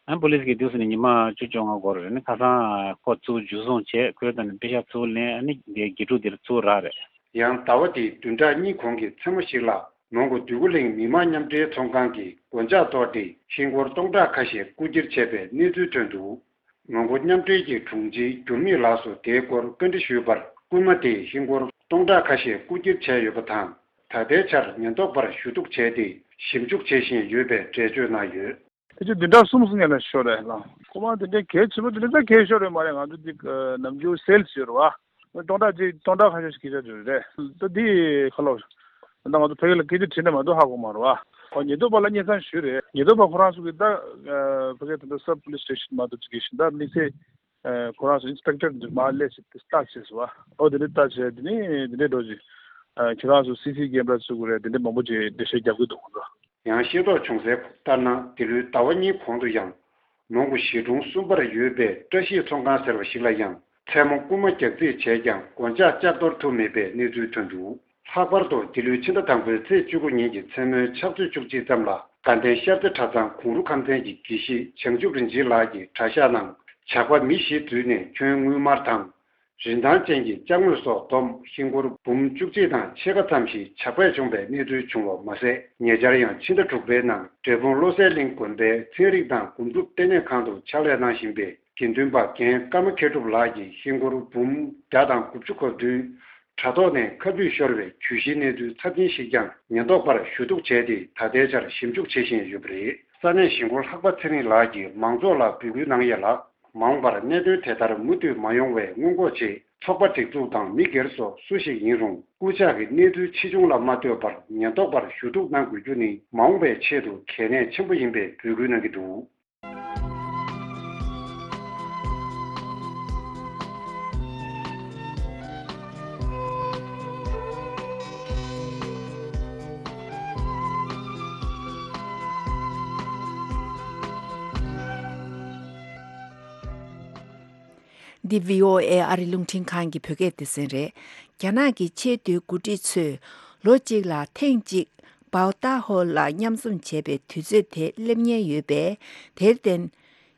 ཨ་པུ་ལིས་ཀྱིས་དུས་སུ་ནི་ཉི་མ་བཅུ་བཅོ་ལྔ་འགོར་རེད། ནི་ཁ་སང་ཁོ་ཚུར་འཇུ་བཟུང་བྱས། ཁོས་ད་ནི་པེ་ཤག་ཚུར་ལེན། ཨ་ནི་དེ་དགེ་ཕྲུག་དེར་ཚུར་རག་རེད། ཡང་ཟླ་བ་འདིའི་བདུན་ཕྲག་གཉིས་གོང་གི་མཚན་མོ་ཞིག་ལ། མོན་གྷོ་འདོད་རྒུ་གླིང་མི་དམངས་མཉམ་འབྲེལ་ཚོང་ཁང་གི་སྒོ་ལྕགས་གཏོར་ཏེ། ཧིན་སྒོར་སྟོང་ཕྲག་ཁ་ཤས་རྐུ་འཁྱེར་བྱས་པའི་གནས་ཚུལ་ཐོན་འདུག་མོན་གྷོ་མཉམ་འབྲེལ་གྱི་དྲུང་ཆེ་འགྱུར་མེད་ལགས་སུ་དེའི་སྐོར་བཀའ་འདྲི་ཞུས་པར། རྐུན་མ་དེས་ཧིན་སྒོར་སྟོང་ཕྲག་ཁ་ཤས་རྐུ་འཁྱེར་བྱས་ཡོད་པ་དང་། ད་ལྟའི་ཆར་ཉེན་རྟོག་པར་ཞུ་གཏུག་བྱས་ཏེ། ཞིབ་འཇུག་བྱེད་བཞིན་ཡོད་པའི་འགྲེལ་བརྗོད་གནང་ཡོད། ཕལ་ཆེར་བདུན་ཕྲག་གསུམ་སོང་ཡ་ལ་ཤོར་རེད་ལགས། རྐུན་མ་དེ་འདྲའི་གལ་ཆེན་པོ་དེ་འདྲ་ད་གལ་ཤོར་རེད་མ་རེད། ང་ཚོ་འདི་ནམ་རྒྱུན་སེལ་སི་ཡོད་རེད་བ། སྟོང་ཕྲག་གཅིག་སྟོང་ཕྲག་ཁ་ཤས་ཤིག་ཁྱེར་ཆ་འགྲོ་རེད། ད་འདི་ཁ་ལོ། ད་ང་ཚོ་ཕ་གི་ལ་སྐད་ཆ་དྲིས་ན་མ་གཏོགས་ཧ་གོ་མ་རེད་བ། ཨོ་ཉེན་རྟོག་པ་ལ་སྙན་སེང་ཞུས་རེད། ཉེན་རྟོག་པ་ཁོ་རང་ཚོ་གིས་ད་ཕ་གི་ད་ལྟ་སབ་པུ་ལིས་སི་ཊེ་ཤན་མ་གཏོགས་ཅིག་གི་ཤིང་ད་དམིགས་བསལ། ཁོ་རང་ཚོ་ཨིན་སི་པེག་ཊར་འདི་མར་སླེབས་བྱས་ཏེ་ལྟ་བྱས་སོང་བ། ཨོ་དེ་འདྲ་ལྟ་བྱས་དེ་ནས་དེ་འདྲའི་འགྲོ་ཅིག་ཁྱེད་རང་ཚོ་སི་སི་ཀེམ་ར་བཙུགས་དགོས་རེད། དེ་འདྲ་མང་པོ་ཅིག་འགྲེལ་བཤད་རྒྱག་གི་འདུག་ཁོང་ཚོ། ཡང་ཤེས་རྟོགས་བྱུང་གསལ་ལྟར་ན། འདི་ལོའི་ཟླ་བ་གཉིས་གོང་དུ་ཡང་། མོན་གྷོ་གཞིས་གྲོང་གསུམ་པར་ཡོད་པའི་བཀྲ་ཤིས་ཚོང་ཁང་ཟེར་བ་ཞིག་ལ་ཡང་། མཚན་མོ་རྐུན་མ་རྒྱག་རྩིས་བྱས་ཀྱང་སྒོ་ལྕགས་ལྕགས་གཏོར་ཐུབ་མེད་པའི་གནས་ཚུལ་ཐོན་འདུག་ལྷག་པར་དུ་འདི་ལོའི་ཕྱི་ཟླ་དང་པོའི་ཚེས་བཅུ་དགུ་ཉིན་གྱི་མཚན་མོའི་ཕྱག་ཚོད་བཅུ་གཅིག་ཙམ་ལ། དགའ་ལྡན་ཤར་རྩེ་གྲྭ་ཚང་གུང་རུ་ཁང་ཚན་གྱི་དགེ་བཤེས་བྱང་ཆུབ་རིན་ཆེན་ལགས་ཀྱི་གྲྭ་ཤག་ནང་ཇག་པ་མི་བཞི་འཛུལ་ནས་ཁྱོན་དངུལ་དམར་དང་། རིན་ཐང་ཅན་གྱི་ཅ་དངོས་སོགས་བསྡོམས་ཧིན་སྒོར་འབུམ་བཅུ་གཅིག་དང་ཕྱེད་ཀ་ཙམ་ཞིག་ཇག་པས་བྱུང་བའི་གནས་ཚུལ་བྱུང་བ་མ་ཟད། ཉེ་ཆར་ཡང་ཕྱི་ཟླ་དྲུག་པའི་ནང་འབྲས་སྤུངས་བློ་གསལ་གླིང་དགོན་པའི་ཚན་རིག་དང་འགོ་ཁྲིད་ལྟེ་གནས་ཁང་དུ་ཕྱག་ལས་གནང་བཞིན་པའི་དགེ་འདུན་པ་རྒན་ཀརྨ་མཁས་གྲུབ་ལགས་ཀྱིས་ཧིན་སྒོར་འབུམ་བརྒྱ་དང་དགུ་བཅུ་གོ་བདུན། དྲ་ཐོག་ནས་ཁ་བསླུས་ཤོར་བའི་གྱོད་གཞིའི་གནས་ཚུལ་ཚབས་ཆེན་ཞིག་ཀྱང་ཉེན་རྟོག་པར་ཞུ་གཏུག་བྱས་ཏེ། ད་ལྟའི་ཆར་ཞིབ་འཇུག་བྱེད་བཞིན་ཡོད་པ་རེད། ས་གནས་གཞིས་འཁོར་ལྷག་པ་ཚེ་རིང་ལགས་ཀྱིས་མང་ཚོགས་ལ་འབོད་སྐུལ་གནང་ཡས་ལ། མ་འོངས་པར་གནད་དོན་དེ་ལྟར་མུ་མཐུད་མ་ཡོང་བའི་སྔོན་འགོག་ཆེད། ཚོགས་པ་སྒྲིག་འཛུགས་དང་མི་སྒེར་སོགས་སུ་ཞིག་ཡིན་རུང་། རྐུ་ཇག་གི་གནས་ཚུལ་ཕྱིས་འབྱུང་ལ་མ་ལྟོས་པར་ཉེན་རྟོག་པར་ཞུ་གཏུག་གནང་དགོས་རྒྱུ་ནི། མ་འོངས་པའི་ཆེད་དུ་གལ་གནད་ཆེན་པོ་ཡིན་པའི་འབོད་སྐུལ་གནང་གི་འདུག། འདི་བྷི་ཨོ་ཨེ་ཨ་རི་རླུང་འཕྲིན་ཁང་གི་བོད་སྐད་སྡེ་ཚན་རེད། རྒྱ་ནག་གི་ཆེས་མཐོའི་འགོ་ཁྲིད་ཚོས་ལོ་གཅིག་ལ་ཐེངས་གཅིག་པའོ་ཏཱ་ཧོ་ལ་མཉམ་འཛོམས་བྱས་པའི་དུས་ཚོད་དེ་སླེབས་ཉེན་ཡོད་པས། དེར་བརྟེན།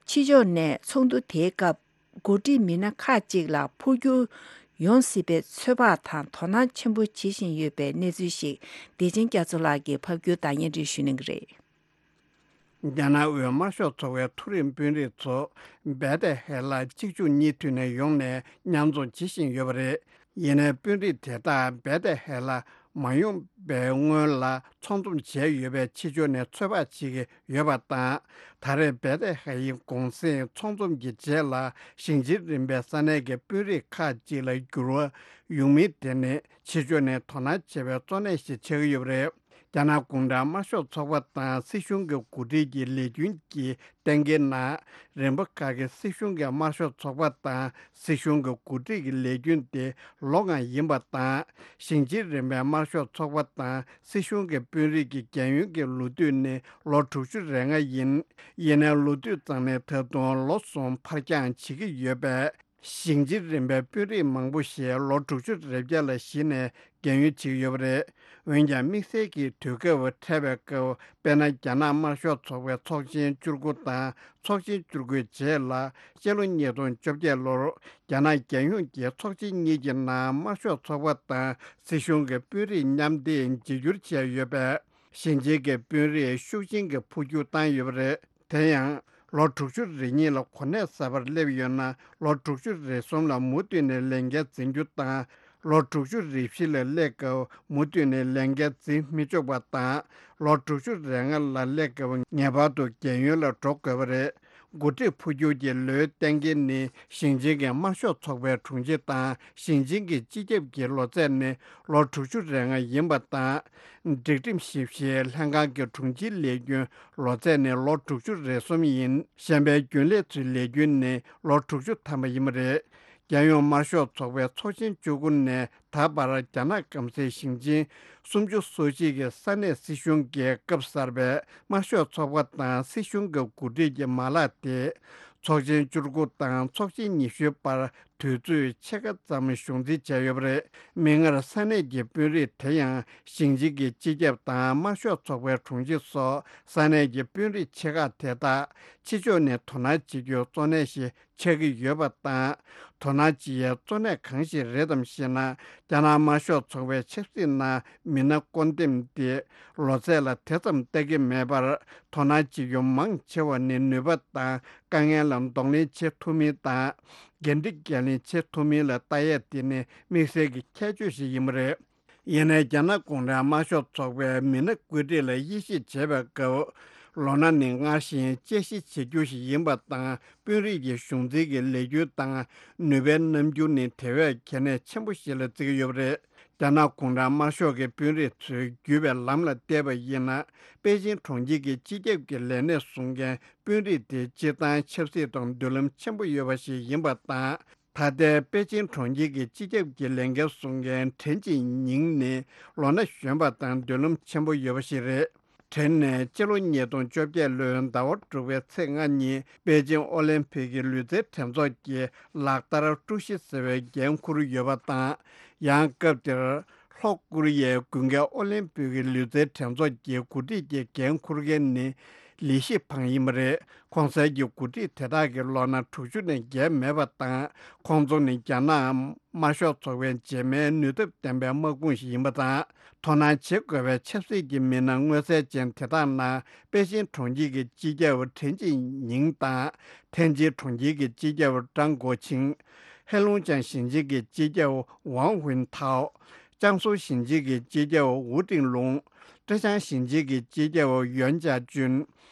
ཕྱི་ཕྱོགས་ནས་ཚོགས་འདུ་དེའི་སྐབས་འགོ་ཁྲིད་མི་སྣ་ཁག་ཅིག་ལ་འཕོ་འགྱུར་ཡོང་སྲིད་པའི་ཚོད་དཔག་དང་དོ་སྣང་ཆེན་པོ་བྱེད་བཞིན་ཡོད་པའི་གནས་ཚུལ་ཞིག་བདེ་ཆེན་རྒྱ་མཚོ་ལགས་ཀྱིས་ཕབ་སྒྱུར་དང་སྙན་སྒྲོན་ཞུ་གནང་གི་རེད། རྒྱ་ནག་དབུས་དམར་ཤོག་ཚོགས་པའི་མཐོ་རིམ་དཔོན་རིགས་ཚོ་བེ་ཏེ་ཧེ་ལ་གཅིག་མཇུག་གཉིས་མཐུད་ནས་ཡོང་ནས་མཉམ་འཛོམས་བྱེད་བཞིན་ཡོད་པ་རེད། ཡིན་ནའི་དཔོན་རིགས་དེ་དག་བེ་ཏེ་ཧེ་ལ་མ་ཡོང་པའི་སྔོན་ལ་ཚོགས་འཛོམས་བྱས་ཡོད་པའི་ཕྱི་ཕྱོགས་ནས་ཚོད་དཔག་བྱེད་ཀྱི་ཡོད་པ་དང་། ད་རེས་བེ་ཏེ་ཧེ་ཡི་གུང་སེང་ཚོགས་འཛོམས་ཀྱི་རྗེས་ལ་ཞིང་ཆེན་རིམ་པའི་ས་གནས་ཀྱི་དཔོན་རིགས་ཁག་ཅིག་ལ་འགྱུར་བ་ཡོང་མིན་དེ་ནི་ཕྱི་ཕྱོགས་ནས་དོ་སྣང་བྱེད་པའི་གཙོ་གནད་ཞིག་ཆགས་ཀྱི་ཡོད་པ་རེད། རྒྱ་ནག་གུང་ཁྲན་དམར་ཤོག་ཚོགས་པ་དང་སྲིད་གཞུང་གི་འགོ་ཁྲིད་ཀྱི་ལས་རྒྱུན་གྱི་གཏན་འཁེལ་ནང་། རིམ་པ་ཁག་གི་སྲིད་གཞུང་གི་དམར་ཤོག་ཚོགས་པ་དང་སྲིད་གཞུང་གི་འགོ་ཁྲིད་ཀྱི་ལས་རྒྱུན་དེ་ལོ་ལྔ་ཡིན་པ་དང་། ཞིང་ཆེན་རིམ་པའི་དམར་ཤོག་ཚོགས་པ་དང་སྲིད་གཞུང་གི་དཔོན་རིགས་ཀྱི་རྒན་ཡོལ་གྱི་ལོ་དུས་ནི་ལོ་དྲུག་ཅུ་རེ་ལྔ་ཡིན། ཡིན་ནའི་ལོ་དུས་ཙམ་ནས་ད་དུང་ལོ་གསུམ་ཕར་འགྱངས་བྱེད་ཀྱི་ཡོད་པས། ཞིང་ཆེན་རིམ་པའི་དཔོན་རིགས་མང་པོ་ཞིག་ལོ་དྲུག་ཅུ་རེ་བརྒྱད་ལ་གཞི་ནས་རྒན་ཡོལ་བྱེད་ཀྱི་ཡོད་པ་རེད། འོན་ཀྱང་དམིགས་བསལ་གྱི་དུས་སྐབས་འཕྲད་པའི་སྐབས། དཔེར་ན། རྒྱ་ནག་དམར་ཤོག་ཚོགས་པའི་ཚོགས་ཆེན་བཅུ་དགུ་དང་ཚོགས་ཆེན་བཅུ་དགུའི་རྗེས་ལ་སྤྱི་ལོ་ཉིས་སྟོང་བཅོ་བརྒྱད་ལོར་རྒྱ་ནག་རྒྱལ་ཡོངས་ཀྱི་ཚོགས་ཆེན་གཉིས་ཀྱི་ནང་དམར་ཤོག་ཚོགས་པ་དང་སྲིད་གཞུང་གི་དཔོན་རིགས་མཉམ་འདེགས་བརྗེ་བསྒྱུར་བྱས་ཡོད་པས། ཞིང་ཆེན་གྱི་དཔོན་རིགས་ཤུགས་ཆེན་གྱིས་འཕོ་འགྱུར་བཏང་ཡོད་པ་རེད། དེ་ཡང་། ལོ་དྲུག་ཅུ་རེ་གཉིས་ལ་གོ་གནས་གསར་པར་སླེབས་ཡོད་ན། ལོ་དྲུག་ཅུ་རེ་གསུམ་ལ་མུ་མཐུད་ནས་ལས་འགན་འཛིན་རྒྱུ་དང་། ལོ་དྲུག་ཅུ་རེ་བཞི་ལ་སླེབས་སྐབས་མུ་མཐུད་ནས་ལས་འགན་འཛིན་མི་ཆོག་པ་དང་། ལོ་དྲུག་ཅུ་རེ་ལྔ་ལ་སླེབས་སྐབས་ངེས་པར་དུ་རྒན་ཡོལ་ལ་འགྲོ་དགོས་པ་རེད། འགོ་ཁྲིད་འཕོ་འགྱུར་གྱི་ལོའི་གཏན་འཁེལ་ནི། ཞིང་ཆེན་གྱི་དམར་ཤོག་ཚོགས་པའི་དྲུང་ཆེ་དང་ཞིང་ཆེན་གྱི་སྤྱི་ཁྱབ་ཀྱི་ལོ་ཚད་ནི་ལོ་དྲུག་ཅུ་རེ་ལྔ་ཡིན་པ་དང་། སྒྲིག་ཁྲིམས་ཞིབ་བཤེར་ལྷན་ཁང་གི་དྲུང་ཆེའི་ལས་རྒྱུན་ལོ་ཚད་ནི་ལོ་དྲུག་ཅུ་རེ་གསུམ་ཡིན། གཞན་པའི་རྒྱུན་ལས་ཚོའི་ལས་རྒྱུན་ནི་ལོ་དྲུག་ཅུ་ཐམ་པ་ཡིན་པ་རེད། རྒྱལ་ཡོངས་དམར་ཤོག་ཚོགས་པའི་ཚོགས་ཆེན་བཅུ་དགུ་ནས་ད་བར་རྒྱ་ནག་སྐམ་སའི་ཞིང་ཆེན་སུམ་ཅུ་སོ་གཅིག་གི་ས་གནས་སྲིད་གཞུང་གི་སྐབས་གསར་པའི་དམར་ཤོག་ཚོགས་པ་དང་སྲིད་གཞུང་གི་འགོ་ཁྲིད་ཀྱི་མ་ལག་དེ། ཚོགས་ཆེན་བཅུ་དགུ་དང་ཚོགས་ཆེན་ཉི་ཤུའི་བར་དུས་ཚོད་ཕྱེད་ཀ་ཙམ་གཞུང་འཛིན་བྱས་ཡོད་པ་རེད། མིག་སྔར་ས་གནས་ཀྱི་དཔོན་རིགས་དེ་ཡང་ཞིང་ཆེན་གྱི་སྤྱི་ཁྱབ་དང་དམར་ཤོག་ཚོགས་པའི་དྲུང་ཆེ་སོགས་ས་གནས་ཀྱི་དཔོན་རིགས་ཆེ་ཁག་དེ་དག་ཕྱི་ཕྱོགས་ནས་དོ་སྣང་བྱེད་རྒྱུ་གཙོ་གནད་ཞིག་ཆགས་ཀྱི་ཡོད་པ་དང་། དོ་སྣང་བྱེད་ཡའི་གཙོ་གནད་གང་ཞིག་རེད་དམ་ཞེ་ན། རྒྱ་ནག་དམར་ཤོག་ཚོགས་པའི་ཆབ་སྲིད་ནང་མི་སྣ་བསྐོ་འདེམས་དེ་ལོ་ཚད་ལ་དེ་ཙམ་ལྟ་གི་མེད་པར། དོ་སྣང་བྱེད་རྒྱུ་མང་ཆེ་བ་ནི་ནུས་པ་དང་དཀའ་ངལ་ལ་གདོང་ལེན་བྱེད་ཐུབ་མིན་དང་། འགན་འཁྲི་འགན་ལེན་བྱེད་ཐུབ་མིན་ལ་ལྟ་ཡས་དེ་ནི་དམིགས་བསལ་གྱི་ཁྱད་ཆོས་ཤིག་ཡིན་པ་རེད། ཡིན་ནའི་རྒྱ་ནག་གུང་ཁྲན་དམར་ཤོག་ཚོགས་པའི་མི་སྣ་བཀོད་སྒྲིག་ལ་དབྱེ་ཞིབ་བྱེད་པའི་སྐབས། ལོ་ན་ནི་སྔར་བཞིན་དཔྱད་ཞིབ་བྱེད་རྒྱུ་ཞིག་ཡིན་པ་དང་། དཔོན་རིགས་ཀྱི་གཞུང་འཛིན་གྱི་ལས་འགུལ་དང་ནུས་པའི་རྣམ་འགྱུར་ནི་དེ་བས་གལ་གནད་ཆེན་པོ་ཞིག་ལ་བརྩི་གི་ཡོད་པ་རེད། རྒྱ་ནག་གུང་ཁྲན་དམར་ཤོག་གི་དཔོན་རིགས་ཚོས་བརྒྱུད་པའི་ལམ་ལ་བལྟས་པ་ཡིན་ན། པེ་ཅིང་གྲོང་ཁྱེར་གྱི་སྤྱི་ཁྱབ་ཀྱི་ལས་གནས་བཟུང་མཁན་དཔོན་རིགས་དེ་སྤྱིར་བཏང་ཆབ་སྲིད་དང་མདུན་ལམ་ཆེན་པོ་ཡོད་པ་ཞིག་ཡིན་པ་དང་། ད་ལྟའི་པེ་ཅིང་གྲོང་ཁྱེར་གྱི་སྤྱི་ཁྱབ་ཀྱི་ལས་འགན་བཟུང་མཁན་ཁྲེན་ཅིན་ཉིང་ནི་ལོ་ན་གཞོན་པ་དང་མདུན་ལམ་ཆེན་པོ་ཡོད་པ་ཞིག་རེད། ཁྲེན་ནས་སྤྱི་ལོ་ཉིས་སྟོང་བཅོ་བརྒྱད་ལོའི་ཟླ་བ་དྲུག་པའི་ཚེས་ལྔ་ཉིན་པེ་ཅིང་ཨོ་ལིམ་ཕིག་གི་ལུས་རྩལ་གྲས་ཚོགས་ཀྱི་ལག་བསྟར་ཀྲུའུ་ཞི་ཟེར་བའི་འགན་འཁུར་ཡོད་པ་དང་། ཡང་སྐབས་དེར་ལྷོ་ཀོ་རི་ཡའི་དགུན་ཁའི་ཨོ་ལིམ་ཕིག་གི་ལུས་རྩལ་གྲས་ཚོགས་ཀྱི་འགོ་ཁྲིད་ཀྱི་འགན་འཁུར་མཁན་ནི་ལི་ཤི་ཕང་ཡིན་པ་རེད། གོང་གསལ་གྱི་འགོ་ཁྲིད་དེ་དག་གི་ལོ་ན་དྲུག་ཅུ་ནས་བརྒལ་མེད་པ་དང་། ཁོང་ཚོ་ནི་རྒྱ་ནག་དམར་ཤོག་ཚོགས་པའི་རྗེས་མའི་ནུས་སྟོབས་ལྡན་པའི་དམག་དཔུང་ཞིག་ཡིན་པ་དང་། དོ་སྣང་བྱེད་དགོས་པའི་ཆབ་སྲིད་ཀྱི་མི་སྣ་མངོན་གསལ་ཅན་དེ་དག་ནང་པེ་ཅིང་གྲོང་ཁྱེར་གྱི་སྤྱི་ཁྱབ་ཁྲེན་ཅིན་ཉིང་དང་། ཐེན་ཅིན་གྲོང་ཁྱེར་གྱི་སྤྱི་ཁྱབ་ཀྲང་གོ་ཆིང་། ཧེ་ལུང་ཅང་ཞིང་ཆེན་གྱི་སྤྱི་ཁྱབ་ཝང་ཧུན་ཐའོ། ཅང་སུའུ་ཞིང་ཆེན་གྱི་སྤྱི་ཁྱབ་ཝུ་ཀྲིང་ལུང་། ཀྲེ་ཅང་ཞིང་ཆེན་གྱི་སྤྱི་ཁྱབ་ཡོན་ཅཱ་ཅུན།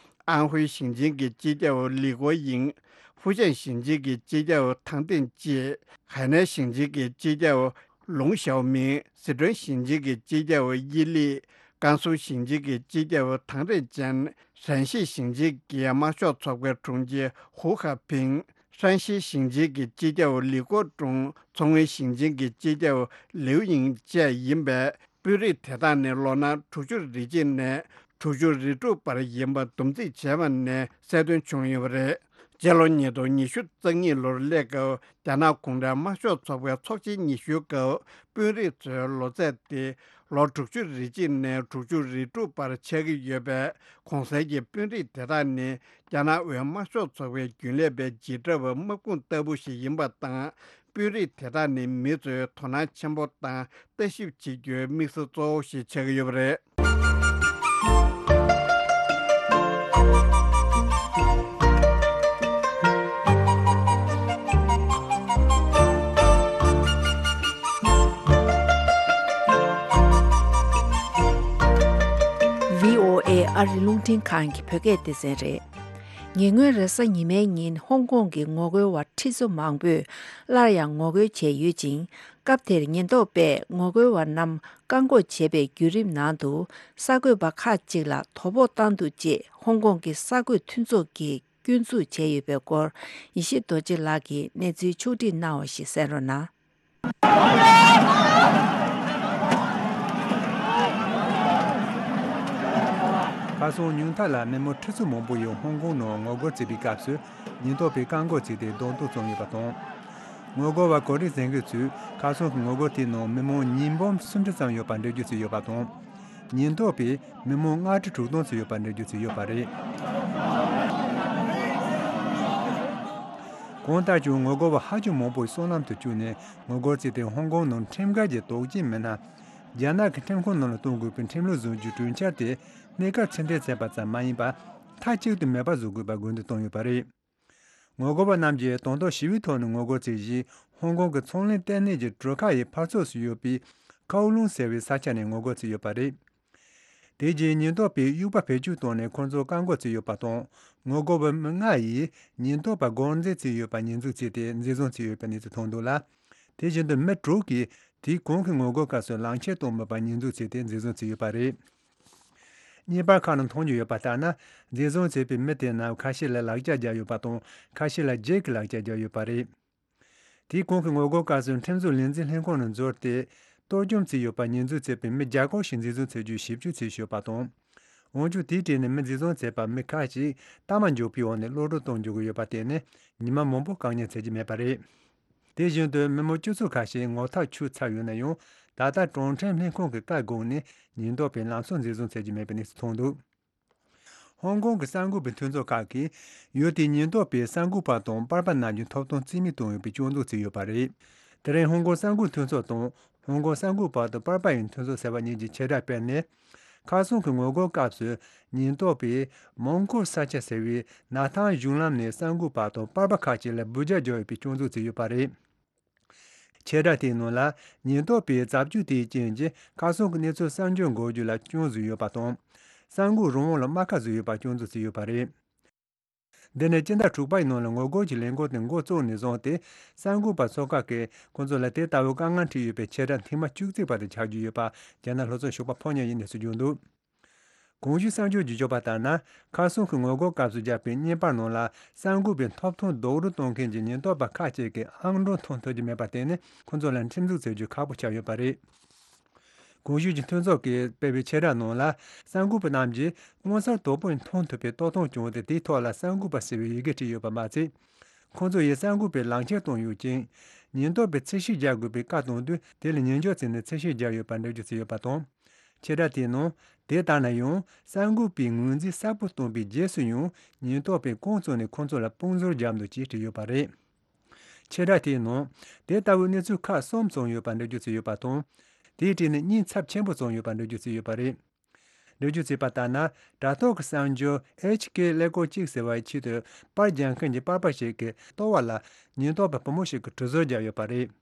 ཨན་ཧུའེ་ཞིང་ཆེན་གྱི་སྤྱི་ཁྱབ་ལི་གོ་ཡིང་། ཧྥུ་ཅན་ཞིང་ཆེན་གྱི་སྤྱི་ཁྱབ་ཐང་ཏེན་ཅེ། ཧའེ་ནན་ཞིང་ཆེན་གྱི་སྤྱི་ཁྱབ་ལུང་ཞའོ་མིང་། སི་ཁྲོན་ཞིང་ཆེན་གྱི་སྤྱི་ཁྱབ་དབྱི་ལི། ཀན་སུའུ་ཞིང་ཆེན་གྱི་སྤྱི་ཁྱབ་ཐང་རེ་ཅན། ཧྲན་ཤི་ཞིང་ཆེན་གྱི་དམར་ཤོག་ཚོགས་པའི་དྲུང་ཆེ་ཧུའུ་ཁ་ཕིང་། ཧྲན་ཤི་ཞིང་ཆེན་གྱི་སྤྱི་ཁྱབ་ལི་ཀོ་ཀྲུང་། མཚོ་སྔོན་ཞིང་ཆེན་གྱི་སྤྱི་ཁྱབ་ལིའུ་ཡིང་བཅས་ཡིན་པས། དཔོན་རིགས་དེ་དག་ནི་ལོ་ན་དྲུག་ཅུ་རེ་གཅིག་ནས་དྲུག་ཅུ་རེ་དྲུག་བར་ཡིན་པ་བསྡོམས་རྩིས་བྱས་པ་ནས་གསལ་སྟོན་བྱུང་ཡོད་པ་རེད། སྤྱི་ལོ་ཉིས་སྟོང་ཉི་ཤུ་རྩ་གཉིས་ལོར་སླེབས་སྐབས། རྒྱ་ནག་གུང་ཁྲན་དམར་ཤོག་ཚོགས་པའི་ཚོགས་ཆེན་ཉི་ཤུའི་སྐབས། དཔོན་རིགས་ཚོའི་ལོ་ཚད་དེ་ལོ་དྲུག་ཅུ་རེ་གཅིག་ནས་དྲུག་ཅུ་རེ་དྲུག་བར་ཆགས་ཀྱི་ཡོད་པས། གོང་གསལ་གྱི་དཔོན་རིགས་དེ་དག་ནི་རྒྱ་ནག་དབུས་དམར་ཤོག་ཚོགས་པའི་རྒྱུན་ལས་པའི་འཇིགས་སྐྲག་པའི་དམག་དཔུང་ལྟ་བུ་ཞིག་ཡིན་པ་དང་། དཔོན་རིགས་དེ་དག་ནི་མི་ཚོས་དོ་སྣང་ཆེན་པོ་དང་ལྟ་ཞིབ་བྱེད་རྒྱུའི་དམིགས་བསལ་གཙོ་བོ་ཞིག་ཆགས་ཀྱི་ཡོད་པ་རེད། བྷི་ཨོ་ཨེ་ཨ་རི་རླུང་འཕྲིན་ཁང་གི་བོད་སྐད་སྡེ་ཚན་རེད། ཉེ་སྔོན་རེས་གཟའ་ཉི་མའི་ཉིན་ཧོང་ཀོང་གི་ངོ་རྒོལ་བ་ཁྲི་ཚོ་མང་པོས་སླར་ཡང་ངོ་རྒོལ་བྱས་ཡོད་ཅིང་། སྐབས་དེར་ཉེན་རྟོག་པས་ངོ་རྒོལ་བ་རྣམས་བཀག་འགོག་བྱས་པའི་བརྒྱུད་རིམ་ནང་དུ། གསར་འགོད་པ་ཁག་ཅིག་ལ་དོ་ཕོག་བཏང་འདུག་ཅེས་ཧོང་ཀོང་གི་གསར་འགོད་མཐུན་ཚོགས་ཀྱིས་སྐྱོན་འཛུགས་བྱས་ཡོད་པའི་སྐོར། ཡེ་ཤེས་རྡོ་རྗེ་ལགས་ཀྱིས་གནས་ཚུལ་ཕྱོགས་བསྒྲིགས་གནང་བ་ཞིག་གསན་རོགས་གནང་། ཁ་སང་ཉུང་མཐའ་ལ་མི་མང་ཁྲི་ཚོ་མང་པོ་ཡིས་ཧོང་ཀོང་ནང་ངོ་རྒོལ་བྱེད་པའི་སྐབས་སུ། ཉེན་རྟོག་པས་བཀག་འགོག་བྱས་ཏེ་རྡུང་རྡེག་བྱུང་ཡོད་པ་དང་། ངོ་རྒོལ་བ་གོ་སྒྲིག་འཛིན་མཁན་ཚོས་ཁ་སང་གི་ངོ་རྒོལ་དེའི་ནང་མི་མང་ཉིས་འབུམ་སུམ་ཁྲི་ཙམ་ཡོད་པ་འགྲེལ་བརྗོད་བྱས་ཡོད་པ་དང་། ཉེན་རྟོག་པས་མི་མང་ལྔ་ཁྲི་དྲུག་སྟོང་ཙམ་ཡོད་པ་འགྲེལ་བརྗོད་བྱས་ཡོད་པ་རེད། གང་ལྟར་ཀྱང་ངོ་རྒོལ་བ་ཧ་ཅང་མང་པོ་སོ་ནམ་དུ་བཅུག་ནས་ངོ་རྒོལ་བྱས་ཏེ། ཧོང་ཀོང་ནང་ཁྲིམས་འགལ་གྱི་དོགས་ཅན་མི་སྣ། རྒྱ་ནག་གི་ཁྲིམས་ཁང་ནང་ལ་གཏོང་དགོས་པའི་ཁྲིམས་ལུགས་བཟོ་རྒྱུའི་གྲོས་འཆར་དེ་གནས་སྐབས་ཕྱིར་འཐེན་བྱས་པ་ཙམ་མ་ཡིན་པར། མཐའ་གཅིག་ཏུ་མེད་པར་བཟོ་དགོས་པར་དགོས་འདུན་བཏང་ཡོད་པ་རེད། ངོ་རྒོལ་བ་རྣམས་ཀྱིས་དང་ཐོག་ཞི་བའི་ཐོག་ནས་ངོ་རྒོལ་བྱས་རྗེས། ཧོང་ཀོང་གི་ཚོང་ལས་ལྟེ་གནས་ཀྱི་གྲུ་ཁ་ཡི་ཕར་ཕྱོགས་སུ་ཡོད་པའི་ཁའོ་ལུང་ཟེར་བའི་ས་ཆ་ནས་ངོ་རྒོལ་བྱས་ཡོད་པ་རེད། དེ་རྗེས་ཉེན་རྟོག་པས་དབྱུག་པ་བེད་སྤྱོད་བཏང་ནས་ཁོང་ཚོ་བཀག་འགོག་བྱས་ཡོད་པ་དང་། ངོ་རྒོལ་བ་མི་ལྔ་ཡིས་ཉེན་རྟོག་པ་སྒོ་འཛིན་བྱས་ཡོད་པ་ཉེས་འཛུགས་བྱས་ཏེ། འཛིན་བཟུང་བྱས་ཡོད་པའི་གནས་ཚུལ་ཐོན་འདུག་ལ། དེ་བཞིན་དུ་མི་དྲུག་གིས་དེའི་གོང་གི་ངོ་རྒོལ་སྐབས་སུ་ལག་ཁྱེར་བཏང་མེད་པར་ཉེས་འཛུགས་བྱས་ཏེ། འཛིན་བཟུང་བྱས་ཡོད་པ་རེད། བརྙན་པར་ཁག་ནང་མཐོང་རྒྱུ་ཡོད་པ་ལྟར་ན། འཛིན་བཟུང་བྱས་པའི་མི་དེ་རྣམས་ཁ་ཤས་ལ་ལག་ཆ་བརྒྱབ་ཡོད་པ་དང་། ཁ་ཤས་ལ་རྒྱུག་གི་ལག་ཆ་བརྒྱབ་ཡོད་པ་རེད། དེའི་གོང་གི་ངོ་རྒོལ་སྐབས་སུ་ཁྲིམས་བཟོ་ལས་འཛིན་ལྷན་ཁང་ནང་འཛུལ་ཏེ། གཏོར་སྐྱོན་བྱས་ཡོད་པ་ཉེས་འཛུགས་བྱས་པའི་མི་བརྒྱ་སྐོར་ཞིག་འཛིན་བཟུང་བྱེད་རྒྱུའི་ཞིབ་འཇུག་བྱས་ཡོད་པ་དང་། འོན་ཀྱང་དེའི་གྲས་ནས་མི་འཛིན་བཟུང་བྱས་པ་མི་ཁག་ཅིག་ཐ་མག་འཇོག་པའི་འོག་ནས་གློད་གྲོལ་གཏོང་འཇུག་གི་ཡོད་པ་དེ་ནི་ཉི་མ་མང་པོ་བཀག་ཉར་བྱེད་ཀྱི་མེད་པ་རེད། དེ་བཞིན་དུ་མི་མང་སྤྱི་ཚོགས་ཁ་ཤས་ངོ་ཐག་ཆོད་ཚར་ཡོད་ན་ཡང་། ད་ལྟ་གྲོང་ཁྲན་ལྷན་ཁང་གི་བཀའ་དགོངས་ནས་ཉེན་རྟོག་པས་ལམ་སང་འཛིན་བཟུང་བྱེད་ཀྱི་མེད་པའི་གནས་ཚུལ་ཐོན་འདུག་ཧོང་ཀོང་གི་གསར་འགོད་པའི་མཐུན་ཚོགས་ཁག་གིས་ཡུལ་དེའི་ཉེན་རྟོག་པས་གསར་འགོད་པ་དང་པར་པ་རྣམས་ཀྱི་ཐོབ་ཐང་རྩིས་མེད་བཏང་ཡོད་པའི་སྐྱོན་འཛུགས་བྱས་ཡོད་པ་རེད། དེ་རིང་ཧོང་ཀོང་གསར་འགོད་མཐུན་ཚོགས་དང་། ཧོང་ཀོང་གསར་འགོད་པ་དང་པར་པ་ཡི་མཐུན་ཚོགས་ཟེར་བ་གཉིས་ཀྱིས་ཆེད་བསྒྲགས་སྤེལ་ནས། ཁ་སང་གི་ངོ་རྒོལ་སྐབས་སུ་ཉེན་རྟོག་པས་མོང་གོ་ས་ཆ་ཟེར་བའི་ནགས་ཐང་གཞུང་ལམ་ནས་གསར་འགོད་པ་དང་པར་པ་ཁག་ཅིག་ལ་འབུད་རྒྱག་བརྒྱབ་ཡོད་པའི་སྐྱོན་འཛུགས་བྱས་ཡོད་པ་རེད། ཆེད་བསྒྲགས་དེའི་ནང་ལ། ཉེན་རྟོག་པས་རྩབ་རྒྱུག་དེའི་རྐྱེན་གྱིས་ཁ་སང་གི་གནས་ཚུལ་གསར་འགྱུར་འགོད་རྒྱུ་ལ་སྐྱོན་བཟོས་ཡོད་པ་དང་། གསར་འགོད་རང་དབང་ལ་རྨ་ཁ་བཟོས་ཡོད་པ་སྐྱོན་འཛུགས་བྱས་ཡོད་པ་རེད། འདི་ནི་སྤྱི་ཟླ་དྲུག་པའི་ནང་ལ་ངོ་རྒོལ་གྱི་ལས་འགུལ་དེ་འགོ་བཙུགས་ནས་བཟུང་སྟེ། གསར་འགོད་པ་ཚོ་ཁག་གིས་ཁོང་ཚོ་ལ་དེ་ལྟ་བུའི་དཀའ་ངལ་འཕྲད་ཡོད་པའི་ཆེད་བསྒྲགས་ཐེངས་མ་བཅུ་གཅིག་པ་དེ་ཆགས་རྒྱུ་ཡོད་པ་རྒྱ་ནག་ལྷོ་ཕྱོགས་ཞོགས་པ་ཕོ་ཉ་ཡིས་གནས་ཚུལ་བརྗོད་འདུག་གོང་ཞུས་གསར་འགྱུར་བརྗོད་ཆོག་པ་ལྟར་ན། ཁ་སང་གི་ངོ་རྒོལ་སྐབས་སུ་བརྒྱབ་པའི་བརྙན་པར་ནང་ལ། གསར་འགོད་པའི་ཐོབ་ཐང་རྡོག་རོལ་གཏོང་མཁན་གྱི་ཉེན་རྟོག་པ་ཁག་ཅིག་གིས་ཨང་གྲངས་མཐོང་ཐུབ་ཀྱི་མེད་པར་བརྟེན་ནས། ཁོང་ཚོ་ལ་ཁྲིམས་འཛུགས་བྱེད་རྒྱུ་ཁག་པོ་ཆགས་ཡོད་པ་རེད། གོང་ཞུས་ཀྱི་མཐུན་ཚོགས་ཀྱིས་སྤེལ་བའི་ཆེད་བསྒྲགས་ནང་ལ། གསར་འགོད་པ་རྣམས་ཀྱིས་མངོན་གསལ་དོད་པོས་མཐོང་ཐུབ་པའི་ལྟ་སྟངས་བྱུང་སྟེ། དེའི་ཐོག་ལ་གསར་འགོད་པ་ཟེར་བའི་ཡི་གེ་བྲིས་ཡོད་པ་མ་ཚད། ཁོང་ཚོ་ཡིས་གསར་འགོད་པའི་ལག་ཁྱེར་བཏོན་ཡོད་ཅིང་། ཉེན་རྟོག་པས་འཚོལ་ཞིབ་བརྒྱབ་དགོས་པའི་བཀའ་གཏོང་དུས། དེ་ལ་ཉན་འཇོག་བྱས་ནས་འཚོལ་ཞིབ་བརྒྱབ་ཡོད་པར་འགྲེལ་བརྗོད་བྱས་ཡོད་པ་དང་། ཆེད་བསྒྲགས་དེའི་ནང་། དེ་ལྟར་ན་ཡང་། གསར་འགོད་པས་ངོས་འཛིན་གསལ་པོ་བཏང་པའི་རྗེས་སུ་ཡང་། ཉེན་རྟོག་པས་རྐང་བཙུགས་ནས་ཁོང་ཚོ་ལ་དཔུང་གཟེར་བརྒྱབ་འདུག་ཅེས་བྲིས་ཡོད་པ་རེད། ཆེད་བསྒྲགས་དེའི་ནང་། དེ་ལྟ་བུའི་གནས་ཚུལ་ཁག་གསུམ་བྱུང་ཡོད་པར་འགྲེལ་བརྗོད་བྱས་ཡོད་པ་དང་། དེའི་གྲས་ནས་གཉིས་ཚབས་ཆེན་པོ་བྱུང་ཡོད་པར་འགྲེལ་བརྗོད་བྱས་ཡོད་པ་རེད། འགྲེལ་བརྗོད་བྱས་པ་ལྟར་ན། དྲ་ཐོག་གི་གསར་འགྱུར་ཨེཆ་ཀེ་ཀླད་ཀོར་གཅིག་ཟེར་བའི་ཆེད་དུ་པར་རྒྱག་མཁན་གྱི་པར་པ་ཞིག་གི་ལྟོ་བ་ལ་ཉེན་རྟོག་པ་བུ་མོ་ཞིག་གིས་གྲི་ཟུར་བརྒྱབ་ཡོད་པ་རེད།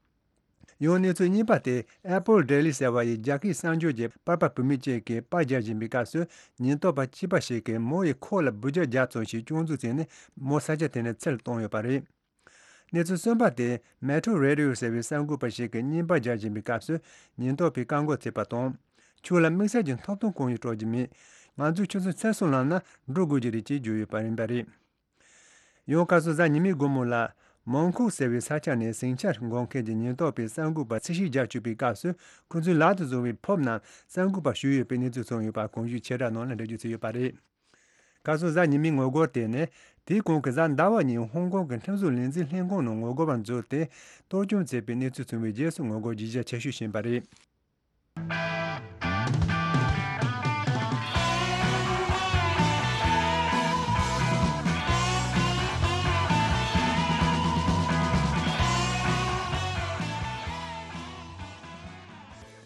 ཡང་གནས་ཚུལ་གཉིས་པ་དེ། Apple Daily ཟེར་བ་ཡི་རྒྱ་སྐད་གསར་འགྱུར་གྱི་པར་པ་བུད་མེད་ཅིག་གིས་པར་རྒྱག་བཞིན་པའི་སྐབས་སུ། ཉེན་རྟོག་པ་གཅིག་པ་ཞིག་གིས་མོ་ཡི་ཁོག་ལ་འབུད་རྒྱག་བརྒྱབ་ཙམ་ཞིག་སྐྱོན་འཛུགས་བྱས་ནས། མོ་ས་ཆ་དེ་ནས་ཚུར་བཏང་ཡོད་པ་རེད། གནས་ཚུལ་གསུམ་པ་དེ། Metro Radio ཟེར་བའི་གསར་འགོད་པ་ཞིག་གིས་བརྙན་པར་རྒྱག་བཞིན་པའི་སྐབས་སུ། ཉེན་རྟོག་པས་བཀག་འགོག་བྱས་པ་དང་། ཁྱོད་ལ་དམིགས་བསལ་གྱི་ཐོབ་ཐང་གང་ཡང་སྤྲོད་རྒྱུ་མེད། ང་ཚོས་ཁྱོད་ཚོ་ཚུར་སོང་ལབ་ན་འགྲོ་དགོས་ཀྱི་རེད་ཅེས་བརྗོད་ཡོད་པ་ཡིན་པ་རེད། ཡང་སྐབས་སུ་གཟའ་ཉི་མའི་དགོང་མོ་ལ། མོན་གྷོ་ཟེར་བའི་ས་ཆ་ནས་ཟིང་ཆ་འགོག་མཁན་གྱི་ཉེན་རྟོག་པས་གསར་འགོད་པར་འཚོལ་ཞིབ་རྒྱག་བཅུག་པའི་སྐབས་སུ། ཁོ་ཚོས་ལག་ཏུ་བཟུང་བའི་ཕོབ་རྣམས་གསར་འགོད་པར་གཞུས་ཡོད་པའི་གནས་ཚུལ་ཐོན་ཡོད་པ་གོང་ཞུས་ཆེ་དྲགས་ནང་ལ་འགྲེལ་བརྗོད་བྱས་ཡོད་པ་རེད། སྐབས་སུ་གཟའ་ཉི་མའི་ངོ་རྒོལ་དེ་ནི། དེའི་གོང་གི་གཟའ་ཟླ་བ་ཉིན་ཧོང་ཀོང་གི་ཁྲིམས་བཟོ་ལས་འཛིན་ལྷན་ཁང་ནང་ངོ་རྒོལ་བ་འཛུལ་ཏེ། གཏོར་སྐྱོན་བྱས་པའི་གནས་ཚུལ་ཐོན་པའི་རྗེས་སུ་ངོ་རྒོལ་ཇེ་རྒྱ་ཆེ་ཤོས་ཕྱིན་པ་རེད།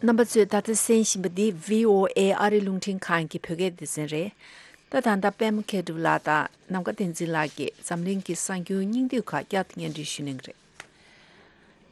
རྣམ་པ་ཚོས་ད་ལྟ་གསན་བཞིན་པ་འདི་བྷི་ཨོ་ཨེ་ཨ་རིའི་རླུང་འཕྲིན་ཁང་གི་བོད་སྐད་སྡེ་ཚན་རེད། ད་ད་ལྟ་པད་མ་མཁས་གྲུབ་ལགས་དང་ནམ་མཁའ་བསྟན་འཛིན་ལགས་ཀྱིས་འཛམ་གླིང་གི་གསར་འགྱུར་སྙིང་བསྡུས་ཁག་བསྐྱར་དུ་སྙན་སྒྲོན་ཞུ་གནང་གི་རེད།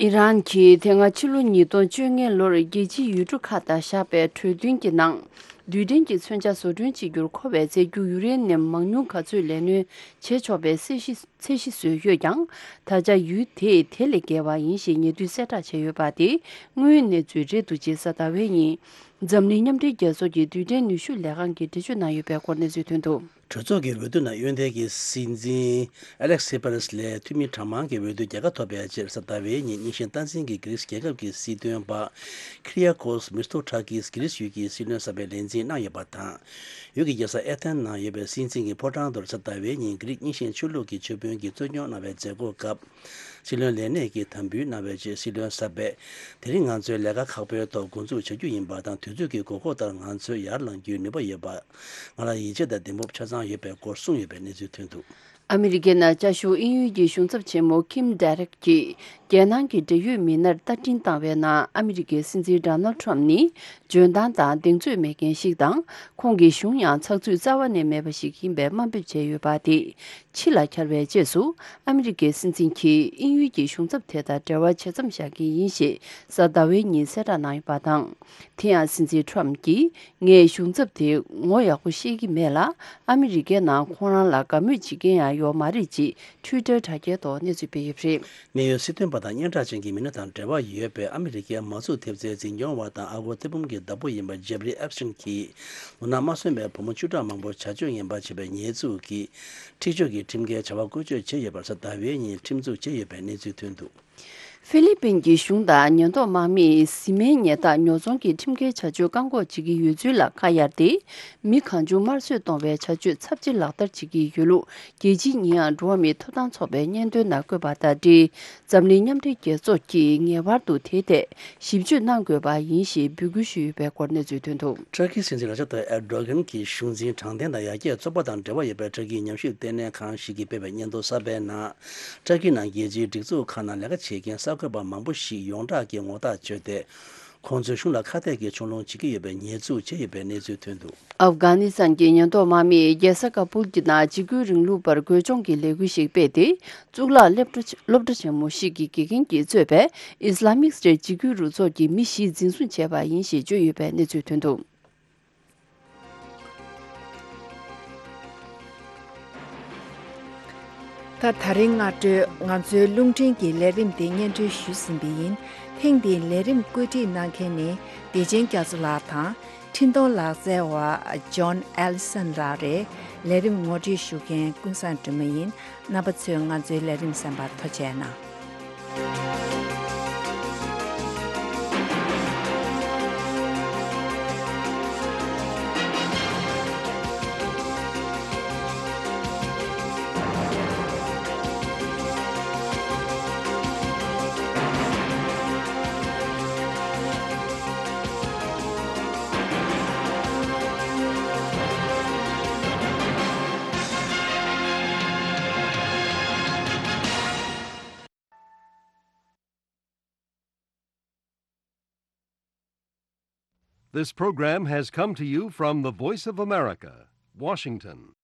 ཨི་རན་གྱིས་དེ་སྔ་ཕྱི་ལོ་ཉིས་སྟོང་བཅོ་ལྔ་ལོར་རྒྱལ་སྤྱིའི་ཡུལ་གྲུ་ཁག་དང་བཞག་པའི་གྲོས་མཐུན་གྱི་ནང་། རྡུལ་ཕྲན་གྱི་མཚོན་ཆ་བཟོ་སྐྲུན་བྱེད་རྒྱུར་མཁོ་བའི་རྫས་འགྱུར་ཡུ་རེ་ནི་ཡམ་མང་ཉུང་ག་ཚོད་ལས་སྣོན་བྱེད་ཆོག་པའི་ཚད་གཞི་ཚད་གཞི་བཟོས་ཡོད་ཀྱང་། ད་ཆ་ཡུལ་དེས་དེ་ལས་བརྒལ་བ་ཡིན་ཞེས་ཉེ་དུས་གསལ་བསྒྲགས་བྱས་ཡོད་པ་དེ་དངོས་ཡོད་གནས་ཚུལ་རེད་འདུག་ཅེས་གཟའ་ཟླ་བའི་ཉིན། འཛམ་གླིང་མཉམ་འབྲེལ་རྒྱལ་ཚོགས་ཀྱི་རྡུལ་ཕྲན་ནུས་ཤུགས་ལས་ཁང་གིས་འགྲེལ་བརྗོད་གནང་ཡོད་པའི་སྐོར་གནས་ཚུལ་ཐོན་འདུག། གྲོས་ཚོགས་ཀྱི་འོས་བསྡུ་ནང་གཡོན་ཐལ་གྱི་སྲིད་འཛིན་ཨ་ལེག་སི་པེ་རེས་ལས་འཐུས་མི་གྲངས་མང་གི་འོས་བསྡུ་རྒྱལ་ཁ་ཐོབ་པའི་རྗེས། གཟའ་ཟླ་བའི་ཉིན་རྙིང་ཞེན་སྟངས་འཛིན་གྱི་གྷི་རིས་རྒྱལ་ཁབ་ཀྱི་སྲིད་དོན་པ་ཁི་རི་ཡ་ཀོས་མིར་ཐོ་ཁྲ་ཀིས་གྷི་རིས་ཡུལ་གྱི་སྲིད་བློན་གསར་པའི་ལས་འཛིན་གནང་ཡོད་པ་དང་། ཡུལ་གྱི་རྒྱལ་ས་ཨེ་ཐན་ནང་ཡོད་པའི་སྲིད་འཛིན་གྱི་ཕོ་བྲང་དུ་གཟའ་ཟླ་བའི་ཉིན་གྷི་རིས་རྙིང་ཞེན་ཆོས་ལུགས་ཀྱི་ཆོས་དཔོན་གྱིས་གཙོ་སྐྱོང་གནང་བའི་མཛད་སྒོ་སྐབས། སྲིད་བློན་ལས་གནས་ཀྱི་དམ་འབུལ་གནང་བའི་རྗེས། སྲིད་བློན་གསར་པས། དེ་རིང་ང་ཚོས་ལས་ཀ་ཁག་པོའི་ཐོག་འགོ་འཛུགས་བྱ་རྒྱུ་ཡིན་པ་དང་། དུས་ཚོད་ཀྱི་དགོས་མཁོ་ལྟར་ང་ཚོས་ཡར་ལངས་རྒྱུའི་ནུས་པ་ཡོད་པ། ང་ལ་ཡིད་ཆེས་དང་གདེང་སྤོབས་ཆ་ཚང་ཡོད་པའི་སྐོར་གསུངས་ཡོད་པའི་གནས་ཚུལ་ཐོན་འདུག། ཨ་མི་རི་ཀའི་ནང་བཅའ་བཞུགས་དབྱིན་ཡུལ་གྱི་གཞུང་ཚབ་ཆེན་མོ་ཁིམ་ཌེ་རེག་གིས། རྒྱལ་ནང་གི་འབྲེལ་ཡོད་མི་སྣར་ལྟ་འཕྲིན་བཏང་བའི་ནང་། ཨ་མི་རི་ཀའི་སྲིད་འཛིན་ཌོ་ནལ་ཊམ་ནི་འཇོན་ཐང་དང་གདེང་ཚོད་མེད་མཁན་ཞིག་དང་། ཁོང་གི་གཞུང་ཡང་ཚགས་ཚུད་རྩ་བ་ནས་མེད་པ་ཞིག་ཡིན་པའི་དམའ་འབེབས་བྱས་ཡོད་པ་དེ། ཕྱི་ལ་འཁྱར་བའི་རྗེས་སུ། ཨ་མི་རི་ཀའི་སྲིད་འཛིན་གྱིས་དབྱིན་ཡུལ་གྱི་གཞུང་ཚབ་དེ་དང་འབྲེལ་བ་ཇེ་མཚམས་བཞག་གི་ཡིན་ཞེས་གཟའ་ཟླ་བའི་ཉིན་གསལ་བསྒྲགས་གནང་ཡོད་པ་དང་། དེ་ཡང་སྲིད་འཛིན་ཊམ་གྱིས། ངས་གཞུང་ཚབ་དེ་ངོ་ཡག་པོ་ཤེས་ཀྱི་མེད་ལ། ཨ་མི་རི་ཀའི་ནང་ཁོང་རང་ལ་དགའ་མོས་བྱེད་མཁན་ཡང་ཡོད་མ་རེད་ཅེས་ཊུའི་ཊར་དྲ་རྒྱའི་ཐོག་གནས་ཚུལ་སྤེལ་ཡོད་པ་རེད། གནད་ཡོད་སྲིད་དོན་པ་དང་སྙན་གྲགས་ཅན་གྱི་མི་སྣ་དང་འབྲེལ་བ་ཡོད་པའི་ཨ་མི་རི་ཀའི་མ་རྩུབ་ཐེབས་རྩའི་འཛིན་སྐྱོང་བ་དང་ཨ་སྒོར་ཐེར་འབུམ་གྱི་བདག་པོ་ཡིན་པ་ཇེབ་རི་ཨེབ་སི་ཊིན་གྱིས། ལོ་ན་མ་སོན་པའི་བུ་མོ་བཅུ་ཕྲག་མང་པོར་བྱ་སྤྱོད་ངན་པ་བྱས་པའི་ཉེས་འཛུགས་ཀྱིས། འཁྲིག་སྤྱོད་ཀྱི་ཁྲིམས་འགལ་བྱ་བ་བཀོལ་སྤྱོད་བྱས་ཡོད་པར་གཟའ་ཟླ་བའི་ཉིན་ཁྲིམས་འཛུགས་བྱས་ཡོད་པའི་གནས་ཚུལ་ཐོན་འདུག། ཧྥི་ལི་པིན་གྱི་གཞུང་དང་ཉེན་རྟོག་དམག་མིས་བཟི་སྨན་ཉལ་ཐ་ཉོ་ཚོང་གི་ཁྲིམས་འགལ་བྱ་སྤྱོད་བཀག་འགོག་བྱེད་ཀྱི་ཡོད་ཚུལ་ལ་ཁ་གཡར་ཏེ། མི་གང་བྱུང་དམར་གསོད་གཏོང་བའི་བྱ་སྤྱོད་ཚབས་ཆེ་ལག་བསྟར་བྱེད་ཀྱི་ཡོད་ལུགས། རྒྱལ་སྤྱིའི་ཉེས་ཡངས་འགྲོ་བ་མིའི་ཐོབ་ཐང་ཚོགས་པའི་སྙན་ཐོའི་ནང་བཀོད་པ་དང་འབྲེལ། འཛམ་གླིང་མཉམ་འབྲེལ་རྒྱལ་ཚོགས་ཀྱིས་ངེས་པར་དུ་དེའི་ཐད་ཞིབ་དཔྱོད་གནང་དགོས་པ་ཡིན་ཞེས་འབོད་སྐུལ་ཞུས་ཡོད་པའི་སྐོར་གནས་ཚུལ་ཐོན་འདུག། ཏུར་ཀིའི་སྲིད་འཛིན་ར་ཇབ་ཏཱ་ཨེར་ཌོ་གྷན་གྱི་གཞུང་འཛིན་དྲང་བདེན་དང་ཡར་རྒྱས་ཚོགས་པ་དང་འབྲེལ་བ་ཡོད་པའི་ཏུར་ཀིའི་ཉམས་ཞིབ་ལྟེ་གནས་ཁང་ཞིག་གིས་སྤེལ་བའི་སྙན་ཐོ་གསར་པའི་ནང་། ཏུར་ཀི་ནང་རྒྱལ་སྤྱིའི་སྒྲིག་འཛུགས་ཁག་ནང་ལས་ཀ་བྱེད་མཁན་གསར་འགོད་པ་མང་པོ་ཞིག་ཡོངས་གྲགས་ཀྱིས་ངོ་རྟགས་བཅོས་ཏེ། ཁོང་ཚོའི་གཞུང་ལ་ཁ་གཏད་ཀྱི་ཕྱོགས་ལྷུང་བྱེད་ཀྱི་ཡོད་པའི་ཉེས་འཛུགས་བྱས་ཡོད་པའི་གནས་ཚུལ་ཐོན་འདུག། ཨབ་གྷ་ནི་སི་ཐན་གྱི་ཉེན་རྟོག་དམག་མིས་རྒྱལ་ས་ཀ་བུལ་གྱི་ནང་འཇིགས་སྐུལ་རིང་ལུགས་པར་རྒོལ་སྦྱོང་གི་ལས་འགུལ་ཞིག་སྤེལ་ཏེ། གཙུག་ལག་སློབ་གྲྭ་སློབ་གྲྭ་ཆེན་མོ་ཞིག་གི་དགེ་རྒན་གྱིས་གཙོས་པའི་ཨི་སི་ལ་མིག་སི་ཊེཊ་འཇིགས་སྐུལ་རུ་ཚོགས་ཀྱི་མི་བཞི་འཛིན་བཟུང་བྱས་པ་ཡིན་ཞེས་བརྗོད་ཡོད་པའི་གནས་ཚུལ་ཐོན་འདུག། ད་ད་རིང་སྔ་དྲོའི་ང་ཚོའི་རླུང་འཕྲིན་གྱི་ལས་རིམ་དེ་སྙན་སྒྲོན་ཞུས་ཟིན་པ་ཡིན། ཐེངས་འདིའི་ལས་རིམ་བཀོད་སྒྲིག་གནང་མཁན་ནི་བདེ་ཆེན་རྒྱ་མཚོ་ལགས་དང་། འཕྲིན་གཏོང་ལག་རྩལ་བ་ཇོན་ཨེ་ལི་སན་ལགས་རེད། ལས་རིམ་ངོ་སྤྲོད་ཞུ་མཁན་ཀུན་བཟང་སྒྲོལ་མ་ཡིན། རྣམ་པ་ཚོས་ང་ཚོའི་ལས་རིམ་གསན་པར་ཐུགས་རྗེ་གནང་། This program has come to you from the Voice of America, Washington.